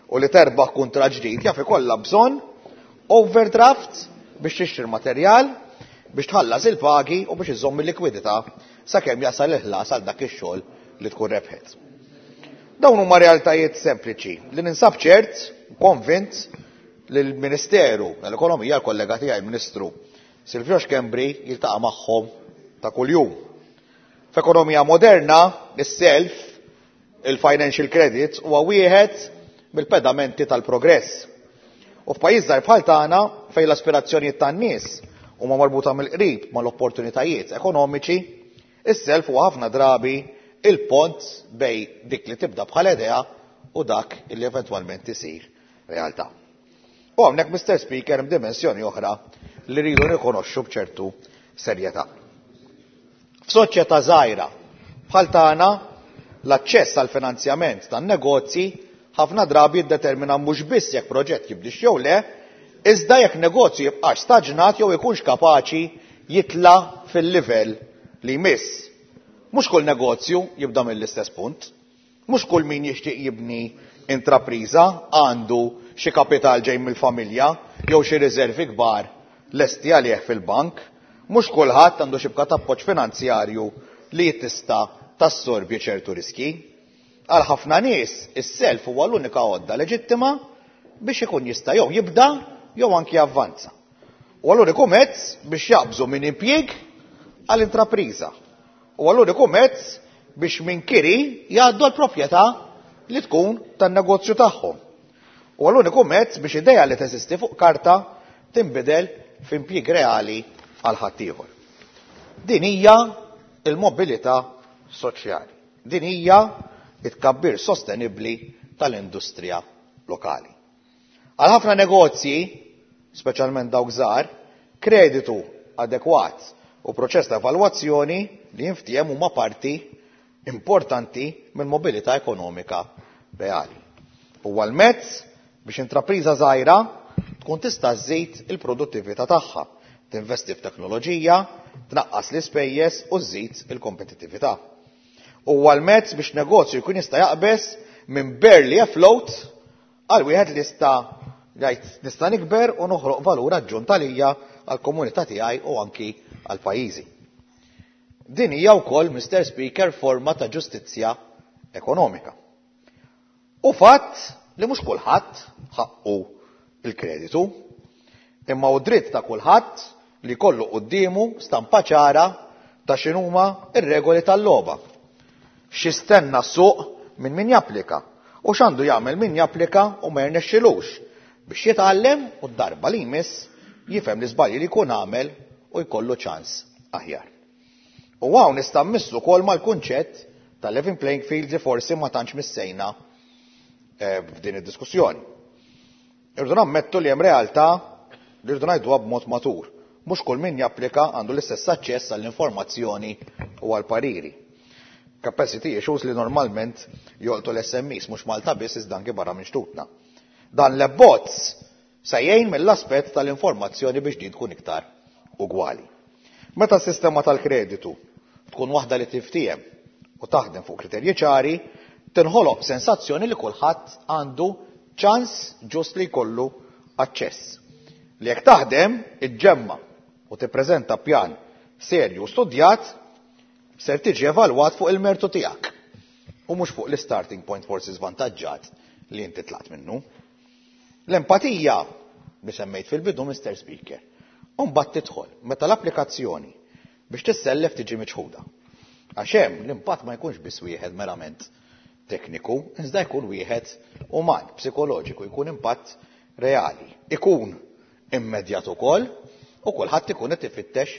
u li terbaħ kuntratt ġdid jaf ikollha bżonn overdraft biex tixtri materjal, biex tħallas il-pagi u biex iżomm il-likwidità sakemm jasal il-ħlas għal dak ix-xogħol li tkun rebħet. Dawn huma realtajiet sempliċi li ninsab ċert, konvint li l-Ministeru tal-Ekonomija, l-kollega tiegħi il-Ministru Silvio Schembri jiltaqa' magħhom ta' kuljum. F'ekonomija moderna, is-self, il-financial credit huwa wieħed mill-pedamenti tal-progress. U f'pajjiż żgħir bħal tagħna fejn l-aspirazzjonijiet tan-nies huma marbuta mill-qrib mal-opportunitajiet ekonomiċi, is-self huwa ħafna drabi il-pont bej dik li tibda bħala idea u dak li eventwalment isir realtà. U hawnhekk, Mister Speaker, hemm dimensjoni oħra li rridu nikonoxxu b'ċertu serjetà. F'soċjetà żgħira bħal tagħna, l-aċċess għal finanzjament tan-negozji ħafna drabi jiddetermina mhux biss jekk proġett jibdix jew le, iżda jekk negozju jibqax staġnat jew ikunx kapaċi jitla' fil-livell li jmiss. Mhux kull negozju jibda mill-istess punt, mhux kull min jixtieq jibni intrapriża għandu xi kapital ġej mill-familja jew xi riservi kbar lesti għalih fil-bank, mhux kulħadd għandu xibka ta' appoġġ finanzjarju li tista' tassorbi ċertu riski. Għal ħafna nies is-self huwa l-unika għodda leġittima biex ikun jista' jew jibda jew anki javvanza. U l-uniku mezz biex jaqbżu minn impjieg għal intrapriża. U l-uniku mezz biex minn kiri jgħaddu l-proprjetà li tkun tan-negozju tagħhom. U l-uniku mezz biex idea li teżisti fuq karta tinbidel f'impjieg reali għal ħaddieħor. Din hija il-mobilità soċjali. Din hija it-tkabbir sostenibbli tal-industrija lokali. Għal ħafna negozji, speċjalment dawk żgħar, kreditu adekwat u proċess ta' evalwazzjoni li jinftiehem huma parti importanti mill-mobilità ekonomika reali. Huwa l-mezz biex intrapriża żgħira tkun tista' żżid il-produttività tagħha, tinvesti f'teknoloġija, tnaqqas l-ispejjeż u żżid il-kompetittività. Huwa l-mezz biex negozju jkun jista' jaqbeż minn barely afloat għal wieħed li jista' jgħid nista' nikber u noħroq valur aġġunt għalija, għall-komunità tiegħi u anki għal pajjiżi. Din hija wkoll, Mister Speaker, forma ta' ġustizzja ekonomika. U fatt li mhux kulħadd ħaqqu il-kreditu, imma hu dritt ta' kulħadd li jkollu quddiemu stampa ċara ta' x'inhuma r-regoli tal-logħba. X'jistenna s-suq minn min japplika u x'għandu jagħmel min japplika u ma jirnexxilux biex jitgħallem u d-darba li jmiss jifhem l-iżbalji li jkun għamel u jkollu ċans aħjar. U hawn nista' mmissu wkoll mal-kunċett tal-level playing field li forsi ma tantx missejna f'din id-diskussjoni. Irridu nammettu li hemm realtà li rridu ngħiduha b'mod matur. Mhux kull min japplika għandu l-istess aċċess għall-informazzjoni u għall-pariri. Capacity issues li normalment jolqtu l-S M Es, mhux Malta biss iżda anke barra minn xtutna. Dan l-abbozz se jgħin mill-aspett tal-informazzjoni biex din tkun iktar ugwali. Meta s-sistema tal-kreditu tkun waħda li tiftiehem u taħdem fuq kriterji ċari, tinħoloq sensazzjoni li kulħadd għandu ċans ġust li jkollu aċċess. Li jekk taħdem, iġġemma u tippreżenta pjan serju u studjat, ser tiġi evalwat fuq il-mertu tiegħek u mhux fuq l-starting point forsi żvantaġġat li inti tlaqt minnu. L-empatija li semmejt fil-bidu, Mister Speaker, u mbagħad tidħol meta l-applikazzjoni biex tissellef tiġi miċħuda. Għax hemm l-impatt ma jkunx biss wieħed merament tekniku, iżda jkun wieħed uman, psikoloġiku, jkun impatt reali. Ikun immedjat ukoll u kulħadd ikun qed ifittex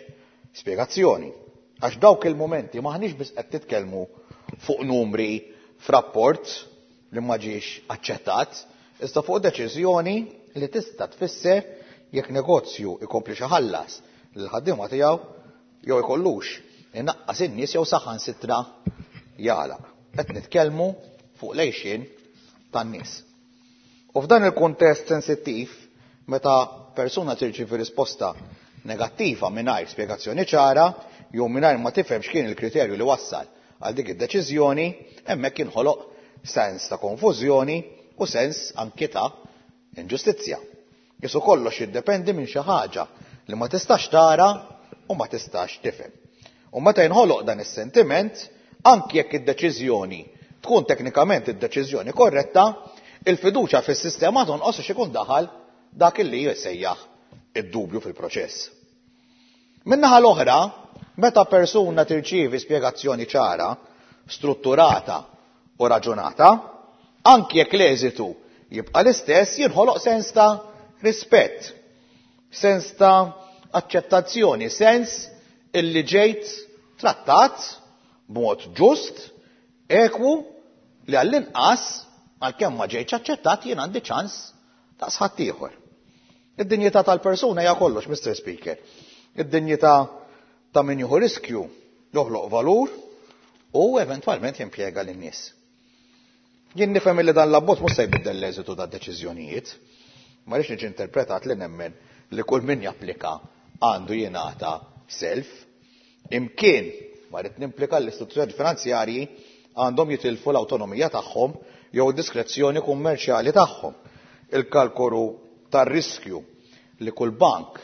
spjegazzjoni. Għax dawk il-mumenti maħniex biss qed titkellmu fuq numri f'rapport li ma ġiex aċċettat, iżda fuq deċiżjoni li tista' tfisser jekk negozju ikompli xi ħallas lil ħaddiema tiegħu jew ikollux inaqqas in-nies jew saħansitra jagħlaq. Qed nitkellmu fuq l-għixien tan-nies. U f'dan il-kuntest sensittiv, meta persuna tirċievi risposta negattiva mingħajr spjegazzjoni ċara jew mingħajr ma tifhem x'kien il-kriterju li wassal għal dik id-deċiżjoni, hemmhekk inħoloq sens ta' konfużjoni u sens anki ta' inġustizzja. Qisu kollox jiddependi minn xi ħaġa li ma tistax tara u ma tistax tifhem. U meta jinħoloq dan is-sentiment, anki jekk id-deċiżjoni tkun teknikament id-deċiżjoni korretta, il-fiduċja fis-sistema tonqos għax ikun daħal dak li jsejjaħ id-dubju fil-proċess. Min-naħa l-oħra, meta persuna tirċievi spjegazzjoni ċara, strutturata u raġunata, anki jekk l-eżitu jibqa' l-istess, jinħoloq sens ta' rispett, sens ta' aċċettazzjoni, sens illi ġejt trattat b'mod ġust, ekwu, li għall-inqas, għalkemm ma ġejtx aċċettat, jien għandi ċans ta' sħadd ieħor. Id-dinjità tal-persuna hija kollox, Mister Speaker. Id-dinjità ta' min jieħu riskju joħloq valur u eventwalment jimpjega lin-nies. Jien nifhem li dan l-abbozz mhux se jbiddel l-eżitu ta' deċiżjonijiet. Ma rridx niġi interpretat li nemmen li kull min japplika għandu jingħata self. Imkien ma rrid nimplika l-istituzzjoni finanzjarji għandhom jitilfu l-awtonomija tagħhom jew diskrezzjoni kummerċjali tagħhom. Il-kalkolu tar-riskju li kull bank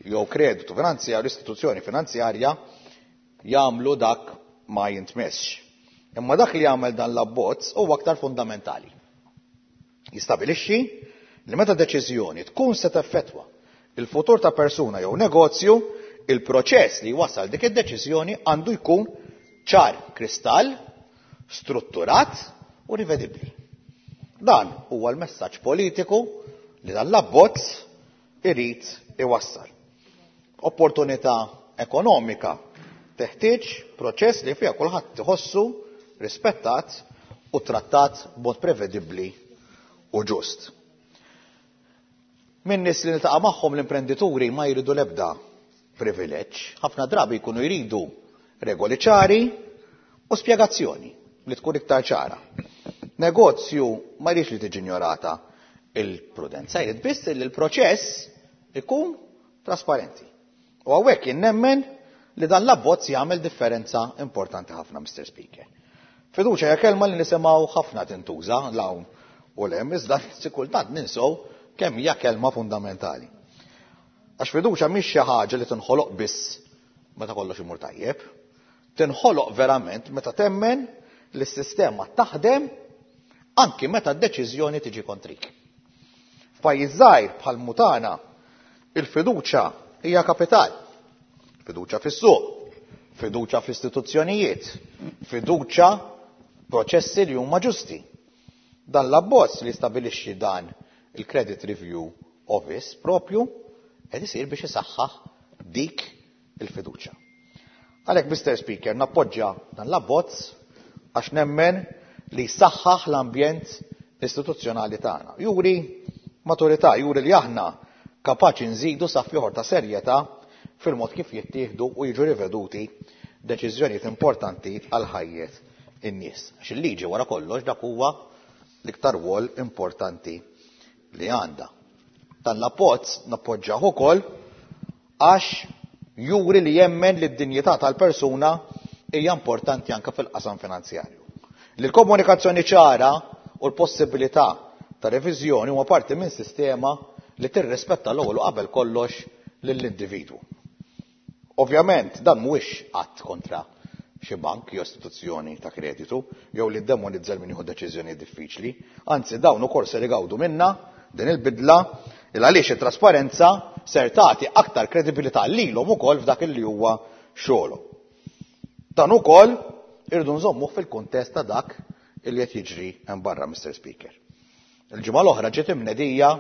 jew kreditu finanzjarju, istituzzjoni finanzjarja jagħmlu dak ma jintmessx. Imma dak li jagħmel dan l-abbozz huwa aktar fundamentali. Jistabilixxi li meta deċiżjoni tkun se teffettwa il-futur ta' persuna jew negozju, il-proċess li wasal dik id-deċiżjoni għandu jkun ċar kristall, strutturat u rivedibbli. Dan huwa l-messaġġ politiku li dan l-abbozz irid iwassal. Opportunità ekonomika teħtieġ proċess li fiha kulħadd iħossu rispettat u trattat b'mod prevedibbli u ġust. Min nies li niltaqa' magħhom l-imprendituri ma jridu l-ebda privileġġ, ħafna drabi jkunu jridu regoli ċari u spjegazzjoni li tkun iktar ċara. Negozju ma jridx li tiġi ignorata Il-prudenza jrid biss li l-proċess ikun trasparenti. U hawnhekk jien nemmen li dan l-abbozz jagħmel differenza importanti ħafna, Mister Speaker. Fiduċja hija kelma li nisimgħu ħafna tintuża l-hawn u l-hemm, iżda kultant ninsew kemm hija kelma fundamentali. Għax fiduċja mhix xi ħaġa li tinħoloq biss meta kollox imur tajjeb, tinħoloq verament meta temmen li s-sistema taħdem anki meta d-deċiżjoni tiġi kontrik. F'pajjiż żgħir bħal mutana, il-fiduċja hija kapital. Fiduċja fis-suq, fiduċja fl-istituzzjonijiet, fiduċja proċessi li huma ġusti. Dan l-abbozz li stabilixxi dan il-Credit Review Office propju qed isir biex isaħħaħ dik il-fiduċja. Għalhekk, Mister Speaker, nappoġġja dan l-abbozz għax nemmen li saħħaħ l-ambjent istituzzjonali tagħna. Juri maturità, juri li aħna kapaċi nżidu saff ieħor ta' serjetà fil-mod kif jittieħdu u jiġu riveduti deċiżjonijiet importanti għal ħajjet in-nies. Għax il-liġi wara kollox dak huwa l-iktar rwol importanti li għandha. Dan l-abbozz nappoġġjah ukoll għax juri li jemmen li d-dinjità tal-persuna hija importanti anke fil-qasam finanzjarju. Li l-komunikazzjoni ċara u l-possibilità ta' reviżjoni huma parti minn sistema li tirrispetta l-ewwel u qabel kollox lill-individwu. Ovvjament dan mhuwiex att kontra xi bank jew istituzzjoni ta' kreditu jew li ddemonizza min jieħu deċiżjoni diffiċli, anzi dawn ukoll ser igawdu minna din il-bidla il għaliex it-trasparenza ser tagħti aktar kredibilità lilhom ukoll f'dak li huwa xogħolhom. Dan ukoll irridu nżommuh fil-kuntest ta' dak li qed jiġri hemm barra, Mister Speaker. Il-ġimgħa l-oħra ġiet imnedija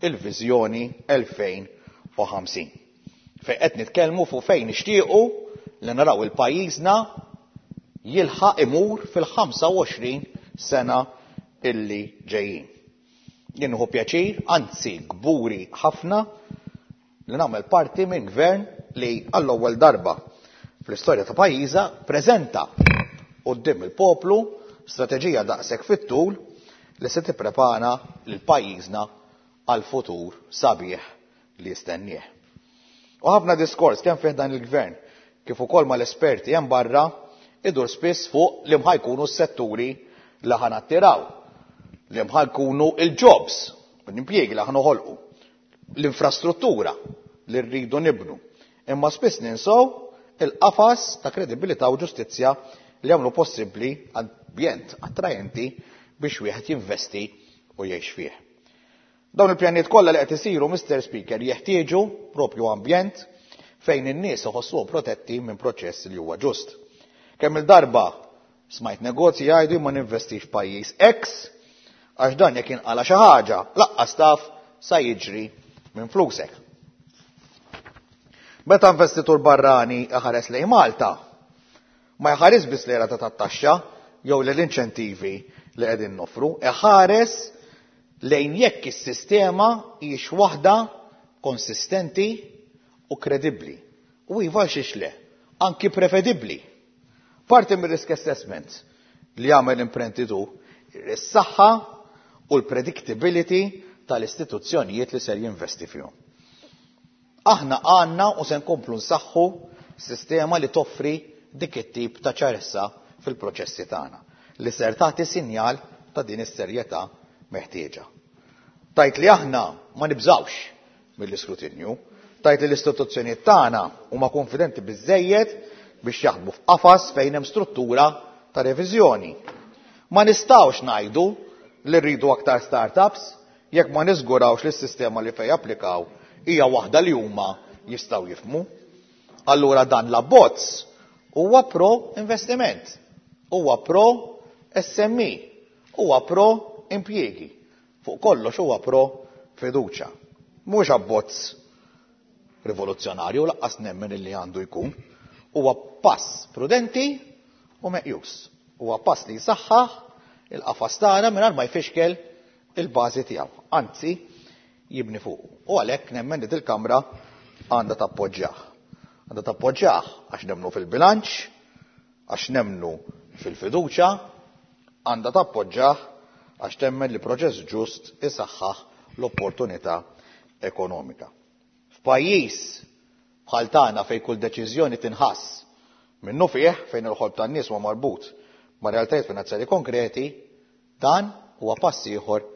il-Viżjoni elfejn u ħamsin. Fejn qed nitkellmu fuq fejn nixtiequ li naraw il-pajjiżna jilħaq imur fil-ħamsa u għoxrin sena illi ġejjin. Jien nieħu pjaċir, anzi kburi ħafna, li nagħmel parti minn gvern li għall-ewwel darba fl-istorja ta' pajjiża preżenta quddiem il-poplu strateġija daqshekk fit-tul li se tipprepara lil pajjiżna għal futur sabiħ li jistennieh. U ħafna diskors kemm fih dan il-gvern kif ukoll mal-esperti hemm barra idur spiss fuq li mħa jkunu s-setturi li ħa nattiraw, li mħa jkunu il-jobs, l-impjiegi li ħa noħolqu, l-infrastruttura li rridu nibnu. Imma spiss ninsow il-qafas ta' kredibilità u ġustizzja li jagħmlu possibbli ambjent attrajenti biex wieħed jinvesti u jgħix fih. Dawn il-pjanijiet kollha li qed isiru, Mister Speaker, jeħtieġu propju ambjent fejn in-nies iħossuhom protetti minn proċess li huwa ġust. Kemm il-darba smajt negozji jgħidu ma ninvestix f'pajjiż X għax dan jekk inqala xi ħaġa laqqas taf sa jiġri minn flusek. Meta investitur barrani iħares lejn Malta, ma jħares biss lejn rata tat-taxxa jew l-inċentivi li qegħdin noffru, iħares lejn jekk is-sistema hijiex waħda konsistenti u kredibbli. U iva xiex le, anki prevedibbli. Parti mir-risk assessment li jagħmel imprenditur is-saħħa u l-predictability tal-istituzzjonijiet li ser jinvesti fihom. Aħna għandna u se nkomplu nsaħħu sistema li toffri dik it-tip ta' ċarezza fil-proċessi tagħna li ser tagħti sinjal ta' din is-serjetà meħtieġa. Tajt li aħna ma nibżawx mill-iskrutinju, tajt li l-istituzzjonijiet tagħna huma konfidenti biżżejjed biex jaħdmu f'qafas fejn hemm struttura ta' reviżjoni. Ma nistgħux ngħidu li rridu aktar startups jekk ma niżgurawx li s-sistema li fejn japplikaw hija waħda li huma jistgħu jifhmu. Allura dan l-abbozz huwa pro investiment, huwa pro S M E, huwa pro impjiegi, fuq kollox huwa pro fiduċja. Mhux abbozz rivoluzzjonarju laqqas nemmen illi għandu jkun, huwa pass prudenti u meqjus. Huwa pass li jsaħħaħ il-qafas tagħna mingħajr ma jfixkel il-bażi tiegħu, anzi jibni fuqu. U għalhekk nemmen li dil-Kamra għandha tappoġġjah. Għandha tappoġġjah għax nemmnu fil-bilanċ, għax nemmnu fil-fiduċja, għandha tappoġġjah għax temmen li proċess ġust isaħħaħ l-opportunità ekonomika. F'pajjiż bħal tagħna fejn kull deċiżjoni tinħass minnu fih, fejn il-ħolm tan-nies huwa marbut ma' realtajiet finanzjarji konkreti, dan huwa pass ieħor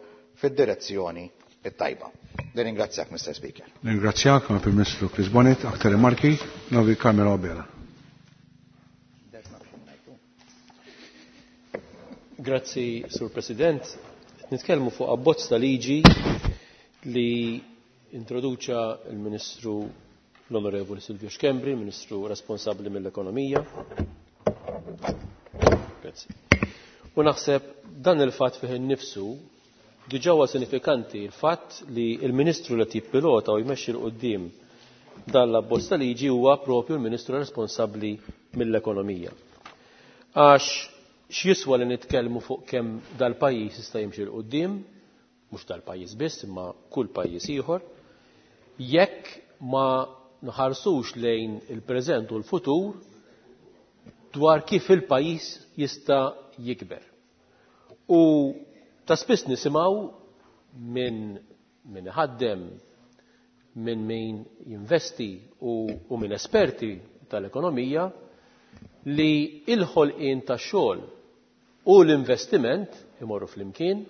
fid-direzzjoni it-tajba. Nirringrazzjak, Mister Speaker. Nirringrazzjak, Prim Ministru Chris Bonett. Aktar rimarki, Novi Carmelo Abela. Grazzi, Sur President. Nitkellmu fuq abbozz ta' liġi li introduċa il-Ministru l-Onorevoli Silvio Schembri, Ministru responsabbli mill-Ekonomija. Grazzi. U naħseb dan il-fatt fih innifsu diġà huwa sinifikanti, il-fatt li il-Ministru li jippilota u jmexxi 'l quddiem dan l-abbozz ta' liġi huwa propju l-Ministru responsabbli mill-Ekonomija. Għax x'jiswa li nitkellmu fuq kemm dal-pajjiż jista' jimxi 'l quddiem, mhux dal-pajjiż biss imma kull pajjiż ieħor, jekk ma nħarsux lejn il-preżent u l-futur dwar kif il-pajjiż jista' jikber. U ta' spiss nisimgħu minn min iħaddem, minn min jinvesti u, u minn esperti tal-ekonomija li il-ħolqien tax-xogħol u l-investiment imorru flimkien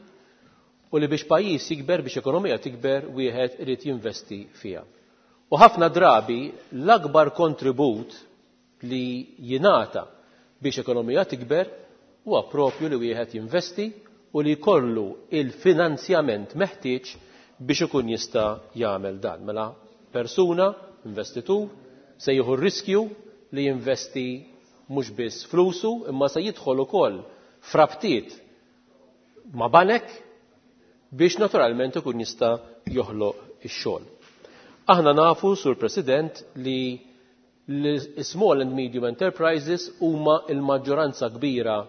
u li biex pajjiż jikber, biex ekonomija tikber, wieħed irid jinvesti fiha. U ħafna drabi l-akbar kontribut li jingħata biex ekonomija tikber huwa propju li wieħed jinvesti u li jkollu il-finanzjament meħtieġ biex ikun jista' jagħmel dan. Mela persuna, investitur, se jieħu r-riskju li jinvesti mhux biss flusu, imma se jidħol ukoll frabtiet ma' banek biex naturalment ikun jista' joħloq ix-xogħol. Aħna nafu, Sur President, li l-small and medium enterprises huma l-maġġoranza kbira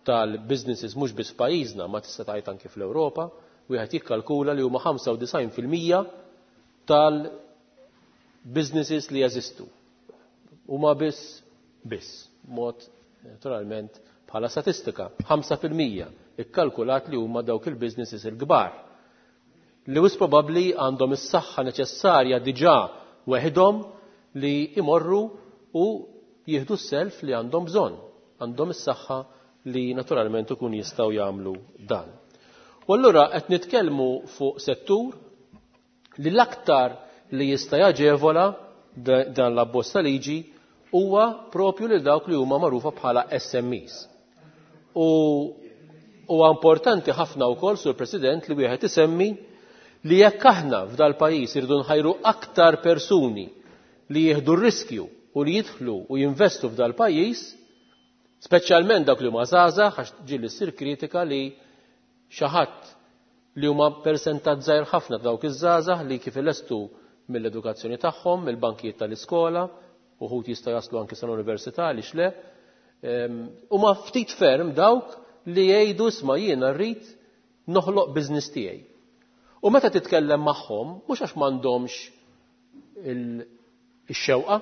tal-businesses mhux biss f'pajjiżna, ma tista' tgħid anke fl-Ewropa, wieħed jikkalkula li huma ħamsa u disgħin fil-mija tal-businesses li jeżistu. Huma biss biss, mod naturalment bħala statistika, ħamsa fil-mija ikkalkulat li huma dawk il-businesses il-kbar li wis probabbli għandhom is-saħħa neċessarja diġà weħidhom li imorru u jieħdu s-self li għandhom bżonn, għandhom is-saħħa li naturalment ikun jistgħu jagħmlu dan. U allura qed nitkellmu fuq settur li l-aktar li jista' jaġevola dan l-abbozz ta' liġi huwa propju lil dawk li huma magħrufa bħala S M Es. U huwa importanti ħafna wkoll, Sur President, li wieħed isemmi li jekk aħna f'dal-pajjiż irridu nħajru aktar persuni li jieħdu r-riskju u li jidħlu u jinvestu f'dal-pajjiż, speċjalment dawk li huma żgħażagħ, għax ġieli ssir kritika li xi ħadd li huma persentaġġ żgħir ħafna dawk iż-żgħażagħ li kif ilestu mill-edukazzjoni tagħhom, mill-bankijiet tal-iskola, uħud jista' jaslu anke sal-università għaliex le, ehm, huma ftit ferm dawk li jgħidu isma' jiena rrid noħloq business tiegħi. U meta titkellem magħhom, mhux għax m'għandhomx il-, ix-xewqa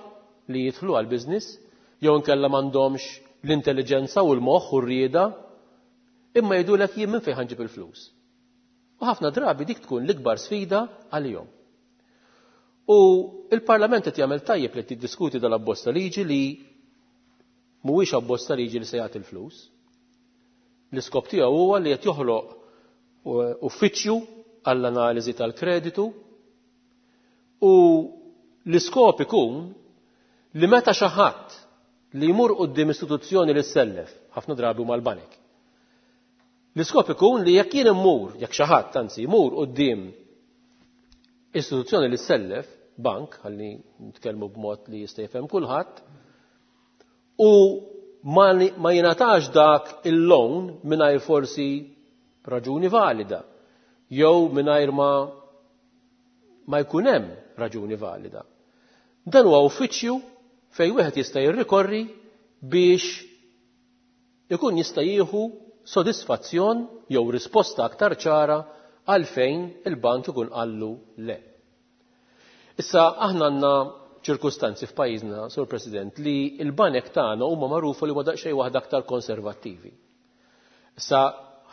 li jidħlu għall-business, jew inkella m'għandhomx l-intelligenza u l-moħħ u r-rieda, imma jgħidulek jien minn fejn ħanġib il-flus. U ħafna drabi dik tkun l-ikbar sfida għalihom. U il-Parlament qed jagħmel tajjeb li tiddiskuti dal-abbozz ta' liġi li mhuwiex abbozz ta' liġi li se jagħti l-flus. L-iskop tiegħu huwa li qed joħloq uffiċċju għall-analiżi tal-kreditu u l-iskop ikun li meta xi ħadd li jmur quddiem istituzzjoni li ssellef, ħafna drabi huma l-banek. L-iskop ikun li jekk jien immur, jekk xi ħadd anzi jmur quddiem istituzzjoni li ssellef, bank, ħalli nitkellmu b'mod li jista' jifhem kulħadd, u ma ni-, ma jingħatax dak il-loan mingħajr forsi raġuni valida, jew mingħajr ma, ma jkun hemm raġuni valida. Dan huwa uffiċċju fejn wieħed jista' jirrikorri biex ikun jista' jieħu sodisfazzjon jew risposta aktar ċara għalfejn il-bank ikun qallu le. Issa aħna għandna ċirkustanzi f'pajjiżna, Sur President, li l-banek tagħna huma magħrufa li huma daqsxejn waħda aktar konservattivi. Issa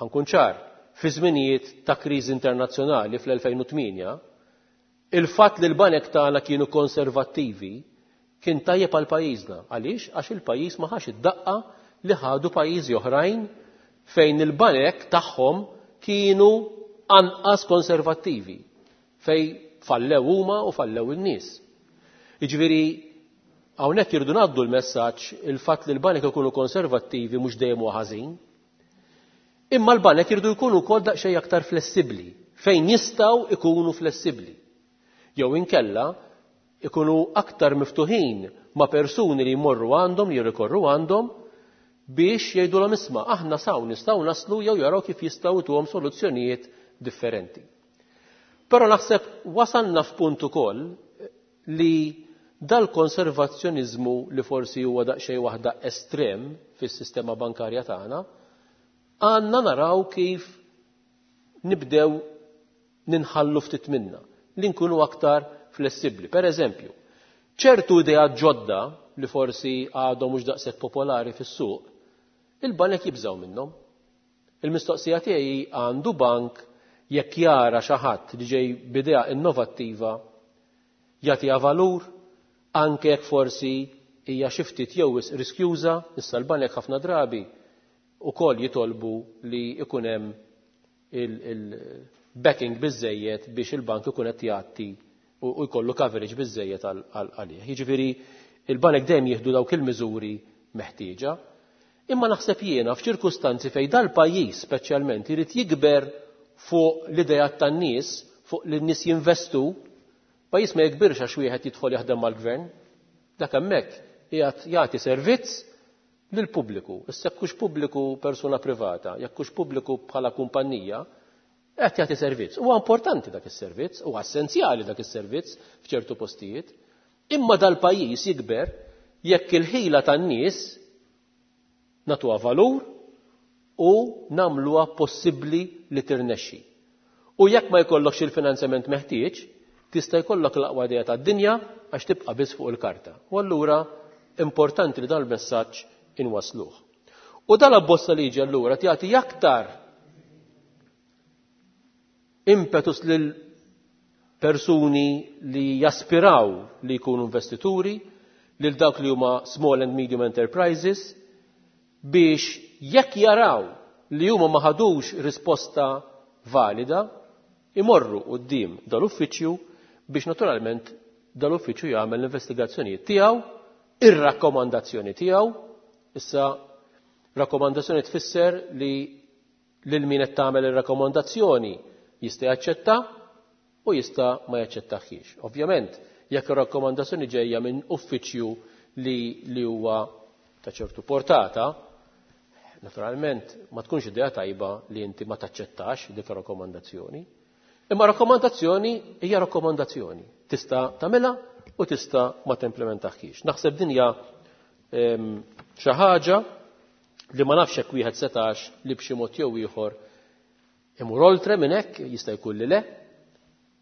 ħankun ċar, fi żminijiet ta' kriżi internazzjonali fl-elfejn u tmienja, il-fatt li l-banek tagħna kienu konservattivi kien tajjeb għal pajjiżna. Għaliex? Għax il-pajjiż ma ħax id-daqqa li ħadu pajjiżi oħrajn fejn il-banek tagħhom kienu anqas konservattivi, fej fallew huma u fallew in-nies. Jiġifieri hawnhekk irridu ngħaddu l-messaġġ il-fatt li l-banek ikunu konservattivi mhux dejjem huwa ħażin. Imma l-banek irridu jkunu wkoll daqsxejn aktar flessibbli, fejn jistgħu ikunu flessibbli. Jew inkella ikunu aktar miftuħin ma' persuni li jmorru għandhom, li jirrikorru għandhom, biex jgħidulhom isma' aħna saw nistgħu naslu jew jaraw kif jistgħu ituhom soluzzjonijiet differenti. Però naħseb wasalna f'punt ukoll li dal-konservazzjoniżmu li forsi huwa daqsxejn waħda estrem fis-sistema bankarja tagħna, għandna naraw kif nibdew ninħallu ftit minna, li nkunu aktar flessibbli. Per eżempju, ċertu ideat ġodda li forsi għadhom mhux daqshekk popolari fis-suq, il-banek jibżgħu minnhom. Il-mistoqsija tiegħi għandu bank jekk jara xi ħadd li ġej b'idea innovattiva jagħtiha valur anke jekk forsi hija xi ftit jew wisq riskjuża, issa l-banek ħafna drabi ukoll jitolbu li ikun hemm il-backing biżżejjed biex il-bank ikun qed jagħti u jkollu coverage biżżejjed għalih. Jiġifieri il-banek dejjem jieħdu dawk il-miżuri meħtieġa. Imma naħseb jiena f'ċirkustanzi fejn dal-pajjiż speċjalment irid jikber fuq l-idejat tan-nies, fuq li n-nies jinvestu, pajjiż ma jikbirx għax wieħed jidħol jaħdem mal-gvern. Dak hemmhekk qiegħed jagħti servizz lill-pubbliku. Issa jekk hux pubbliku persuna privata, jekk hux pubbliku bħala kumpanija, qed jagħti servizz. Huwa importanti dak is-servizz, huwa essenzjali dak is-servizz f'ċertu postijiet. Imma dal-pajjiż jikber jekk il-ħila tan-nies nagħtuha valur u nagħmluha possibbli li tirnexxi. U jekk ma jkollokx il-finanzjament meħtieġ, tista' jkollok l-aqwa idea tad-dinja għax tibqa' biss fuq il-karta. U allura importanti li dan il-messaġġ inwasluh. U dan abbozz ta' liġi allura jagħti aktar impetus lil persuni li jaspiraw li jkunu investituri, lil dawk li huma small and medium enterprises, biex jekk jaraw li huma ma ħadux risposta valida, imorru quddiem dal-uffiċċju biex naturalment dal-uffiċċju jagħmel l-investigazzjonijiet tiegħu, ir-rakkomandazzjoni tiegħu. Issa rakkomandazzjoni tfisser li lil min qed tagħmel ir-rakkomandazzjoni jista' jaċċetta u jista' ma jaċċettaħiex. Ovvjament, jekk ir-rakkomandazzjoni ġejja minn uffiċċju li, li huwa ta' ċertu portata, naturalment ma tkunx idea tajba li inti ma taċċettax dik ir-rakkomandazzjoni. Imma rakkomandazzjoni hija rakkomandazzjoni. Tista' tagħmilha u tista' ma timplementaħiex. Naħseb din hija xi ħaġa li ma nafx hekk wieħed setax li b'xi mod jew ieħor imur oltre minn hekk, jista' jkun li le,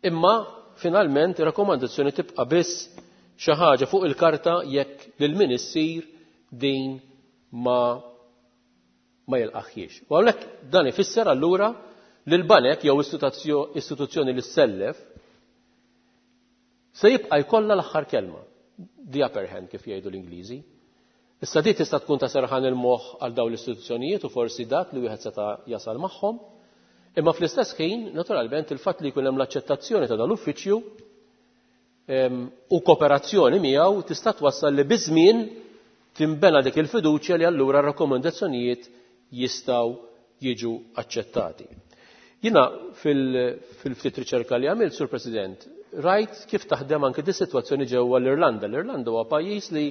imma finalment ir-rakkomandazzjoni tibqa' biss xi ħaġa fuq il-karta jekk lil min issir din ma ma jilqaħħiex. U hawnhekk dan ifisser allura li l-banek jew istituzzjoni li ssellef se jibqa' jkollha l-aħħar kelma, the upper hand kif jgħidu l-Ingliżi. Issa di tista' tkun ta' serħan il-moħħ għal dawn l-istituzzjonijiet u forsi dak li wieħed seta' jasal magħhom, imma fl-istess ħin, naturalment, il-fatt li jkun hemm l-aċċettazzjoni ta' dal-uffiċċju u kooperazzjoni miegħu tista' twassal li biż-żmien tinbena dik il-fiduċja li allura r-rakkomandazzjonijiet jistgħu jiġu aċċettati. Jiena fil-ftit riċerka li għamilt, Sur President, rajt kif taħdem anke di sitwazzjoni ġewwa l-Irlanda. L-Irlanda huwa pajjiż li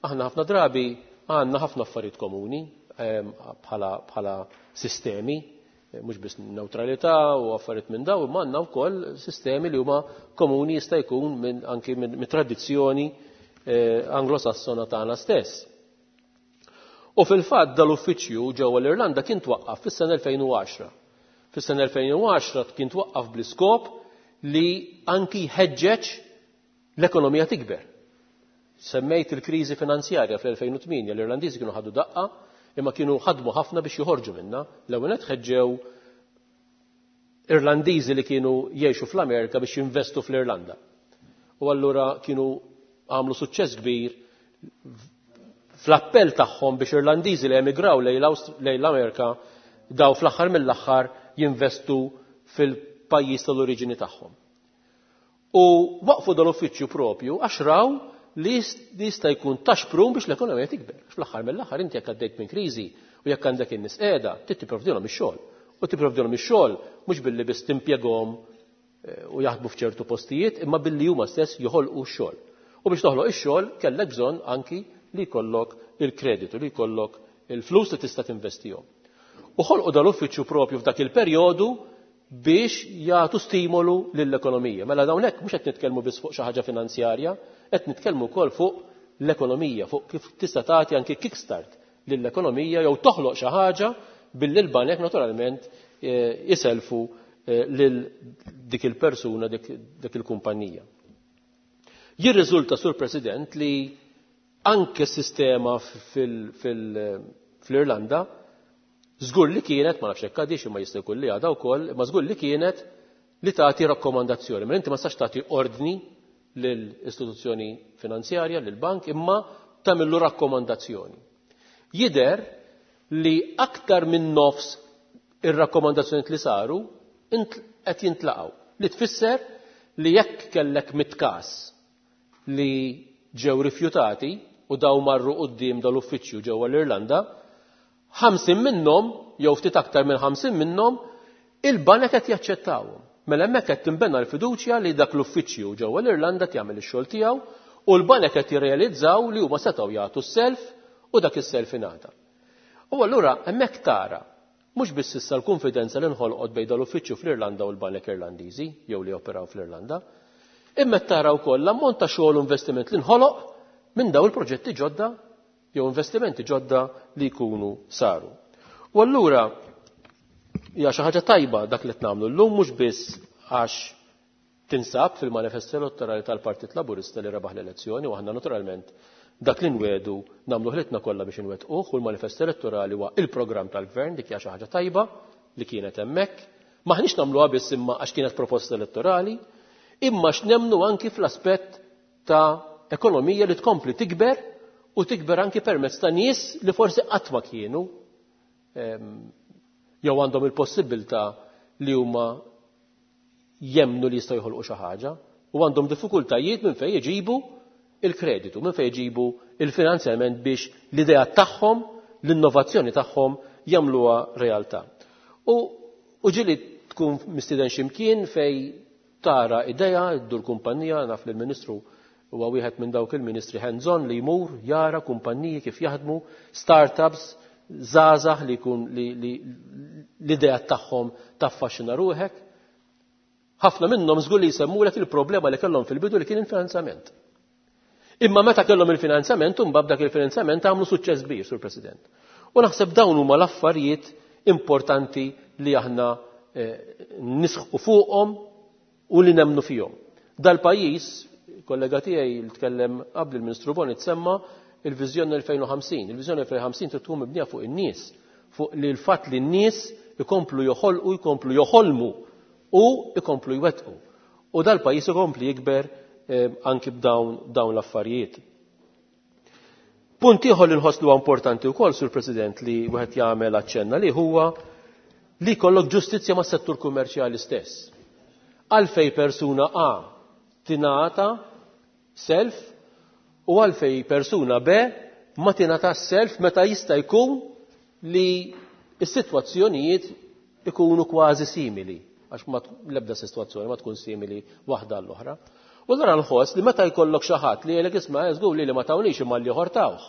aħna ħafna drabi għandna ħafna affarijiet komuni bħala sistemi, mhux biss neutralità u affarijiet minn daw, imma għandna wkoll sistemi li huma komuni jista' jkun minn anki minn tradizzjoni anglosassona tagħna stess. U fil-fatt dal-uffiċċju ġewwa l-Irlanda kien twaqqaf fis-sena elfejn u għaxra. Fis-sena elfejn u għaxra kien twaqqaf bl-iskop li anki jħeġġeġ l-ekonomija tikber. Semmejt il-kriżi finanzjarja fl-elfejn u tmienja, l-Irlandiżi kienu ħadu daqqa, imma kienu ħadmu ħafna biex joħorġu minna. L-ewwel nett ħeġġew Irlandiżi li kienu jgħixu fl-Amerika biex jinvestu fl-Irlanda. U allura kienu għamlu suċċess kbir fl-appell tagħhom biex Irlandiżi li emigraw lejn l-Amerika daw fl-aħħar mill-aħħar jinvestu fil-pajjiż tal-oriġini tagħhom. U waqfu dal-uffiċċju propju għax raw li jista' jkun ta' xprun biex l-ekonomija tikber. Fl-aħħar mill-aħħar inti jekk għaddejt minn kriżi u jekk għandek in-nies qiegħda, trid tipprovdilhom ix-xogħol. U tipprovdilhom ix-xogħol mhux billi biss timpjegahom u jaħdmu f'ċertu postijiet, imma billi huma stess joħolqu x-xogħol. U biex toħloq ix-xogħol kellek bżonn anki li jkollok il-kreditu, li jkollok il-flus li tista' tinvestihom. U ħolqu dal-uffiċċju propju f'dak il-perjodu biex jagħtu stimolu lill-ekonomija. Mela dawn hekk mhux qed nitkellmu biss fuq xi ħaġa finanzjarja, qed nitkellmu wkoll fuq l-ekonomija, fuq kif tista' tagħti anki kickstart lill-ekonomija jew toħloq xi ħaġa billi l-banek naturalment jiselfu lil dik il-persuna, dik il-kumpanija. Jirriżulta, Sur President, li anke s-sistema fil-Irlanda żgur li kienet, ma nafx hekk għadix imma jista' jkun li għadha wkoll, imma żgur li kienet li tagħti rakkomandazzjoni. Mela inti ma tistax tagħti ordni lill-istituzzjoni finanzjarja, lill-bank, imma tagħmillu rakkomandazzjoni. Jidher li aktar minn nofs ir-rakkomandazzjoni li saru qed jintlaqgħu. Li tfisser li jekk kellek mitt każ li ġew rifjutati u daw marru quddiem dal-uffiċċju ġewwa l-Irlanda, ħamsin minnhom jew ftit aktar minn ħamsin minnhom il-banek qed jaċċettawhom. Mela hemmhekk qed tinbena l-fiduċja li dak l-uffiċċju ġewwa l-Irlanda jagħmel ix-xogħol tiegħu u l-banek qed jirrealizzaw li huma setgħu jagħtu s-self u dak is-self ingħata. U allura hemmhekk tara mhux biss issa l-konfidenza li nħolqot bejn dal-uffiċċju fl-Irlanda u l-banek Irlandiżi jew li operaw fl-Irlanda, imma tara wkoll l-ammont ta' xogħol u investiment li nħoloq minn daw il-proġetti ġodda jew investimenti ġodda li jkunu saru. U allura hija xi ħaġa tajba dak li qed nagħmlu llum mhux biss għax tinsab fil-manifest elettorali tal-Partit Laburista li rebaħ l-elezzjoni u aħna naturalment dak li nwedu nagħmlu ħlitna kollha biex inwettquh u l-manifest elettorali huwa il-programm tal-gvern, dik hija xi ħaġa tajba li kienet hemmhekk. Maħniex nagħmluha biss imma għax kienet proposta elettorali, imma x'nemmnu anki fl-aspett ta' ekonomija li tkompli tikber u tikber anki permezz ta' nies li forsi qatt ma kienu jew għandhom il-possibilità li huma jemnu li jistgħu jħolqu xi ħaġa u għandhom diffikultajiet minn fejn jġibu il-kreditu, minn fejn jġibu il-finanzjament biex l-idea tagħhom, l-innovazzjoni tagħhom jagħmluha realtà. U, u ġieli tkun mistieden x'imkien fej tara idea, ddur kumpanija, naf li l-Ministru huwa wieħed minn dawk il-ministri hands-on li jmur jara kumpaniji kif jaħdmu, startups, żgħażagħ li jkun li, li l-idea tagħhom taffaxxina ruħek. Ħafna minnhom żgur li jsemmulek il-problema li kellhom fil-bidu li kien il-finanzjament. Imma meta kellhom il-finanzjament, imbagħad dak il-finanzjament għamlu suċċess kbir, Sur President. U naħseb dawn huma l-affarijiet importanti li aħna eh, nisħqu fuqhom u li nemmnu fihom. Dal-pajjiż, kollega tiegħi li tkellem qabel il-Ministru Boni tsemma il-viżjoni elfejn u ħamsin. Il-viżjoni elfejn u ħamsin trid tkun mibnija fuq in-nies, fuq li l-fatt li n-nies ikomplu joħolqu, jkomplu joħolmu u ikomplu jwettqu. U dal-pajjiż ikompli jikber eh, anki b'dawn dawn l-affarijiet. Punt ieħor li nħoss li huwa importanti wkoll, Sur President, li wieħed jagħmel aċċenna li huwa li jkollok ġustizzja mas-settur kummerċjali stess. Għalfej persuna A tingħata self u għalfej persuna B ma tingħata self meta jista' jkun li s-sitwazzjonijiet ikunu kważi simili, għax ma l-ebda sitwazzjoni ma tkun simili waħda għall-oħra. U allura nħoss li meta jkollok xi ħadd li jgħidlek isma' żgur li li ma tawniex imma li ħortawh.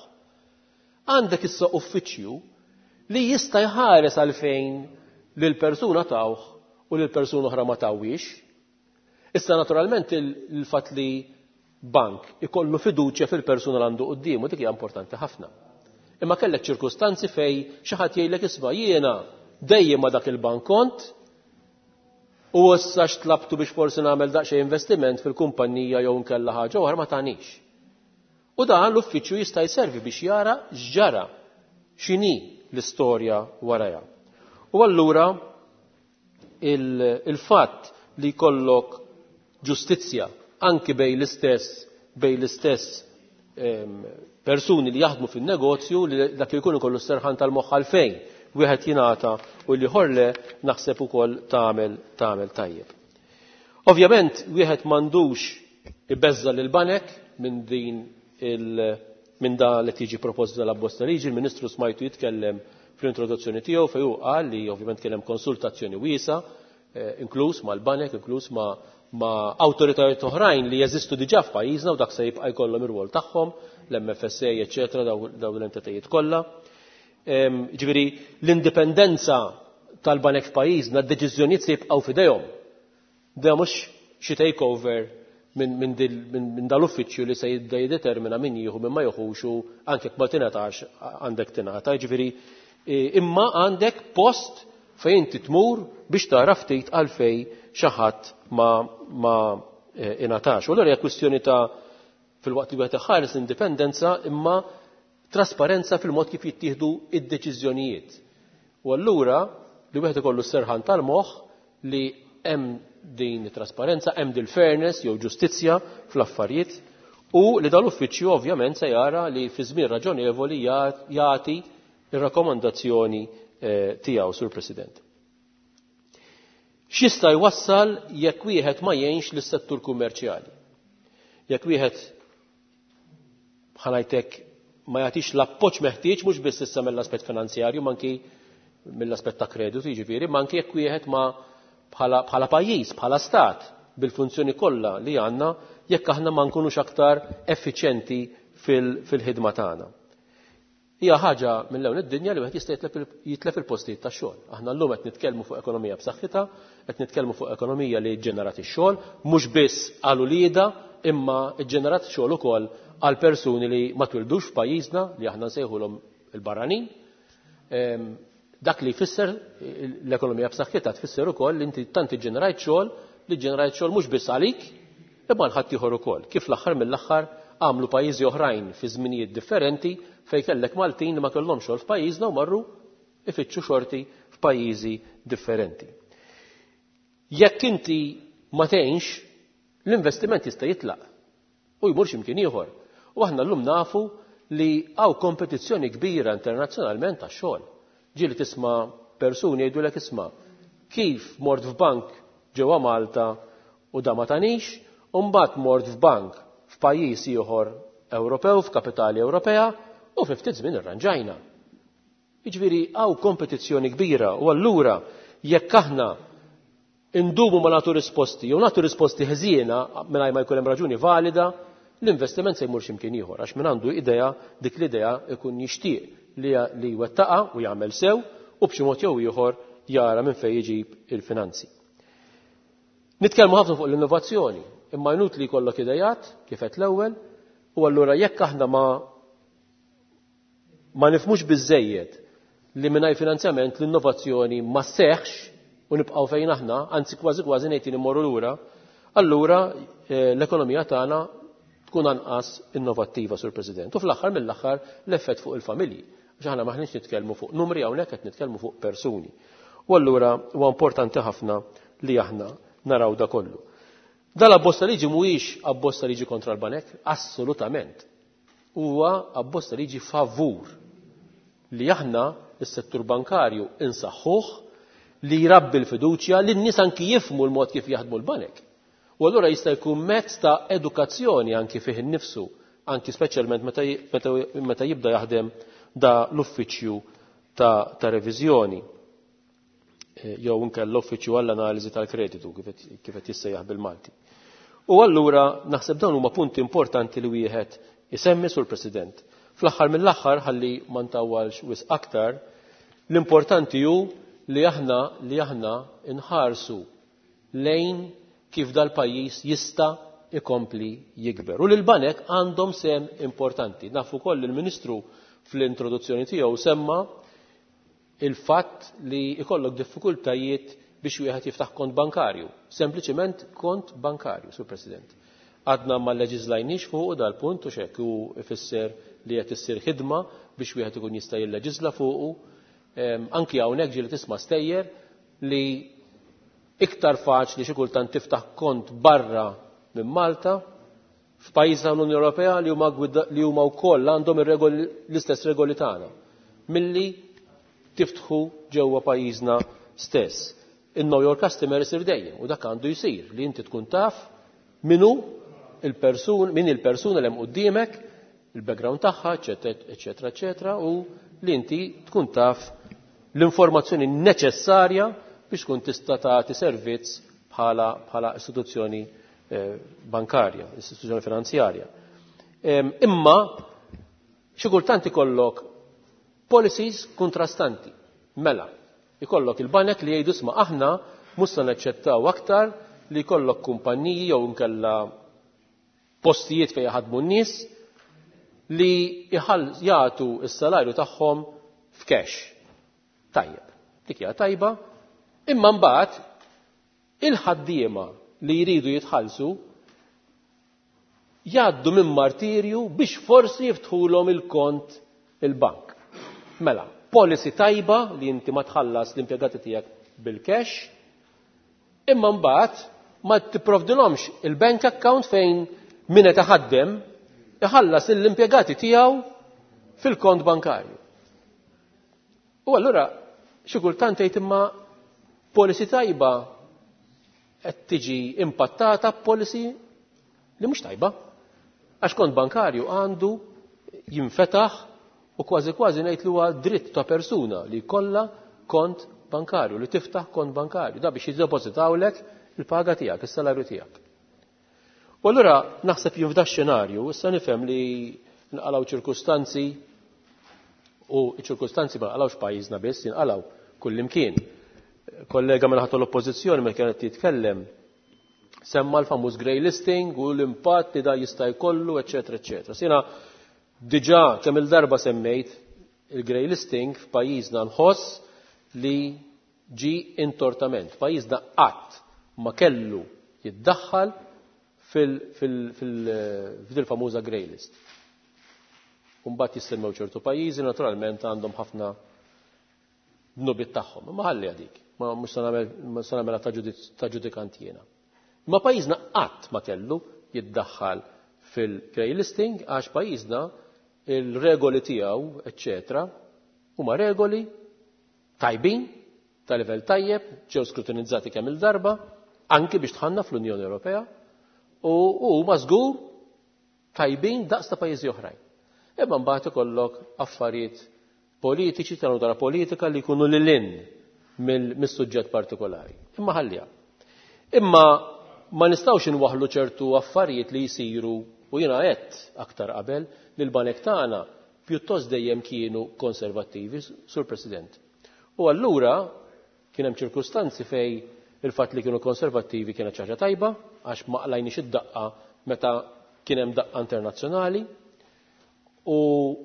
Għandek issa uffiċċju li jista' jħares għalfejn lil persuna tawh u lil persuna oħra ma tawwix. Issa naturalment il-fatt li bank ikollu fiduċja fil-persuna li għandu quddiemu dik hija importanti ħafna. Imma kellek ċirkustanzi fej xi ħadd jgħidlek isma' jiena dejjem ma' dak il-bank kont u issa x'tlabtu biex forsi nagħmel daqsxejn investiment fil-kumpanija jew nkella ħaġa oħra ma tagħnix. U dan l-uffiċċju jista' jservi biex jara x'ġara, x'inhi l-istorja warajha. U allura il-fatt li jkollok ġustizzja anki bejn l-istess bejn l-istess persuni li jaħdmu fin-negozju li dak li jkun ikollu s-serħan tal-moħħ għalfejn wieħed jingħata u l-ieħor le, naħseb ukoll tagħmel tagħmel tajjeb. Ovvjament wieħed m'għandux ibeżża lil banek minn din il minn da li tiġi proposta dal-abbozz ta' liġi. Il-Ministru smajtu jitkellem fl-introduzzjoni tiegħu fejn hu qal li ovvjament kien hemm konsultazzjoni wiesa, inkluż mal-banek, inkluż ma' ma' awtoritajiet oħrajn li jeżistu diġà f'pajjiżna u dak se jibqa' jkollhom ir-rwol tagħhom, l-M F S A, eċċetera, dawn l-entitajiet kollha. Ġifieri l-indipendenza tal-banek f'pajjiżna, d-deċiżjonijiet se jibqgħu f'idejhom. Da mhux xi takeover minn, minn, minn, minn dal-uffiċċju li se jibda jiddetermina min jieħu min ma jieħux u anke jekk ma tingħatax għandek tingħata. Ġifieri imma għandek post fejn inti tmur biex tara ftit għalfej xi ħadd ma, ma ingħatax. U allura hija kwistjoni ta' fil-waqt li wieħed iħares l-indipendenza imma trasparenza fil-mod kif jittieħdu id-deċiżjonijiet. U allura li wieħed ikollu s-serħan tal-moħħ li hemm din it-trasparenza, hemm din fairness jew ġustizzja fl-affarijiet u li dal-uffiċċju ovvjament se jara li fi żmien raġonevoli jagħti ir-rakkomandazzjoni tiegħu, Sur President. X'jista' jwassal jekk wieħed ma jgħinx lis-settur kummerċjali? Jekk wieħed bħalajtek ma jagħtix l-appoġġ meħtieġ mhux biss issa mill-aspett finanzjarju, ma anki mill-aspett ta' kreditu, jiġifieri, ma anki jekk wieħed ma bħala, bħala pajjiż, bħala stat, bil-funzjoni kollha li għandna, jekk aħna ma nkunux aktar effiċjenti fil-ħidma tagħna. Hija ħaġa mill-ewn id-dinja li wieħed jista' jitlef il-postijiet tax-xogħol. Aħna llum qed nitkellmu fuq ekonomija b'saħħitha, qed nitkellmu fuq ekonomija li ġġenerat ix-xogħol, mhux biss għal ulieda, imma ġġenerat xogħol ukoll għal persuni li ma twildux f'pajjiżna, li aħna nsejħulhom il-barranin. Dak li jfisser l-ekonomija b'saħħitha tfisser ukoll li inti tant iġġenerajt xogħol li ġġenerajt xogħol mhux biss għalik, imma għal ħadd ieħor ukoll. Kif l-aħħar mill-aħħar għamlu pajjiżi oħrajn fi żminijiet differenti fejn kellek Maltin li ma kellhomx xogħol f'pajjiżna u marru ifittxu xorti f'pajjiżi differenti. Jekk inti ma tgħinx, l-investiment jista' jitlaq u jmur x'imkien ieħor. U aħna llum nafu li hawn kompetizzjoni kbira internazzjonalment għax-xogħol. Ġieli tisma' persuni jgħidulek isma' kif mort f'bank ġewwa Malta u da ma tanix, u mbagħad mort f'bank f'pajjiż ieħor Ewropew, f'kapitali Ewropea, u fi ftit żmien irranġajna. Jiġifieri hawn kompetizzjoni kbira u allura jekk aħna indumu ma nagħtu risposti jew nagħtu risposti ħżiena mingħajr ma jkun hemm raġuni valida, l-investiment se jmur x'imkien ieħor għax min għandu idea, dik l-idea ikun jixtieq li, li jwettaqa u jagħmel sew u b'xi mod jew ieħor jara minn fejn jiġib il-finanzi. Nitkellmu ħafna fuq l-innovazzjoni, imma inutli jkollok idejat kif qed l-ewwel, u allura jekk aħna ma ma nifhmux biżżejjed li mingħajr finanzjament l-innovazzjoni ma sseħħx u nibqgħu fejn aħna, anzi kważi kważi ngħid immorru lura, allura l-ekonomija tagħna tkun anqas innovattiva, Sur President. U fl-aħħar mill-aħħar l-effett fuq il-familji. Għax aħna maħniex nitkellmu fuq numri hawnhekk, qed nitkellmu fuq persuni. U allura huwa importanti ħafna li aħna naraw da kollu. Dal-abbozz ta' liġi mhuwiex abbozz ta' liġi kontra l-banek, assolutament. Huwa abbozz ta' liġi favur li aħna s-settur bankarju insaħħuh, li jrabbi l-fiduċja, li n-nies anki jifhmu l-mod kif jaħdmu l-banek. U allura jista' jkun mezz ta' edukazzjoni anki fih innifsu, anki speċjalment meta, meta, meta jibda jaħdem da l-uffiċċju ta', ta' reviżjoni jew inkella l-uffiċċju għall-analiżi tal-kreditu kif qed jissejjaħ bil-Malti. U allura naħseb dawn huma punti importanti li wieħed isemmi, Sur President. Fl-aħħar mill-aħħar, ħalli ma ntawwalx wisq aktar, l-importanti hu li aħna li aħna nħarsu lejn kif dal-pajjiż jista' ikompli jikber. U l-banek għandhom sem importanti. Nafu wkoll il-Ministru fl-introduzzjoni tiegħu semma il-fatt li ikollok diffikultajiet biex wieħed jiftaħ kont bankarju. Sempliċiment kont bankarju, Sur President. Għadna ma leġiżlajniex fuq dal-punt u x'hekk hu ifisser li qed issir ħidma biex wieħed ikun jista' jilleġiżla fuqu. Anki hawnhekk ġieli tisma' stejjer li Iktar faċli xi kultant tiftaħ kont barra minn Malta f'pajjiż tal-Unjoni Ewropea li huma li huma wkoll għandhom ir-regoli l-istess regoli tagħna milli tiftħu ġewwa pajjiżna stess. Il-know your customer isir dejjem u dak għandu jsir li inti tkun taf minu il-persun, min il-persuna li hemm quddiemek, il-background tagħha, eċetera, eċetera, u li inti tkun taf l-informazzjoni neċessarja biex tkun tista' tagħti servizz bħala bħala istituzzjoni eh, bankarja, istituzzjoni finanzjarja. Imma xi kultant ikollok policies kontrastanti. Mela, ikollok il-banek li jgħidu sma aħna mhux se naċċettaw aktar li jkollok kumpanniji jew inkella postijiet fejn jaħdmu n-nies li jagħtu s-salarju tagħhom f'cash. Tajjeb, dik hija tajba, imma mbagħad il-ħaddiema li jridu jitħallsu jgħaddu minn martirju biex forsi jiftħulhom il-kont il-bank. Mela, policy tajba li inti ma tħallas l-impjegati tiegħek bil-cash, imma mbagħad ma tipprovdilhomx il-bank account fejn min qed iħaddem iħallas l-impjegati tiegħu fil-kont bankarju. U allura xi kultant tgħid imma policy tajba qed tiġi impattata b'policy li mhux tajba. Għax kont bankarju għandu jinfetaħ u kważi kważi ngħid li huwa dritt ta' persuna li jkollha kont bankarju, li tiftaħ kont bankarju, da biex jiddepożitawlek il-paga tiegħek, is-salarju tiegħek. U allura naħseb jien f'da xenarju, issa nifhem li nqalgħu ċirkustanzi u ċirkustanzi ma nqalgħux pajjiżna biss, jinqalgħu kullimkien. Kollega minn ħadd l-oppożizzjoni meta kienet jitkellem semma l-famuż grey listing u l-impatt li da jista' jkollu, eċetera, eċetera. Sina diġà kemm il-darba semmejt il-grey listing f'pajjiżna nħoss li ġi intortament. Pajjiżna qatt ma kellu jiddaħħal fil-famuża grey list. Mbagħad jissemmew ċertu pajjiżi naturalment għandhom ħafna dnubiet tagħhom. Ma ħalli għadik, ma mhux se nagħmel ta' ġudikant jiena. Ma pajjiżna qatt ma kellu jiddaħħal fil-grey listing għax pajjiżna il-regoli tiegħu, eċetera, huma regoli tajbin, ta' livell tajjeb, ġew skrutinizzati kemm il-darba, anki biex tħanna fl-Unjoni Ewropea, u huma żgur tajbin daqs ta' pajjiżi oħrajn. Imma mbagħad ikollok affarijiet politiċi ta' natura politika li jkunu lil hinn mill-suġġett partikolari. Imma ħallija. Imma ma nistgħux inwaħħlu ċertu affarijiet li jsiru u jiena għedt aktar qabel li l-banek tagħna pjuttost dejjem kienu konservattivi, Sur President. U allura kien hemm ċirkustanzi fej il-fatt li kienu konservattivi kienet xi ħaġa tajba għax ma qlajniex id-daqqa meta kien hemm daqqa internazzjonali u,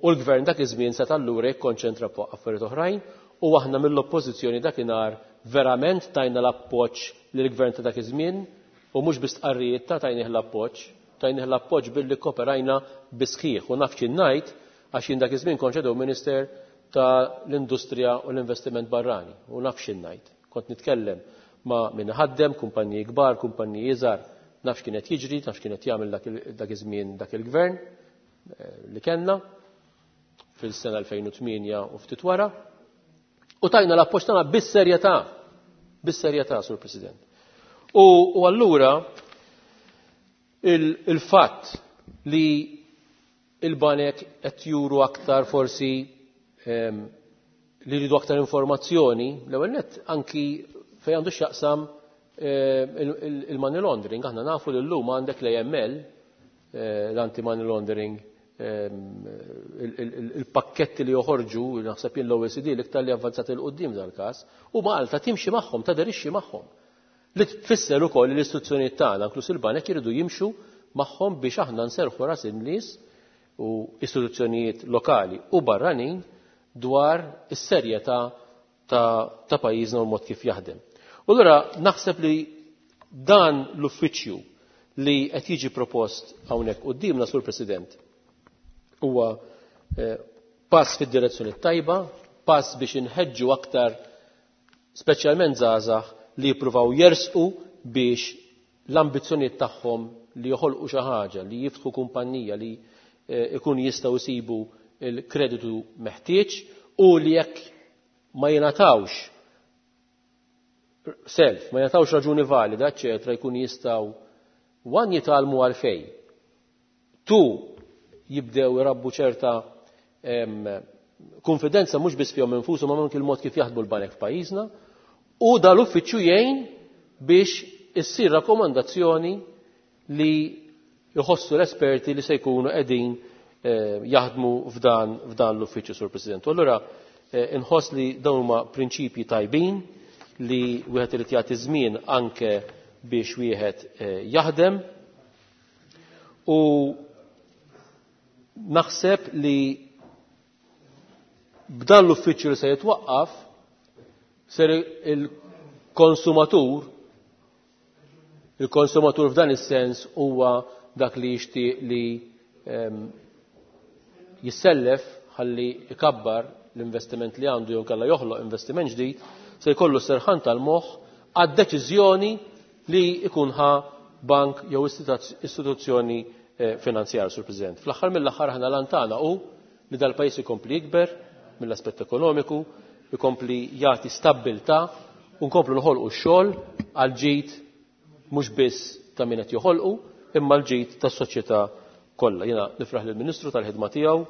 u l-gvern dak iż-żmien seta' allura jikkonċentra fuq affarijiet oħrajn u aħna mill-oppożizzjoni dakinhar verament tajna l-appoġġ lill-gvern ta' dak iż-żmien u mhux bi stqarrijiet ta' tajnih l-appoġġ, tajnih l-appoġġ billi kkoperajna bisħiħ u naf x'in ngħid għax jien dak iż-żmien kont shadow minister ta' l-industrija u l-investiment barrani u naf x'in ngħid. Kont nitkellem ma' min ħaddem, kumpaniji kbar, kumpaniji iżgħar, naf x'kienet jiġri, naf x'kienet jagħmel dak iż-żmien dak il-gvern li kellna fil-sena elfejn u tmienja u ftit wara. U tajna l-appoġġ tagħna bis-serjetà, bis-serjetà, Sur President. U, u allura il-fatt li il-banek qed juru aktar forsi ehm, li jridu aktar informazzjoni, l-ewwel nett anki fejn għandu x'jaqsam il-money laundering, aħna nafu li llum għandek l-A M L, l-anti-money laundering, il-pakketti li joħorġu, naħseb jien l-O E C D l-iktar li avvanzati l quddiem dal-każ, u Malta timxi magħhom, taderixxi magħhom. Li tfisser ukoll li l-istituzzjonijiet tagħna, inkluż il-banek, jridu jimxu magħhom biex aħna nserħu ras in-nies u istituzzjonijiet lokali u barranin dwar is-serjetà ta', ta' pajjiżna u l-mod kif jaħdem. U allura naħseb li dan l-uffiċċju li qed jiġi propost hawnhekk quddiemna, Sur President, huwa, eh, pass fid-direzzjoni tajba, pass biex inħeġġu aktar speċjalment żgħażagħ li jippruvaw jersqu biex l-ambizzjonijiet tagħhom li joħolqu xi ħaġa, li jiftħu kumpanija li eh, ikun jistgħu jsibu l-kreditu meħtieġ u li jekk ma jingħatawx self, ma jingħatawx raġuni valida, eċetera, jkun jistgħu one jitgħallmu għalfejn, two jibdew irabbu ċerta konfidenza mhux biss fihom infushom ma anke il-mod kif jaħdmu l-banek f'pajjiżna, u dal-uffiċċju jgħin biex issir rakkomandazzjoni li jħossu l-esperti li se jkunu qegħdin eh, jaħdmu f'dan f'dan l-uffiċċju, Sur President. U allura eh, inħoss li dawn huma prinċipji tajbin li wieħed irid jagħti żmien anke biex wieħed eh, jaħdem, u naħseb li b'dan l-uffiċċju li se jitwaqqaf ser il-konsumatur il-konsumatur f'dan is-sens huwa dak li jixtieq li ehm, jissellef ħalli ikabbar l-investiment li għandu jew kellha joħloq investiment ġdid, se jkollu serħan tal-moħħ għad-deċiżjoni li jkun ħa bank jew istituzzjoni eh, finanzjarja, Sur President. Fl-aħħar mill-aħħar aħna lantana hu li dal-pajjiż ikompli jikber mill-aspett ekonomiku, ikompli jagħti stabbiltà u nkomplu noħolqu x-xogħol għal ġid mhux biss ta' min qed joħolqu imma l-ġid tas-soċjetà kollha. Jiena nifraħ lill-Ministru tal-ħidma tiegħu,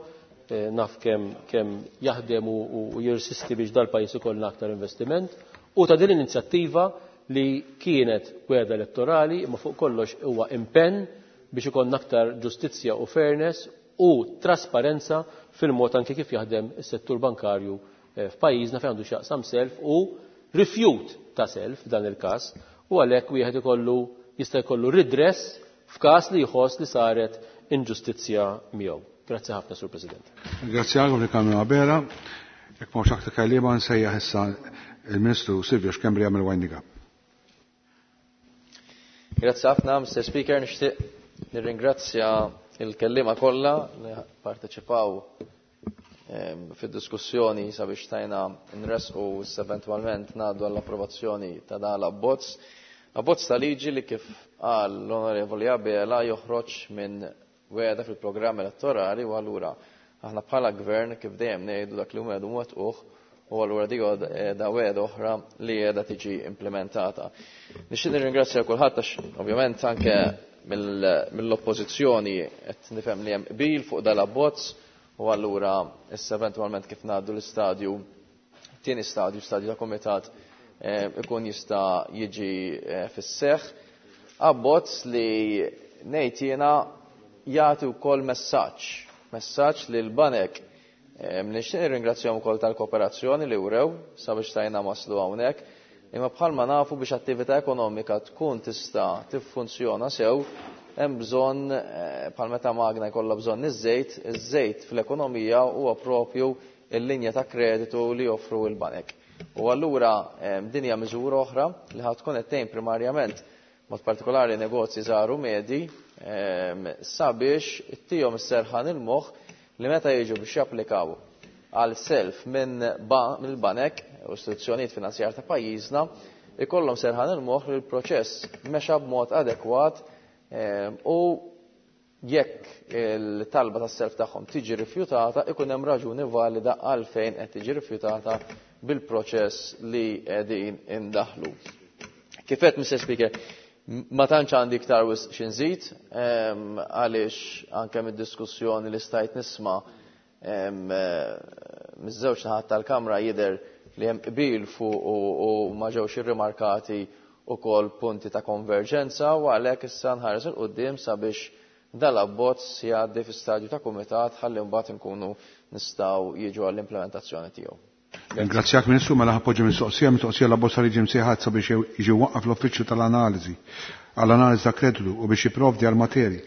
eh, naf kemm kemm jaħdem u, u jirsisti biex dal-pajjiż ikollna aktar investiment, u ta' din l-inizjattiva li kienet wegħda elettorali imma fuq kollox huwa impenn biex ikollna aktar ġustizzja u fairness u trasparenza fil-mod anke kif jaħdem is-settur bankarju eh, f'pajjiżna fejn għandu x'jaqsam self u rifjut ta' self f'dan il-każ, u għalhekk wieħed ikollu jista' jkollu redress f'każ li jħoss li saret inġustizzja miegħu. Grazzi ħafna, Sur President. Grazzi għal li kamra Abela. Jekk m'hawnx aktar kelliema nsejjaħ issa il-Ministru Silvio Schembri jagħmel winding up. Grazzi ħafna, Mister Speaker, nixtieq nirringrazzja il-kelliema kollha li parteċipaw, ehm, fid-diskussjoni sabiex tajna nresqu eventwalment ngħaddu għall-approvazzjoni ta' dan l-abbozz. Abbozz ta' liġi li kif qal l-Onorevoli Abela joħroġ minn wegħda fil-programm elettorali, u allura aħna bħala gvern kif dejjem ngħidu dak li wegħdu mwettquh, u allura dik da wegħda oħra li qiegħda tiġi implementata. Nixtieq nirringrazzja kulħadd għax ovvjament anke mill-oppożizzjoni qed nifhem li hemm qbil fuq dal-abbozz, u allura issa eventwalment kif ngħaddu l-istadju, tieni stadju, stadju ta' kumitat, eh, ikun jista' jiġi, eh, fis-seħħ. Abbozz li ngħid jiena jagħti wkoll messaġġ, messaġġ li l-banek, eh, nixtieq nirringrazzjahom ukoll tal-kooperazzjoni li wrew sabiex tajna waslu hawnhekk, imma bħalma nafu biex attività ekonomika tkun tista' tiffunzjona sew, hemm bżonn, eh, bħal meta magna jkollha bżonn iż-żejt, iż-żejt fl-ekonomija huwa propju l-linja ta' kreditu li joffru l-banek. U allura, eh, din hija miżura oħra li ħad tkun qed tgħin primarjament mod partikolari negozji żgħar u medji, ehm, sabiex ittihom is-serħan il-moħħ li meta jiġu biex japplikaw għal self minn ba-, mill-banek u istituzzjonijiet finanzjarji ta' pajjiżna, ikollhom serħan il-moħħ li l-proċess mexa b'mod adekwat, ehm, u jekk il-talba tas-self tagħhom tiġi rifjutata, ikun hemm raġuni valida għalfejn qed tiġi rifjutata bil-proċess li qegħdin indaħlu. Kif qed, Mister Speaker, ma tantx għandi iktar wisq xi nżid, ehm, għaliex anke mid-diskussjoni li stajt nisma', ehm, miż-żewġ naħat tal-Kamra jidher li hemm qbil fuq u, u ma ġewx irrimarkati ukoll punti ta' konverġenza, u għalhekk issa nħares il quddiem sabiex dal-abbozz jgħaddi fi stadju ta' kumitat ħalli mbagħad inkunu nistgħu jiġu għall-implementazzjoni tiegħu. Ringrazzjak Ministru, mela ħappoġġi mistoqsija, mistoqsija l-abbozz ta' liġi msejħat sabiex jiġi waqqaf l-uffiċċju tal-analiżi għall-analiżi ta' kreditu u biex jipprovdi għal materi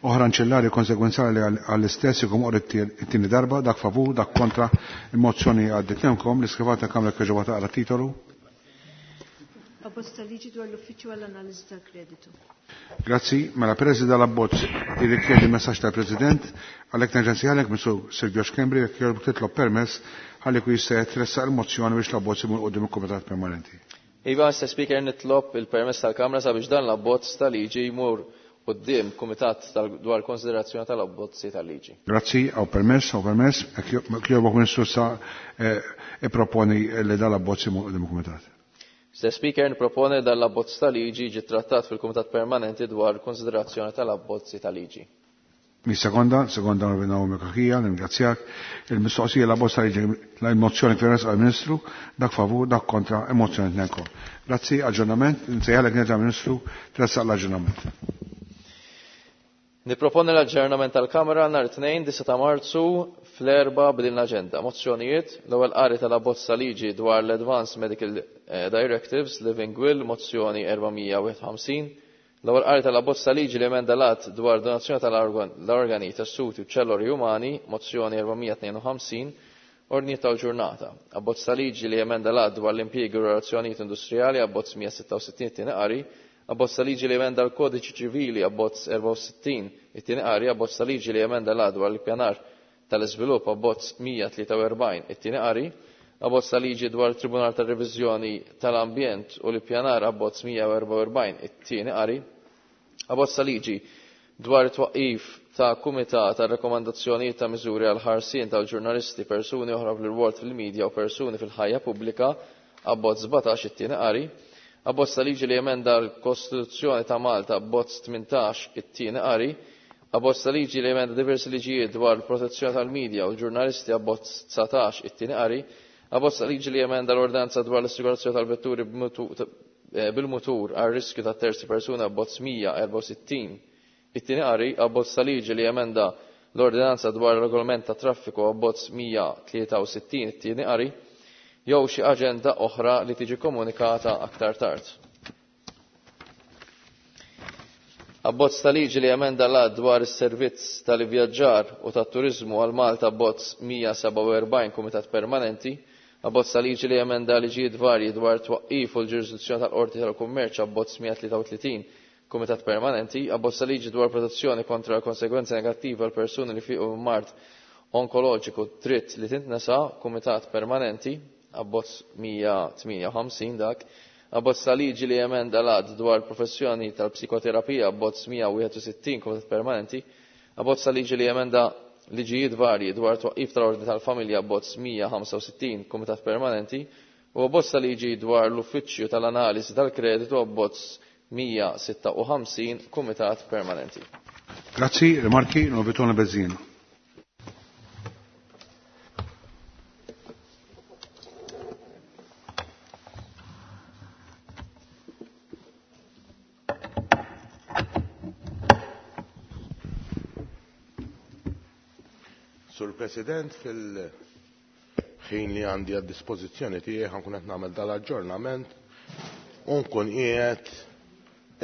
oħra anċillari konsegwenzjali għall-istess ikun qori it-tieni darba, dak favur, dak kontra, il-mozzjoni għaddit. Lemkom l-iskrivata Kamra kieġu taqra titolu. Abbozz ta' liġi dwar l-uffiċċju għall-analiżi ta' kreditu. Grazzi, mela peress li dal-abbozz jirrikjedi messaġġ tal-President, għalhekk nerġa' nsejħalek Mr. Silvio Schembri jekk jogħġbok titlob permess ħalli jkun jista' jitressaq il-mozzjoni biex l-abbozz imur quddiem il-Kumitat Permanenti. Iva, Mister Speaker, nitlob il-permess tal-Kamra sabiex dan l-abbozz tal-liġi jmur quddiem Kumitat dwar konsiderazzjoni tal-abbozzi tal-liġi. Grazzi, għaw permess, għaw permess. Kjobok Ministru sa proponi li dan l-abbozz imur quddiem il-Kumitat. Mister Speaker, niproponi dan l-abbozz tal-liġi ġi trattat fil-Kumitat Permanenti dwar konsiderazzjoni tal-abbozzi tal-liġi. Mi sekonda, sekonda Naomi Cachia, ningrazzjak. Il-mistoqsija la bosta liġi la mozzjoni kif għal Ministru, dak favur, dak kontra, emozzjoni tnejn. Grazzi, aġġornament, nsejħalek nerġa' Ministru, tressaq l-aġġornament. Niproponi l-aġġornament tal-Kamra nhar tnejn disgħa ta' Marzu fl-erba' b'din l-aġenda. Mozzjonijiet, l-ewwel qari tal-abbozz liġi dwar l-Advanced Medical Directives, Living Will, mozzjoni erba' mija wieħed ħamsin. L-ewwel qari tal-abbozz ta' liġi li emenda l-att dwar donazzjoni tal-organi, tessuti u ċelloli umani, mozzjoni erba' mija tnejn u ħamsin, ordni tal-ġurnata. Abbozz ta' liġi li emenda l-att dwar l-impjiegi u relazzjonijiet industrijali, abbozz mija sitta u sittin tieni qari, abbozz ta' liġi li emenda l-kodiċi ċivili, abbozz erba' u sittin it-tieni qari, abbozz ta' liġi li emenda l-att dwar l-ippjanar tal-iżvilupp, abbozz mija tlieta u erbgħin it-tieni qari, abbozz ta' liġi dwar il-Tribunal tar-Reviżjoni tal-Ambjent u l-Ippjanar, abbozz mija u erba' u erbgħin it-tieni qari, abbozz ta' liġi dwar it-twaqqif ta' kumitat ta' rakkomandazzjonijiet ta' miżuri għal ħarsien tal-ġurnalisti, persuni oħra fl-irwol fil-medja u persuni fil-ħajja pubblika, abbozz sbatax it-tieni qari, abbozz ta' liġi li emenda l-Kostituzzjoni ta' Malta, abbozz tmintax it-tieni qari, abbozz ta' liġi li emenda diversi liġijiet dwar il-protezzjoni tal-medja u l-ġurnalisti, abbozz dsatax it-tieni qari, abbozz ta' liġi li emenda l-ordanza dwar l-assigurazzjoni tal-vetturi bil-mutur għal riskju ta' terzi persuna, abbozz mija erba' u sittin it-tieni qari, abbozz ta' liġi li emenda l-ordinanza dwar il-regolament ta' traffiku, abbozz mija tlieta u sittin it-tieni qari, jew xi aġenda oħra li tiġi komunikata aktar tard. Abbozz ta' liġi li emenda l-att dwar is-servizz tal-ivvjaġġar u tat-turiżmu għal Malta, abbozz mija seba' u erbgħin Kumitat Permanenti, abbozz ta' liġi li emenda liġijiet varji dwar twaqqif u l-ġurisdizzjoni tal-Qorti tal-Kummerċ, abbozz mija tlieta u tletin Kumitat Permanenti, abbozz ta' liġi dwar protezzjoni kontra l-konsegwenzi negattivi għal persuni li fiqu minn mard onkoloġiku dritt li tintnesa, Kumitat Permanenti, abbozz mija tmienja u ħamsin dak, abbozz ta' liġi li emenda l-att dwar professjoni tal-psikoterapija, abbozz mija wieħed u sittin Kumitat Permanenti, abbozz ta' liġi li emenda liġijiet varji dwar twaqqif tal-ordni tal-familja, abbozz mija ħamsa u sittin Kumitat Permanenti, u abbozz ta' liġi dwar l-uffiċċju tal-analiżi tal-kreditu, abbozz mija sitta u ħamsin Kumitat Permanenti. Grazzi, rimarki, Novitone Bezzina. Sur President, fil-ħin li għandi għad dispożizzjoni tiegħi ħankun qed nagħmel dal-aġġornament u nkun qiegħed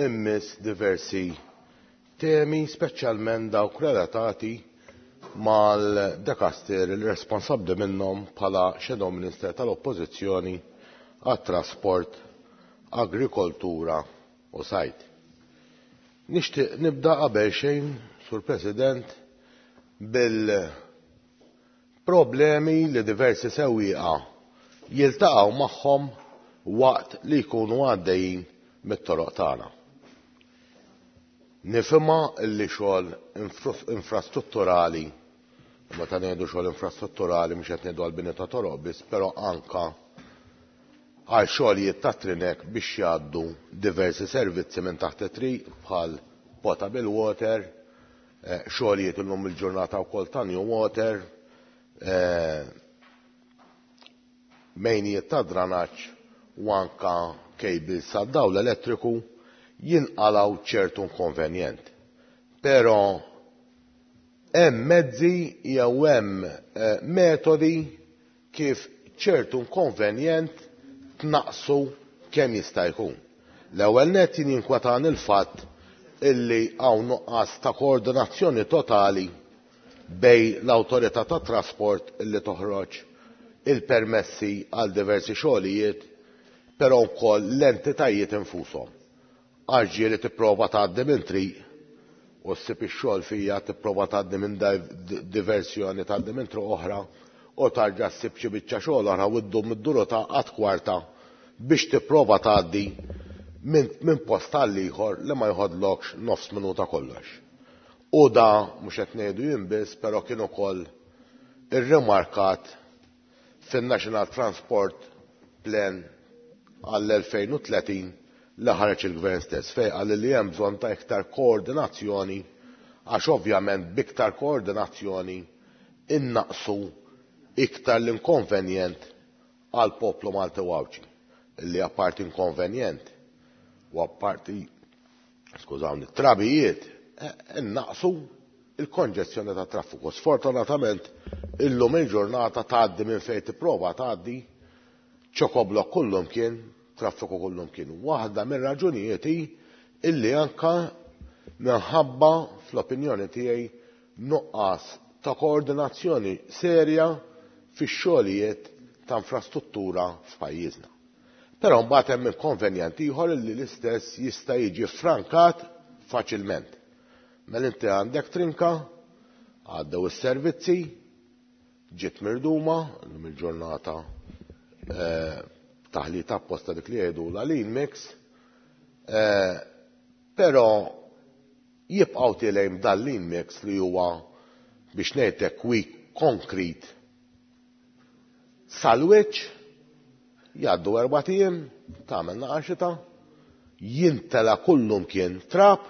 immiss diversi temi, speċjalment dawk relatati mal-dekaster il responsabbli minnhom bħala Shadow Minister tal-Oppożizzjoni għat-Trasport, Agrikoltura u Sajd. Nixtieq nibda qabel xejn, Sur President, bil-problemi li diversi sewwieqa jiltaqgħu magħhom waqt li jkunu għaddejjin mit-toroq tagħna. Nifhimha li xogħol infrastrutturali, meta ngħidu xogħol infrastrutturali mhux qed ngħidu għall-bini ta' toroq biss, però anka għal xogħlijiet ta' trinek biex jgħaddu diversi servizzi minn taħt it-triq bħal potable water, xogħlijiet illum il-ġurnata wkoll ta' new water, mejnijiet ta' dranaġġ u anka cables sad-dawl elettriku jinqalgħu ċertu inkonvenjent. Però hemm mezzi jew hemm metodi kif ċertu inkonvenjent tnaqsu kemm jista' jkun. L-ewwel nett jien jinkwetani l-fatt illi hawn nuqqas ta' koordinazzjoni totali bej l-awtorità tat trasport illi toħroġ il-permessi għal diversi xogħlijiet, però wkoll l-entitajiet infushom. Għax ġieli tipprova tgħaddi minn triq u ssib ix-xogħol fija tipprova tgħaddi minn diversjoni tgħaddi minn triq oħra u tarġa' ssib xi biċċa xogħol oħra u ddum id-duru ta' qatt kwarta biex tipprova tgħaddi minn min post għal ieħor li ma jħodlokx nofs minuta kollox. U da mhux qed ngħidu jien biss, però kien ukoll irrimarkat fin-National Transport Plan għall-elfejn u tletin li ħareġ il-Gvern stess, fejn qal li hemm bżonn ta' iktar koordinazzjoni, għax ovvjament b'iktar koordinazzjoni innaqsu iktar l-inkonvenjent għal poplu Malti u Għawdxi, li apparti inkonvenjent u apparti, skużawni, trabijiet, innaqsu il-konġestjoni ta' traffiku. Sfortunatament, illum il-ġurnata tgħaddi minn fejn tipprova tgħaddi, ċokoblok kullum kien, traffiku kullum kien. Waħda mir-raġunijiet hi illi anka minħabba fl-opinjoni tiegħi nuqqas ta' koordinazzjoni serja fix-xogħlijiet ta' infrastruttura f'pajjiżna. Però mbagħad hemm inkonvenjent ieħor illi l-istess jista' jiġi ffrankat faċilment. Mela inti għandek trinka, għaddew is-servizzi, ġiet mirduma, illum il-ġurnata, eh, taħlita apposta dik li jgħidu la lean mix, eh, però jibqgħu tilejn dan lean mix li huwa biex ngħidlek weak concrete sal-wiċċ, jgħaddu erbat ijiem, tagħmel naqa' xita, jintela kullum kien trab,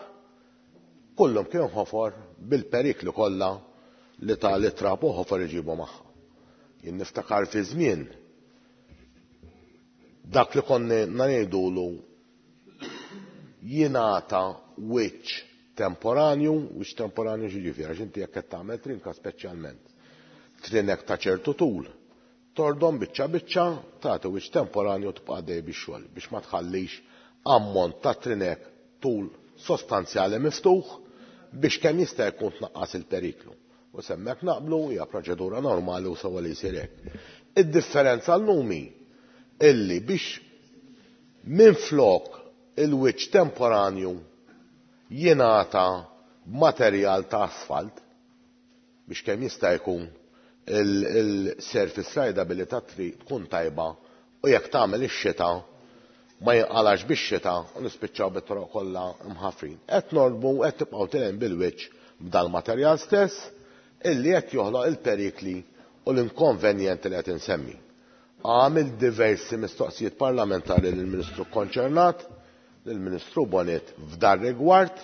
kullum kien ħofor bil-perikli kollha li ta' li trab u ħofor iġibu magħha. Jien niftakar fi żmien dak li konni ngħidulu jingħata wiċċ temporanju, wiċċ temporanju x'jiġifieri, għax inti jekk qed tagħmel trinka speċjalment, trinek ta' ċertu tul, tordom biċċa biċċa, tagħti wiċċ temporanju tibqa' dej bix-xogħol biex ma tħallix ammont ta' trinek tul sostanzjali miftuħ biex kemm jista' jkun tnaqqas il-periklu. U semmek naqblu hija proċedura normali u sewwa li jsir hekk. Id-differenza llum hi illi biex minflok il-wiċċ temporanju jingħata materjal ta' asfalt biex kemm jista' jkun il-surface rideability ta' triq tkun tajba u jekk tagħmel ix-xita ma jinqalax bix-xita u nispiċċaw bit-toroq kollha mħaffrin. Qed norbu qed tibqgħu tilgħin bil-wiċċ b'dal-materjal stess illi qed joħloq il-perikli u l-inkonvenjenti li qed insemmi. Għamil diversi mistoqsijiet parlamentari lill-Ministru konċernat, lill-Ministru Bonett f'dar rigward,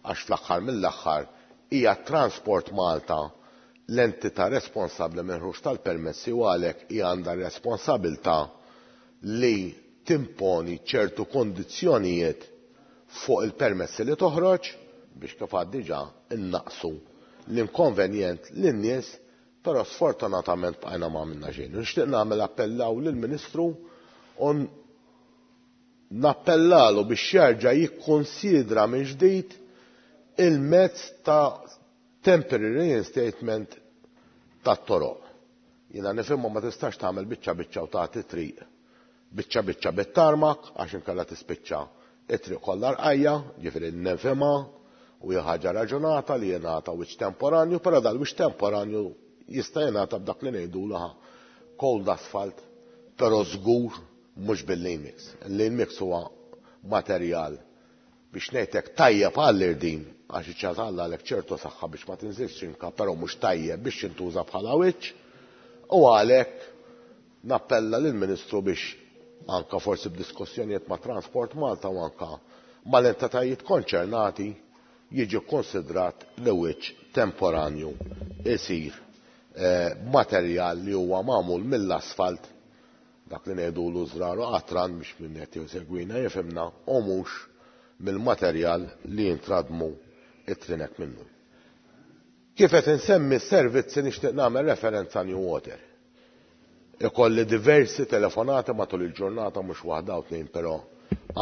għax fl-aħħar mill-aħħar hija Transport Malta l-entità responsabbli minn ħruġ tal-permessi u għalhekk hija għandha responsabilità li timponi ċertu kondizzjonijiet fuq il-permessi li toħroġ biex kif għad diġà innaqsu l-inkonvenjent lin-nies, però sfortunatament bqajna ma għamilna xejn. Nixtieq nagħmel appellaw lill-Ministru u nappellalu biex jerġa' jikkonsidra minn ġdid il-mezz ta' temporary reinstatement tat-toroq. Jiena nifhimha ma tistax tagħmel biċċa biċċa u tagħti triq biċċa biċċa bit-tarmak għax inkella tispiċċa it-triq kollha rqajja, ġifieri nifhimha u hija ħaġa raġunata li jingħata wiċċ temporanju, però dal-wiċċ temporanju jista' jingħata b'dak li ngħidu laħa cold asphalt, però żgur mhux bil-lean mix. Il-lean mix huwa materjal biex ngħidlek tajjeb għall-irdin għax iċċatalla għalek ċertu saħħa biex ma tinżilx inka, però mhux tajjeb biex jintuża bħala wiċċ, u għalhekk nappella lill-Ministru biex anka forsi b'diskussjonijiet ma' Transport Malta u anka mal-entitajiet konċernati jiġi konsidrat li wiċċ temporanju isir, eh, materjal li huwa magħmul mill-asfalt, dak li ngħidulu żrar u qatran biex min qed jsegwina jifhimna, u mhux mill-materjal li jintradmu it-trinek minnu. Kif qed insemmi s-servizzi nixtieq nagħmel referenza New Water. Ikolli diversi telefonati matul il-ġurnata, mhux waħda u tnejn, però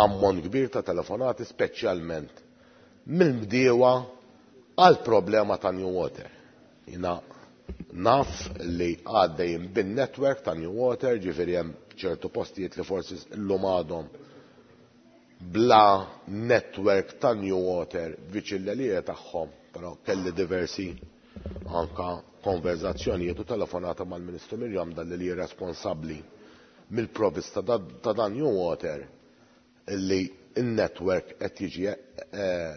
ammont kbir ta' telefonati speċjalment mill-bdiewa għal problema ta' New Water. Jiena naf li għaddejjin bin-network ta' New Water, ġifieri hemm ċertu postijiet li forsi llum għadhom bla network ta' New Water viċin l-għelieqi tagħhom, però kelli diversi anka konverzazzjonijiet u telefonata mal-Ministru Miriam Dalli li hi responsabbli mill-provista ta' dan New Water illi il-network qed jiġi eh,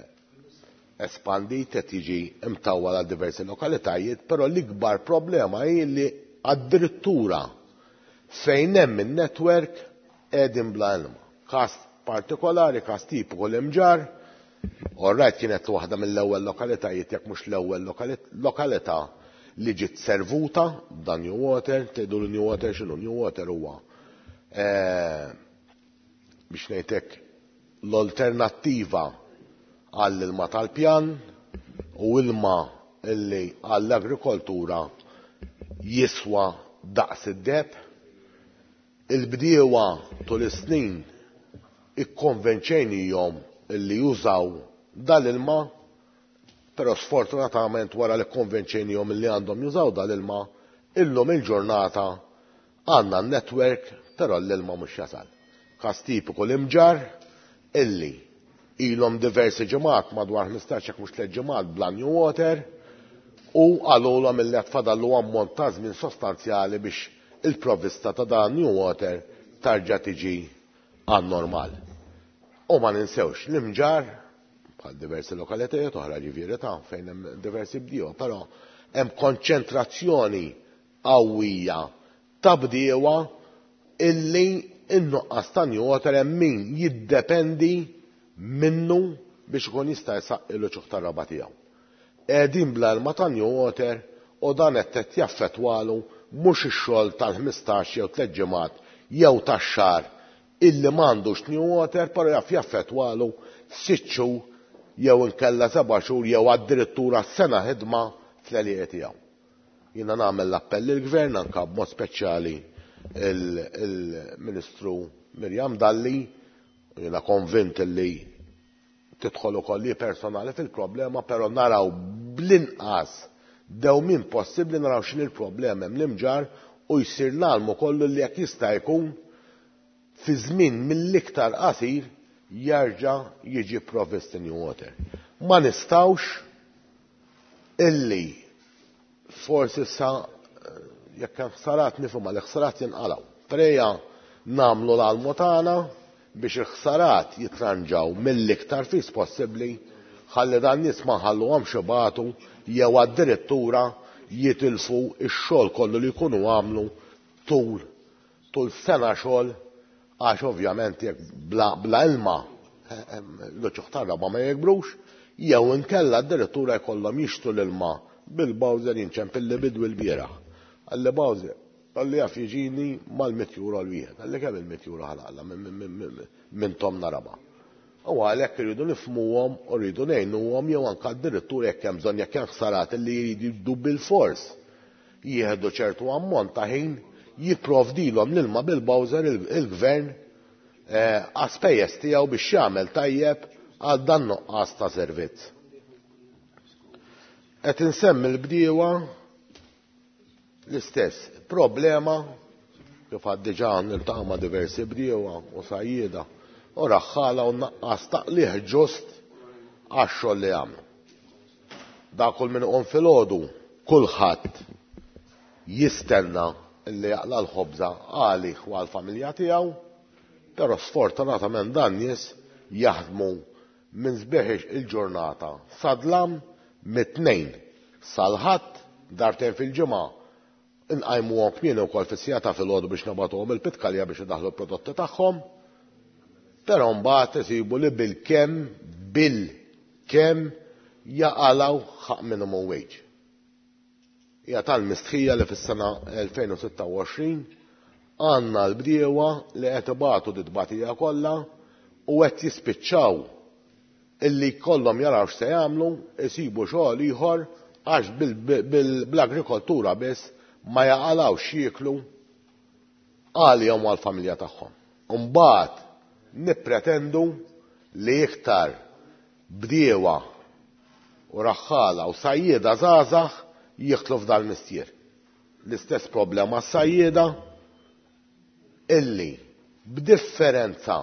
espandit, qed jiġi imtawwal għal diversi lokalitajiet, però l-ikbar problema hi li addirittura fejn hemm in-network qegħdin bla ilma. Każ partikolari, każ tipiku l-Imġarr, all right, kienet waħda mill-ewwel lokalitajiet, jekk mhux l-ewwel lokalità li ġiet servuta b'dan New Water. Tgħidu l New Water x'inhu? New Water huwa eh, biex ngħidlek l-alternattiva għall-ilma tal-pjan u ilma illi għall-agrikoltura jiswa daqs id-deheb. Il-bdiewa tul is-snin ikkonvenċejnihom illi jużaw dal-ilma, però sfortunatament wara li konvenċejnihom illi għandhom jużaw dal-ilma, illum il-ġurnata għandna n-network, però l-ilma mhux jasal. Każ tipiku l-Imġarr illi ilhom diversi ġimgħat, madwar ħmistax jekk mhux tliet ġimgħat, bla New Water u qalulhom illi qed fadallu ammont ta' żmien sostanzjali biex il-provvista ta' dan New Water tarġa' tiġi għan normal. U ma ninsewx l-Imġarr bħal diversi lokalitajiet oħra, ġifieri ta' fejn hemm diversi bdiewa, però hemm konċentrazzjoni qawwija ta' bdiewa illi in-nuqqas ta' New Water hemm min jiddependi minnu biex ikun jista' jsaqqi l-uċuħ tar-raba' tiegħu. Qegħdin bla ilma ta' New Water u dan qed jaffettwalu mhux ix-xogħol tal-ħmistax jew tliet ġimgħat jew tax-xahar illi m'għandux New Water, però jaf jaffettwalu sitt xhur jew inkella seba' xhur jew addirittura sena ħidma fl-għelieqi tiegħu. Jiena nagħmel l-appell lill-Gvern, anke b'mod speċjali il-Ministru Miriam Dalli, jiena konvint li tidħol ukoll li personali fil-problema, però naraw bl-inqas dewmien possibbli naraw x'inhi l-problema hemm l-Imġarr u jsir l-almu kollu li jekk jista' jkun fi żmien mill-iktar qasir jerġa' jiġi provvist New Water. Ma nistgħux illi forsi sa jekk hemm ħsarat nifhmu li ħsarat jinqalgħu. Preja nagħmlu l-almu tagħna biex il-ħsarat jitranġaw mill-iktar fis possibbli ħalli dan nies ma nħalluhomx ibatu jew addirittura jitilfu x-xogħol kollu li jkunu għamlu tul tul sena xogħol, għax ovvjament jekk bla, bla ilma l-uċuħ tar-raba ma jikbrux, jew inkella addirittura jkollhom jixtru l-ilma bil-bowser. Inċempilli bidwi l-bieraħ. Qalli bowser, qalli jaf jiġini mal-mitt euro l-wieħed. Qalli kemm il-mitt euro ħa naqla' minn tomna raba'? U għalhekk irridu nifhmuhom u rridu ngħinuhom, jew anke addirittura jekk hemm bżonn, jekk hemm ħsarat li jridu bil-fors jieħdu ċertu ammont ta' ħin, jipprovdilhom l-ilma bil-bowser il-gvern għas-spejjeż tiegħu biex jagħmel tajjeb għal dan nuqqas ta' servizz. Qed insemmi l-bdiewa, l-istess problema, kif għad diġà niltaqa' ma' diversi bdiewa u sajjieda u raħħala u naqqas taqliħ ġust għax-xogħol li għamlu. Da kull min iqum filgħodu kulħadd jistenna li jaqla l-ħobża għalih u għall-familja tiegħu, però sfortunatament dan nies jaħdmu minn sbieħ il-ġurnata sadlam, mit-Tnejn sal-Ħadd, darbtejn fil-ġimgħa nqajmuhom kmieni wkoll fis-siegħa ta' filgħodu biex nibagħtuhom il-pitkalja biex idaħħlu l-prodotti tagħhom, però mbagħad isibu li bil-kemm bil-kemm jaqalgħu ħaqq minimum wage. Hija tal-mistħija li fis-sena elfejn u sitta u għoxrin għandna l-bdiewa li qed ibatu dit-tbatija kollha u qed jispiċċaw illi kollhom jaraw x'se jagħmlu, isibu xogħol ieħor, għax bl-agrikoltura biss ma jaqalgħux jieklu għalihom għall-familja tagħhom. Mbagħad nippretendu li iktar bdiewa u raħħala u sajjieda żgħażagħ jidħlu f'dal mistier. L-istess problema sajjieda illi b'differenza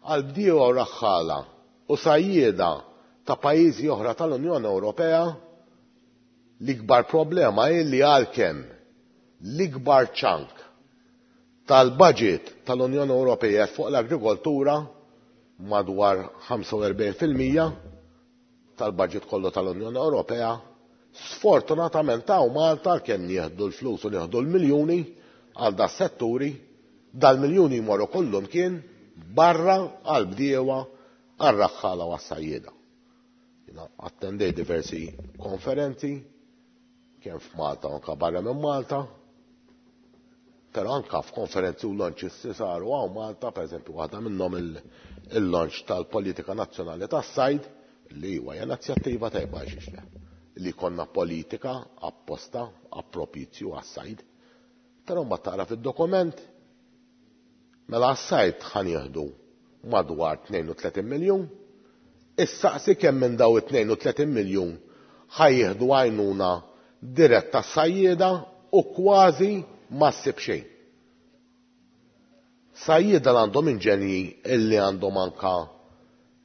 għal bdiewa u raħħala u sajjieda ta' pajjiżi oħra tal-Unjoni Ewropea, l-ikbar problema hi li għalkemm l-ikbar chunk tal-budget tal-Unjoni Ewropea fuq l-agrikoltura, madwar ħamsa u erbgħin fil-mija tal-budget kollu tal-Unjoni Ewropea. Sfortunatament hawn Malta kemm nieħdu l-flus u nieħdu l-miljuni għal da setturi, dal-miljuni jmorru kollhom kien barra għal bdiewa, għal raħħala u għas-sajjieda. Jiena attendej diversi konferenzi kemm f'Malta u anke barra minn Malta, però anke f'konferenzi u launches li saru hawn Malta, pereżempju waħda minnhom il-launch tal-Politika Nazzjonali tas-Sajd, li huwa inizjattiva tajba għax le, li konna politika apposta appropizju għas-sajd. Però mbagħad taqra fid-dokument, mela għas-sajd ħa nieħdu madwar tnejn u tletin miljun, issaqsi kemm minn daw it-tnejn u tletin miljun ħa jieħdu għajnuna diretta sajjieda u kważi ma ssib xejn. Sajjieda li għandhom inġenji illi għandhom anka,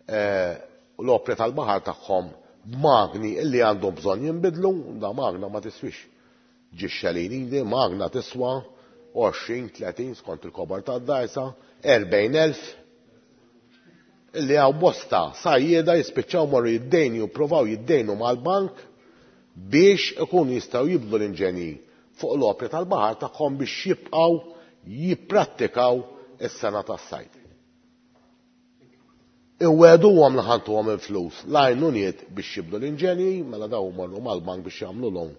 eh, l-opri tal-baħar tagħhom b'magni illi għandhom bżonn jinbidlu, da magna ma tiswix ġixxelin di, magna tiswa għoxrin, tletin skont il-kobar tad-dajsa, erbgħin elf, illi hawn bosta sajjieda jispiċċaw morru jiddejnu, jippruvaw jiddejnu mal-bank biex ikunu jistgħu jibdlu l-inġenji fuq l-opri tal-baħar tagħhom biex jibqgħu jipprattikaw is-sena tas-sajd. Iweduhom li ħantuhom il-flus l-għajnuniet biex jibdlu l-inġenji, mela daw morru mal-bank biex jagħmlu loan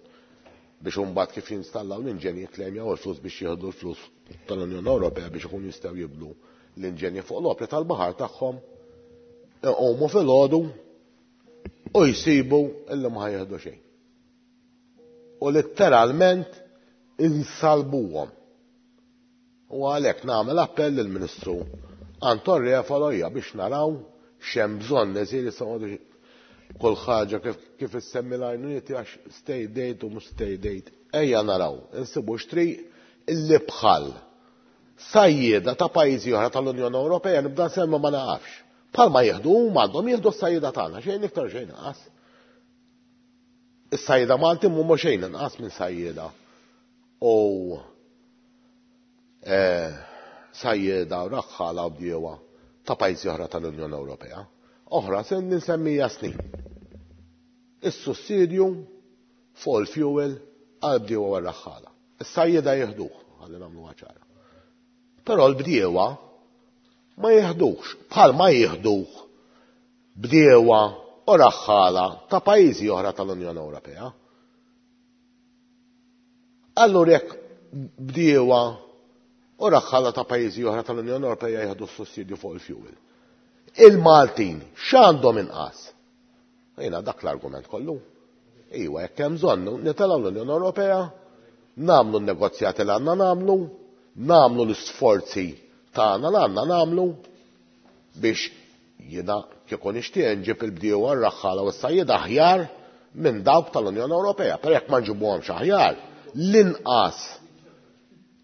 biex imbagħad kif jinstallaw l-inġenji jikklejmjaw il-flus biex jieħdu l-flus tal-Unjoni Ewropea biex ikunu jistgħu jibdlu l-inġenji fuq l-opri tal-baħar tagħhom. Iqumu filgħodu u jsibu illi ma ħajjeħdu xejn. U letteralment insalbuhom. U għalhekk nagħmel appell lill-Ministru Anton Refalo hija biex naraw x'hemm bżonn isir issa kull ħaġa kif, kif issemmi l-għajnuniet għax state aid u mhux state aid. Ejja naraw, insibu x'triq illi bħal sajjieda ta' pajjiżi oħra tal-Unjoni Ewropea nibda nsemmi ma naqafx. Bħalma jieħdu huma għandhom jieħdu s-sajjieda tagħna, xejn iktar xejn inqas. Is-sajjieda Malti mhuma xejn inqas minn sajjieda u, eh, sajjieda u raħħala u bdiewa ta' pajjiżi oħra tal-Unjoni Ewropea. Oħra se ninsemmija snin. Is-sussidju fuq il-fuel għal bdiewa u raħħala. Is-sajjieda jieħduh, ħalli nagħmluha ċara. Però l-bdiewa ma jieħduhx, bħal ma jieħduh bdiewa u raħħala ta' pajjiżi oħra tal-Unjoni Ewropea. Allura jekk bdiewa u raħħala ta' pajjiżi oħra tal-Unjoni Ewropea jieħdu s-sussidju fuq il-fuel. Il-Maltin x'għandhom inqas? Jiena dak l-argument kollu. Iwa, jekk hemm bżonn nitilgħu l-Unjoni Ewropea, nagħmlu n-negozjati li għandna nagħmlu, nagħmlu l-isforzi tagħna li għandna nagħmlu biex jiena kieku nixtieq nġib il-bdiewa r-raħħala u s-sajjieda aħjar minn dawk tal-Unjoni Ewropea. Però jekk ma nġibuhomx aħjar, l-inqas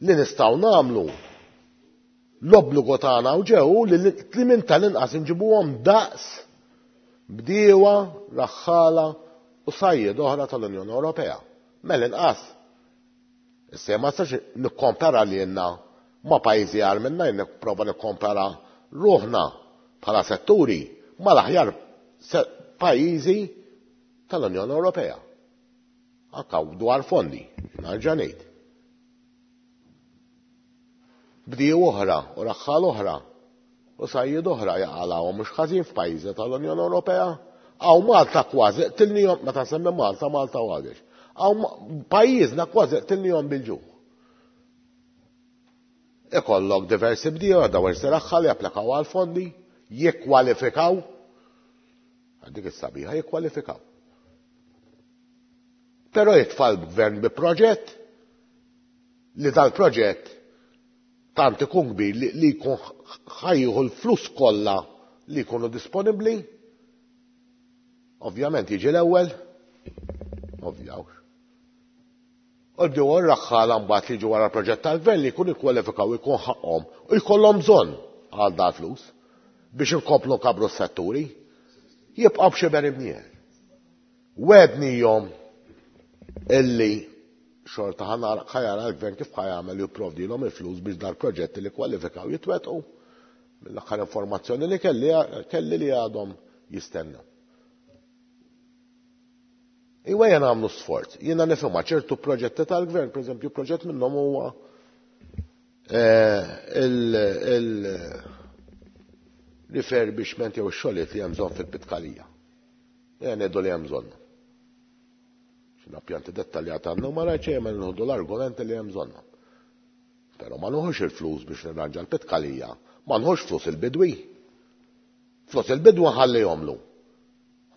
li nistgħu nagħmlu l-obbligu tagħna u ġew li li minn tal-inqas nġibuhom daqs bdiewa, raħħala u sajjied oħra tal-Unjoni Ewropea. Mela inqas. Issa ma nistax nikkompara lilna ma' pajjiżi agħar minna, jien nipprova nikkompara ruħna bħala setturi mal-aħjar pajjiżi tal-Unjoni Ewropea. Anka dwar fondi, nerġa' ngħid. Bdiew oħra u raħħal oħra u sajjied oħra jaqalgħu mhux ħażin f'pajjiżi tal-Unjoni Ewropea. Hawn Malta kważi qtilnihom, meta nsemmi Malta, Malta u Għawdex. Hawn pajjiżna kważi qtilnihom bil-ġuħ. Ikollok diversi bdiewa dawn raħħal japplikaw għal fondi, jikkwalifikaw. Dik is-sabiħa jikkwalifikaw. Però jitfa' l-gvern bi proġett li dal-proġett tant ikun kbir li, li jkun ħajjieħu l-flus kollha li jkunu disponibbli. Ovvjament jiġi l-ewwel, ovvjawx. U bdew r-raħħala mbagħad li jiġu wara l-proġett tal-gvern li jkunu jikkwalifikaw jkun ħaqhom u jkollhom bżonn għal dal flus biex inkomplu nkabru s-setturi, jibqgħu b'xi imnieħer. Wednihom illi Xorta ħa jara l-gvern kif ħa jagħmel jipprovdilhom il-flus biex dal-proġetti li kwalifikaw jitwettqu. Mill-aħħar informazzjoni li kelli kelli li għadhom jistennew. Iwa jena għamlu sforz, jiena nifhimha ċertu proġetti tal-gvern, per eżempju proġett minnhom huwa il-refurbishment jew ix-xogħlijiet li hemm bżonn fil-Pitkalija. Ejja ngħidu li hemm bżonn. X'inha pjanti dettaljata għandhom ma rajtx ejja nieħdu l-argumenti li hemm bżonnhom. Però ma nħux il-flus biex nirranġa l-Pitkalija, ma nħux flus il-bidwi. Flus il-bidwi nħallihomlu.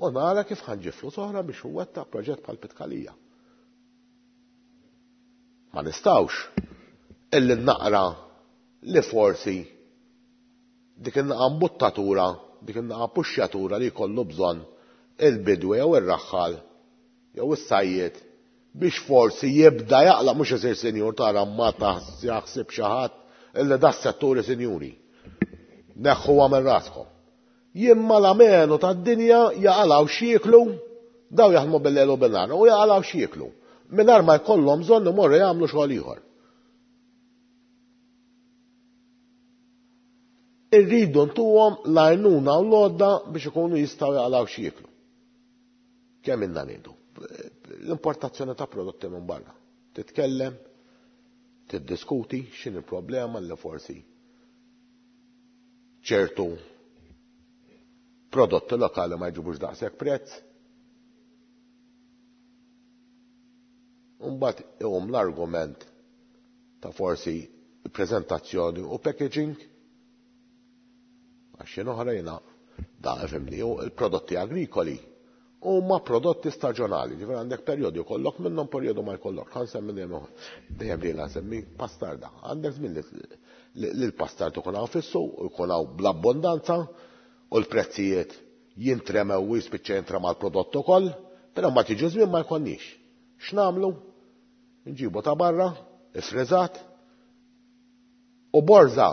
U nara kif ħa nġib flus oħra biex huwetta proġett bħal Pitkalija. Ma nistgħux illi naqra li forsi dik in-naqa mbuttatura, dik in-naqa puxxjatura li jkollu bżonn il-bidwi jew ir-raħħal jew is-sajjied biex forsi jibda jaqla' mhux isir sinjur tara ma jaħsib xi ħadd illi da s-setturi sinjuri. Neħħuha minn raskom. Jimma l-amenu tad-dinja jaqalgħu x'jieklu, daw jaħdmu bil-lejl u bil-nhar u jaqalgħu x'jieklu. Mingħajr ma jkollhom bżonn imorru jagħmlu xogħol ieħor. Irridu ntuhom l-għajnuna u l-għodda biex ikunu jistgħu jaqalgħu x'jieklu. Kemm inna ngħidu? L-importazzjoni ta' prodotti minn barra. Titkellem, tiddiskuti x'inhi il-problema li forsi ċertu prodotti lokali ma jġibux daqshekk prezz. Mbagħad iqum l-argument ta' forsi prezentazzjoni u packaging. Għax xi oħra jiena da fimni u l-prodotti agrikoli huma prodotti staġjonali, ġifieri għandek perjodu jkollok minnhom perjodu ma jkollok. Ħa nsemmi dejjem dejjem li nsemmi pastarda. Għandek żmien li l-pastard ikun hawn fis-suq u jkun hawn bl-abbondanza u l-prezzijiet jintremew u jispiċċa jintrema l-prodott ukoll, però ma tiġi żmien ma jkollniex. X'nagħmlu? Nġibu ta' barra, ifriżat, u borża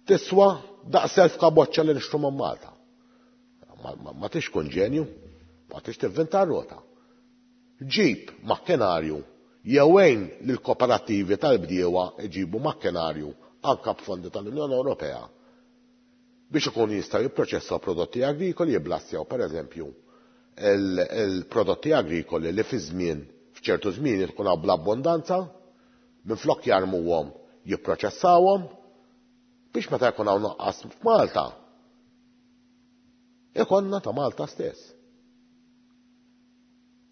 tiswa daqs elf kaboċċa li nixtru minn Malta. Ma, ma, ma tix kun ġenju, ma tix tivvinta r-rota. Ġib makkinarju jew għin lill-kooperattivi tal-bdiewa jġibu makkinarju anke b'fondi tal-Unjoni Ewropea biex ikunu jistgħu jipproċessaw prodotti agrikoli, jiblassjaw pereżempju il-prodotti agrikoli li fi żmien f'ċertu żmien tkun hawn bl-abbondanza, minflok jarmuhom jipproċessawhom biex meta jkun hawn nuqqas f'Malta ikonna ta' Malta stess.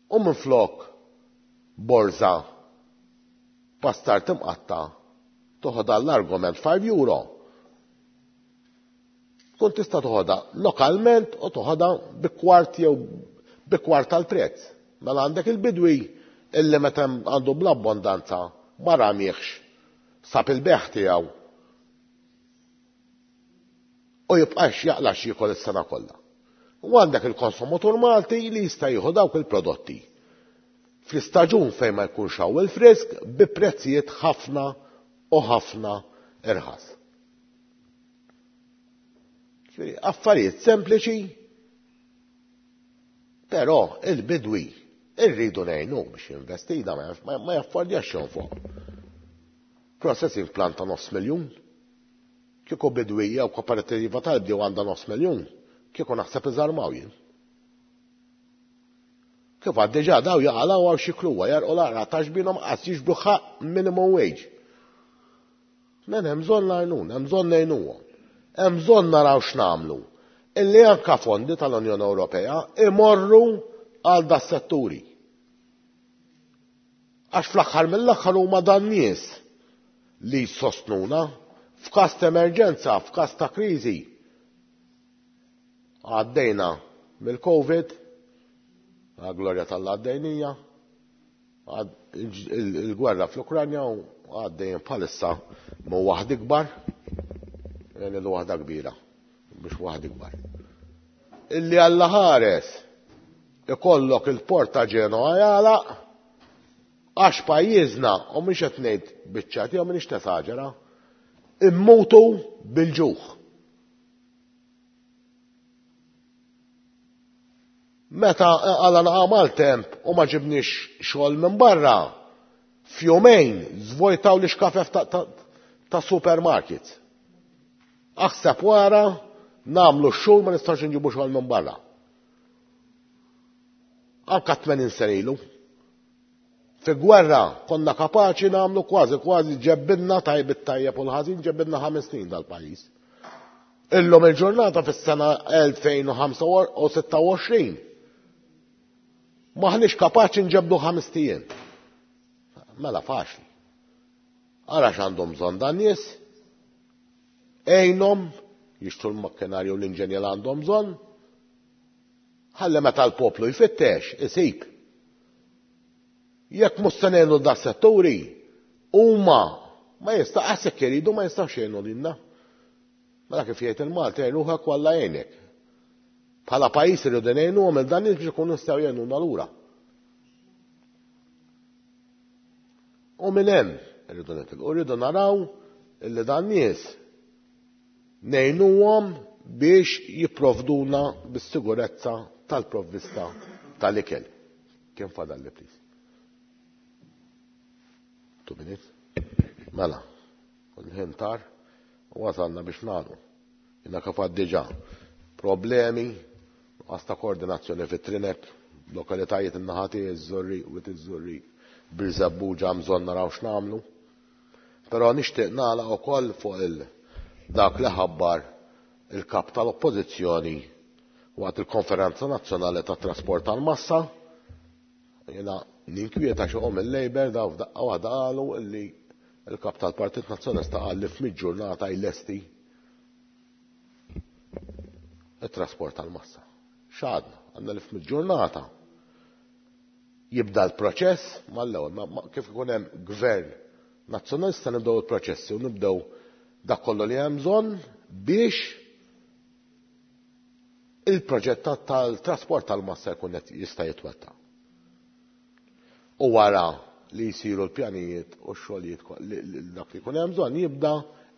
U minflok borża pastar timqatta toħodha l-argument five euro. Tkun tista' toħodha lokalment u toħodha bi kwart jew bi kwart tal-prezz. Mela għandek il-bidwi illi meta għandu bl-abbondanza ma ramieħx sab il-beħ tiegħu u jibqax jaqlax jiekol is-sena kollha. U għandek il-konsumatur Malti li jista' jieħu dawk il-prodotti fl-istaġun fejn ma jkunx hawn il-frisk bi prezzijiet ħafna u ħafna irħas. Affarijiet sempliċi, però il-bidwi irridu ngħinu biex jinvesti da ma jaffordjax jonfoq. Processing plant ta' nofs miljun. Kieku bidwija u kooperativa tal-bdiewa għandha nofs miljun, kieku naħseb iżarmaw jien. Kif għad diġà daw jaqalgħu għaw xi kluwa, jarqu l-għara ta' xbinhom qas jiġbru ħaqq minimum wage. Men hemm bżonn l-għajnuna, hemm bżonn ngħinuhom. Hemm bżonn naraw x'nagħmlu. Illi anke fondi tal-Unjoni Ewropea imorru għal da setturi. Għax fl-aħħar mill-aħħar huma dan nies li jsostnuna f'każ ta' emerġenza, f'każ ta' kriżi. Għaddejna mill-Covid, għal glorja tal-għaddejnija, il-gwerra fl-Ukranja u għaddejn bħalissa mu waħd ikbar, jgħidu waħda kbira, biex waħd ikbar. Illi Alla ħares ikollok il-port ta' Ġenoa jagħlaq għax pajjiżna, u mhix qed ngħid biċċati jew m'iniex tesaġera, immutu bil-ġuħ. Meta għala naqa' mal-temp u ma ġibniex xogħol minn barra, F'jumejn żvojtaw li xkafef ta', ta, ta supermarkets. Aħseb wara nagħmlu x-xogħol ma nistax inġibu xogħol minn barra. Anka tmenin sena ilu. Fi gwerra konna kapaċi nagħmlu kważi kważi ġebbinna tajb it-tajjeb u l-ħażin ġebbinna ħames snin dal-pajjiż. Illum il-ġurnata fis-sena elfejn u ħamsa u sitta u għoxrin maħniex kapaċi nġebdu ħames ijiem. Mela faċli. Ara x'għandhom bżonn dan nies, għinhom jixtru l-makkinarju u l-inġenja li għandhom bżonn, ħalli meta l-poplu jfittex isib. Jekk mhux se ngħinu da setturi, huma ma jista' qasek iridu ma jistgħux jgħinu lilna. Mela kif jgħid il-Malti, jgħinuha kwalla għajnek. Bħala pajjiż irridu ngħinuhom il dan nies biex ikunu nistgħu jgħinuna lura. U minn hemm irridu nitilqu, rridu naraw illi dan nies ngħinuhom biex jipprovduna bis-sigurezza tal-provvista tal-ikel. Kien fadalli, please? Two minutes. Mela, il-ħin tar u wasalna biex nagħlqu. Jiena kif għad diġà problemi, nuqqas ta' koordinazzjoni fit-trinek, lokalitajiet in-naħati, iż-Żurrieq, u iż-Żurrieq, Birżebbuġa bżonn naraw x'nagħmlu. Però nixtieq nagħlaq ukoll fuq il dak li ħabbar il-kap tal-Oppożizzjoni waqt il-Konferenza Nazzjonali tat-Trasport tal-Massa. Jiena ninkwieta xi qom il-Labour daw f'daqqa waħda qalu illi il-kap tal-Partit Nazzjonalista qal li f'mid ġurnata jlesti it-trasport tal-massa. X'għadna? Għandna li f'mid ġurnata jibda l-proċess mal-ewwel, ma, ma, kif ikun hemm gvern nazzjonalista nibdew il-proċessi u nibdew dak kollu li hemm bżonn biex il-proġett tal-trasport tal-massa jkun qed jista' jitwettaq. U wara li jsiru l-pjanijiet u x-xogħlijiet ko-, li, li, dak li jkun hemm bżonn jibda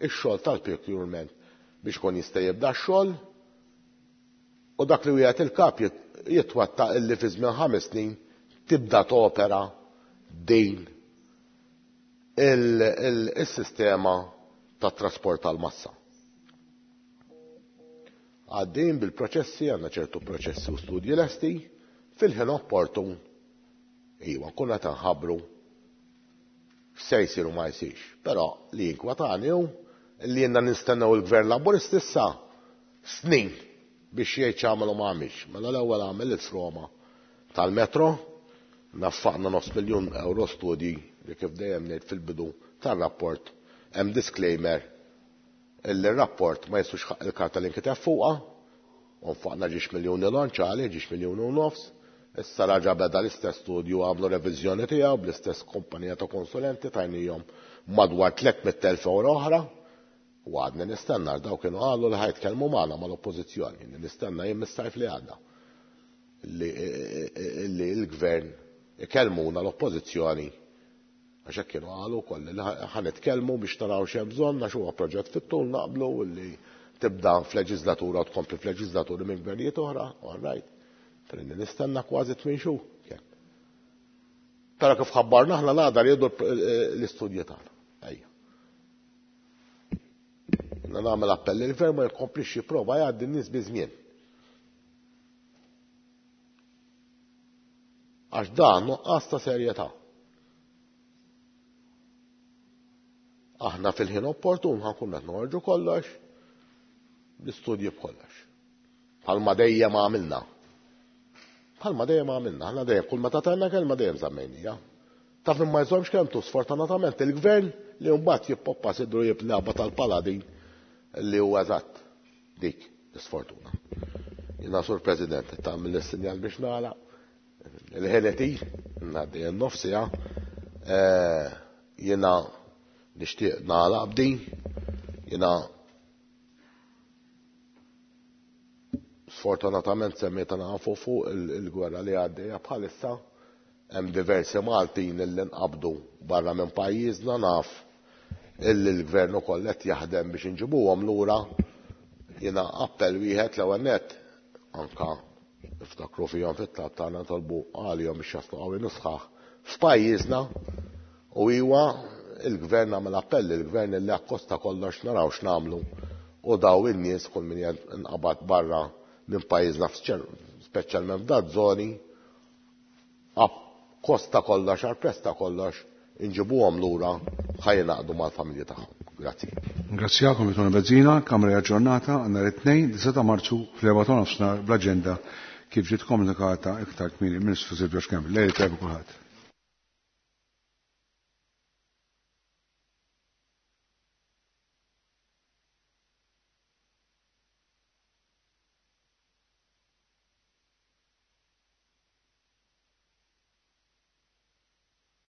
x-xogħol tal-procurement biex ikun jista' jibda x-xogħol u dak li wieħed il-kap jit-, jitwettaq illi fi żmien ħames snin tibda topera din il-, il-, il-sistema tat-trasport tal-massa. Għaddejn bil-proċessi, għandna ċertu proċessi u studji lesti, fil-ħin opportun, iwa, nkunu qed nħabbru x'se jsir u ma jsirx. Però li jinkwatani hu li jenna nistennew il-Gvern Laburist issa snin biex jgħid x'għamel u ma għamilx. Mela l-ewwel għamel il-froma tal-metro, naffaqna nofs miljun euro studji li kif dejjem ngħid fil-bidu tar-rapport hemm disclaimer illi r-rapport ma jistux ħaq il-karta li nkiteb fuqha, u nfaqna ġiex miljuni lonċali, ġiex miljuni u nofs, issa raġa beda l-istess studju għamlu reviżjoni tiegħu bl-istess kumpanija ta' konsulenti tajnihom madwar tliet mitt elf euro oħra, u għadni nistenna daw kienu qalu li ħajtkellmu magħna mal-oppożizzjoni, nistenna jien mis-sajf li għadda li, li l-gvern ikellmuna l-oppożizzjoni għax hekk kienu qalu wkoll li ħanitkellmu biex naraw x'hemm bżonn għax huwa proġett fit-tul naqblu li tibda f'leġislatura u tkompli f'leġislaturi minn gvernijiet oħra, all right. Trinni nistenna kważi tmien xhur. Però kif ħabbarna aħna l-għada li jieħdu l-istudji tagħna. Ejja. Jiena nagħmel appell li l-gvern ma jkomplix jipprova jgħaddi n-nies bi żmien. Għax dan nuqqas ta' serjetà. Aħna fil-ħin opportun ħankun qed noħorġu kollox, l-istudji b'kollox. Bħalma dejjem għamilna. Bħalma dejjem għamilna, aħna dejjem kull meta tajna kelma dejjem żammejnija. Taf min ma jżommx kelmtu sfortunatament il-gvern li mbagħad jippoppa sidru jiplaba tal-paladin li huwa eżatt dik l-isfortuna. Jiena Sur President, tagħmel is-sinjal biex nagħlaq. Il-ħeleti, ngħaddi n-nofsija, eh, jiena nixtieq nagħlaq b'din, jiena sfortunatament semmejta nafu fuq il-, il-gwerra li għaddejja bħalissa, hemm diversi Maltin li nqabdu barra minn pajjiżna, naf illi l-gvern ukoll qed jaħdem biex inġibuhom lura. Jiena appell wieħed l-ewwel nett anka niftakru fihom fit-tlab tagħna nitolbu għalihom biex jaslu qawwi nusħaħ f'pajjiżna, U iwa il-gvern għamel appell, il-gvern li akkosta kollox naraw x'nagħmlu u daw in-nies kull min inqabad barra minn pajjiżna speċjalment f'dat żoni akkosta kollox, għal prezz ta' kollox, inġibuhom lura ħa jingħaqdu mal-familji tagħhom. Grazzi. Ringrazzjakom Tony Bezzina, Kamra aġġornata għal nhar it-Tnejn, disgħa ta' Marzu fl-erbgħa ta' nofsinhar bl-aġenda kif ġiet komunikata iktar kmieni mill-Ministru Silvio Schembri. Lejl tajjeb kulħadd.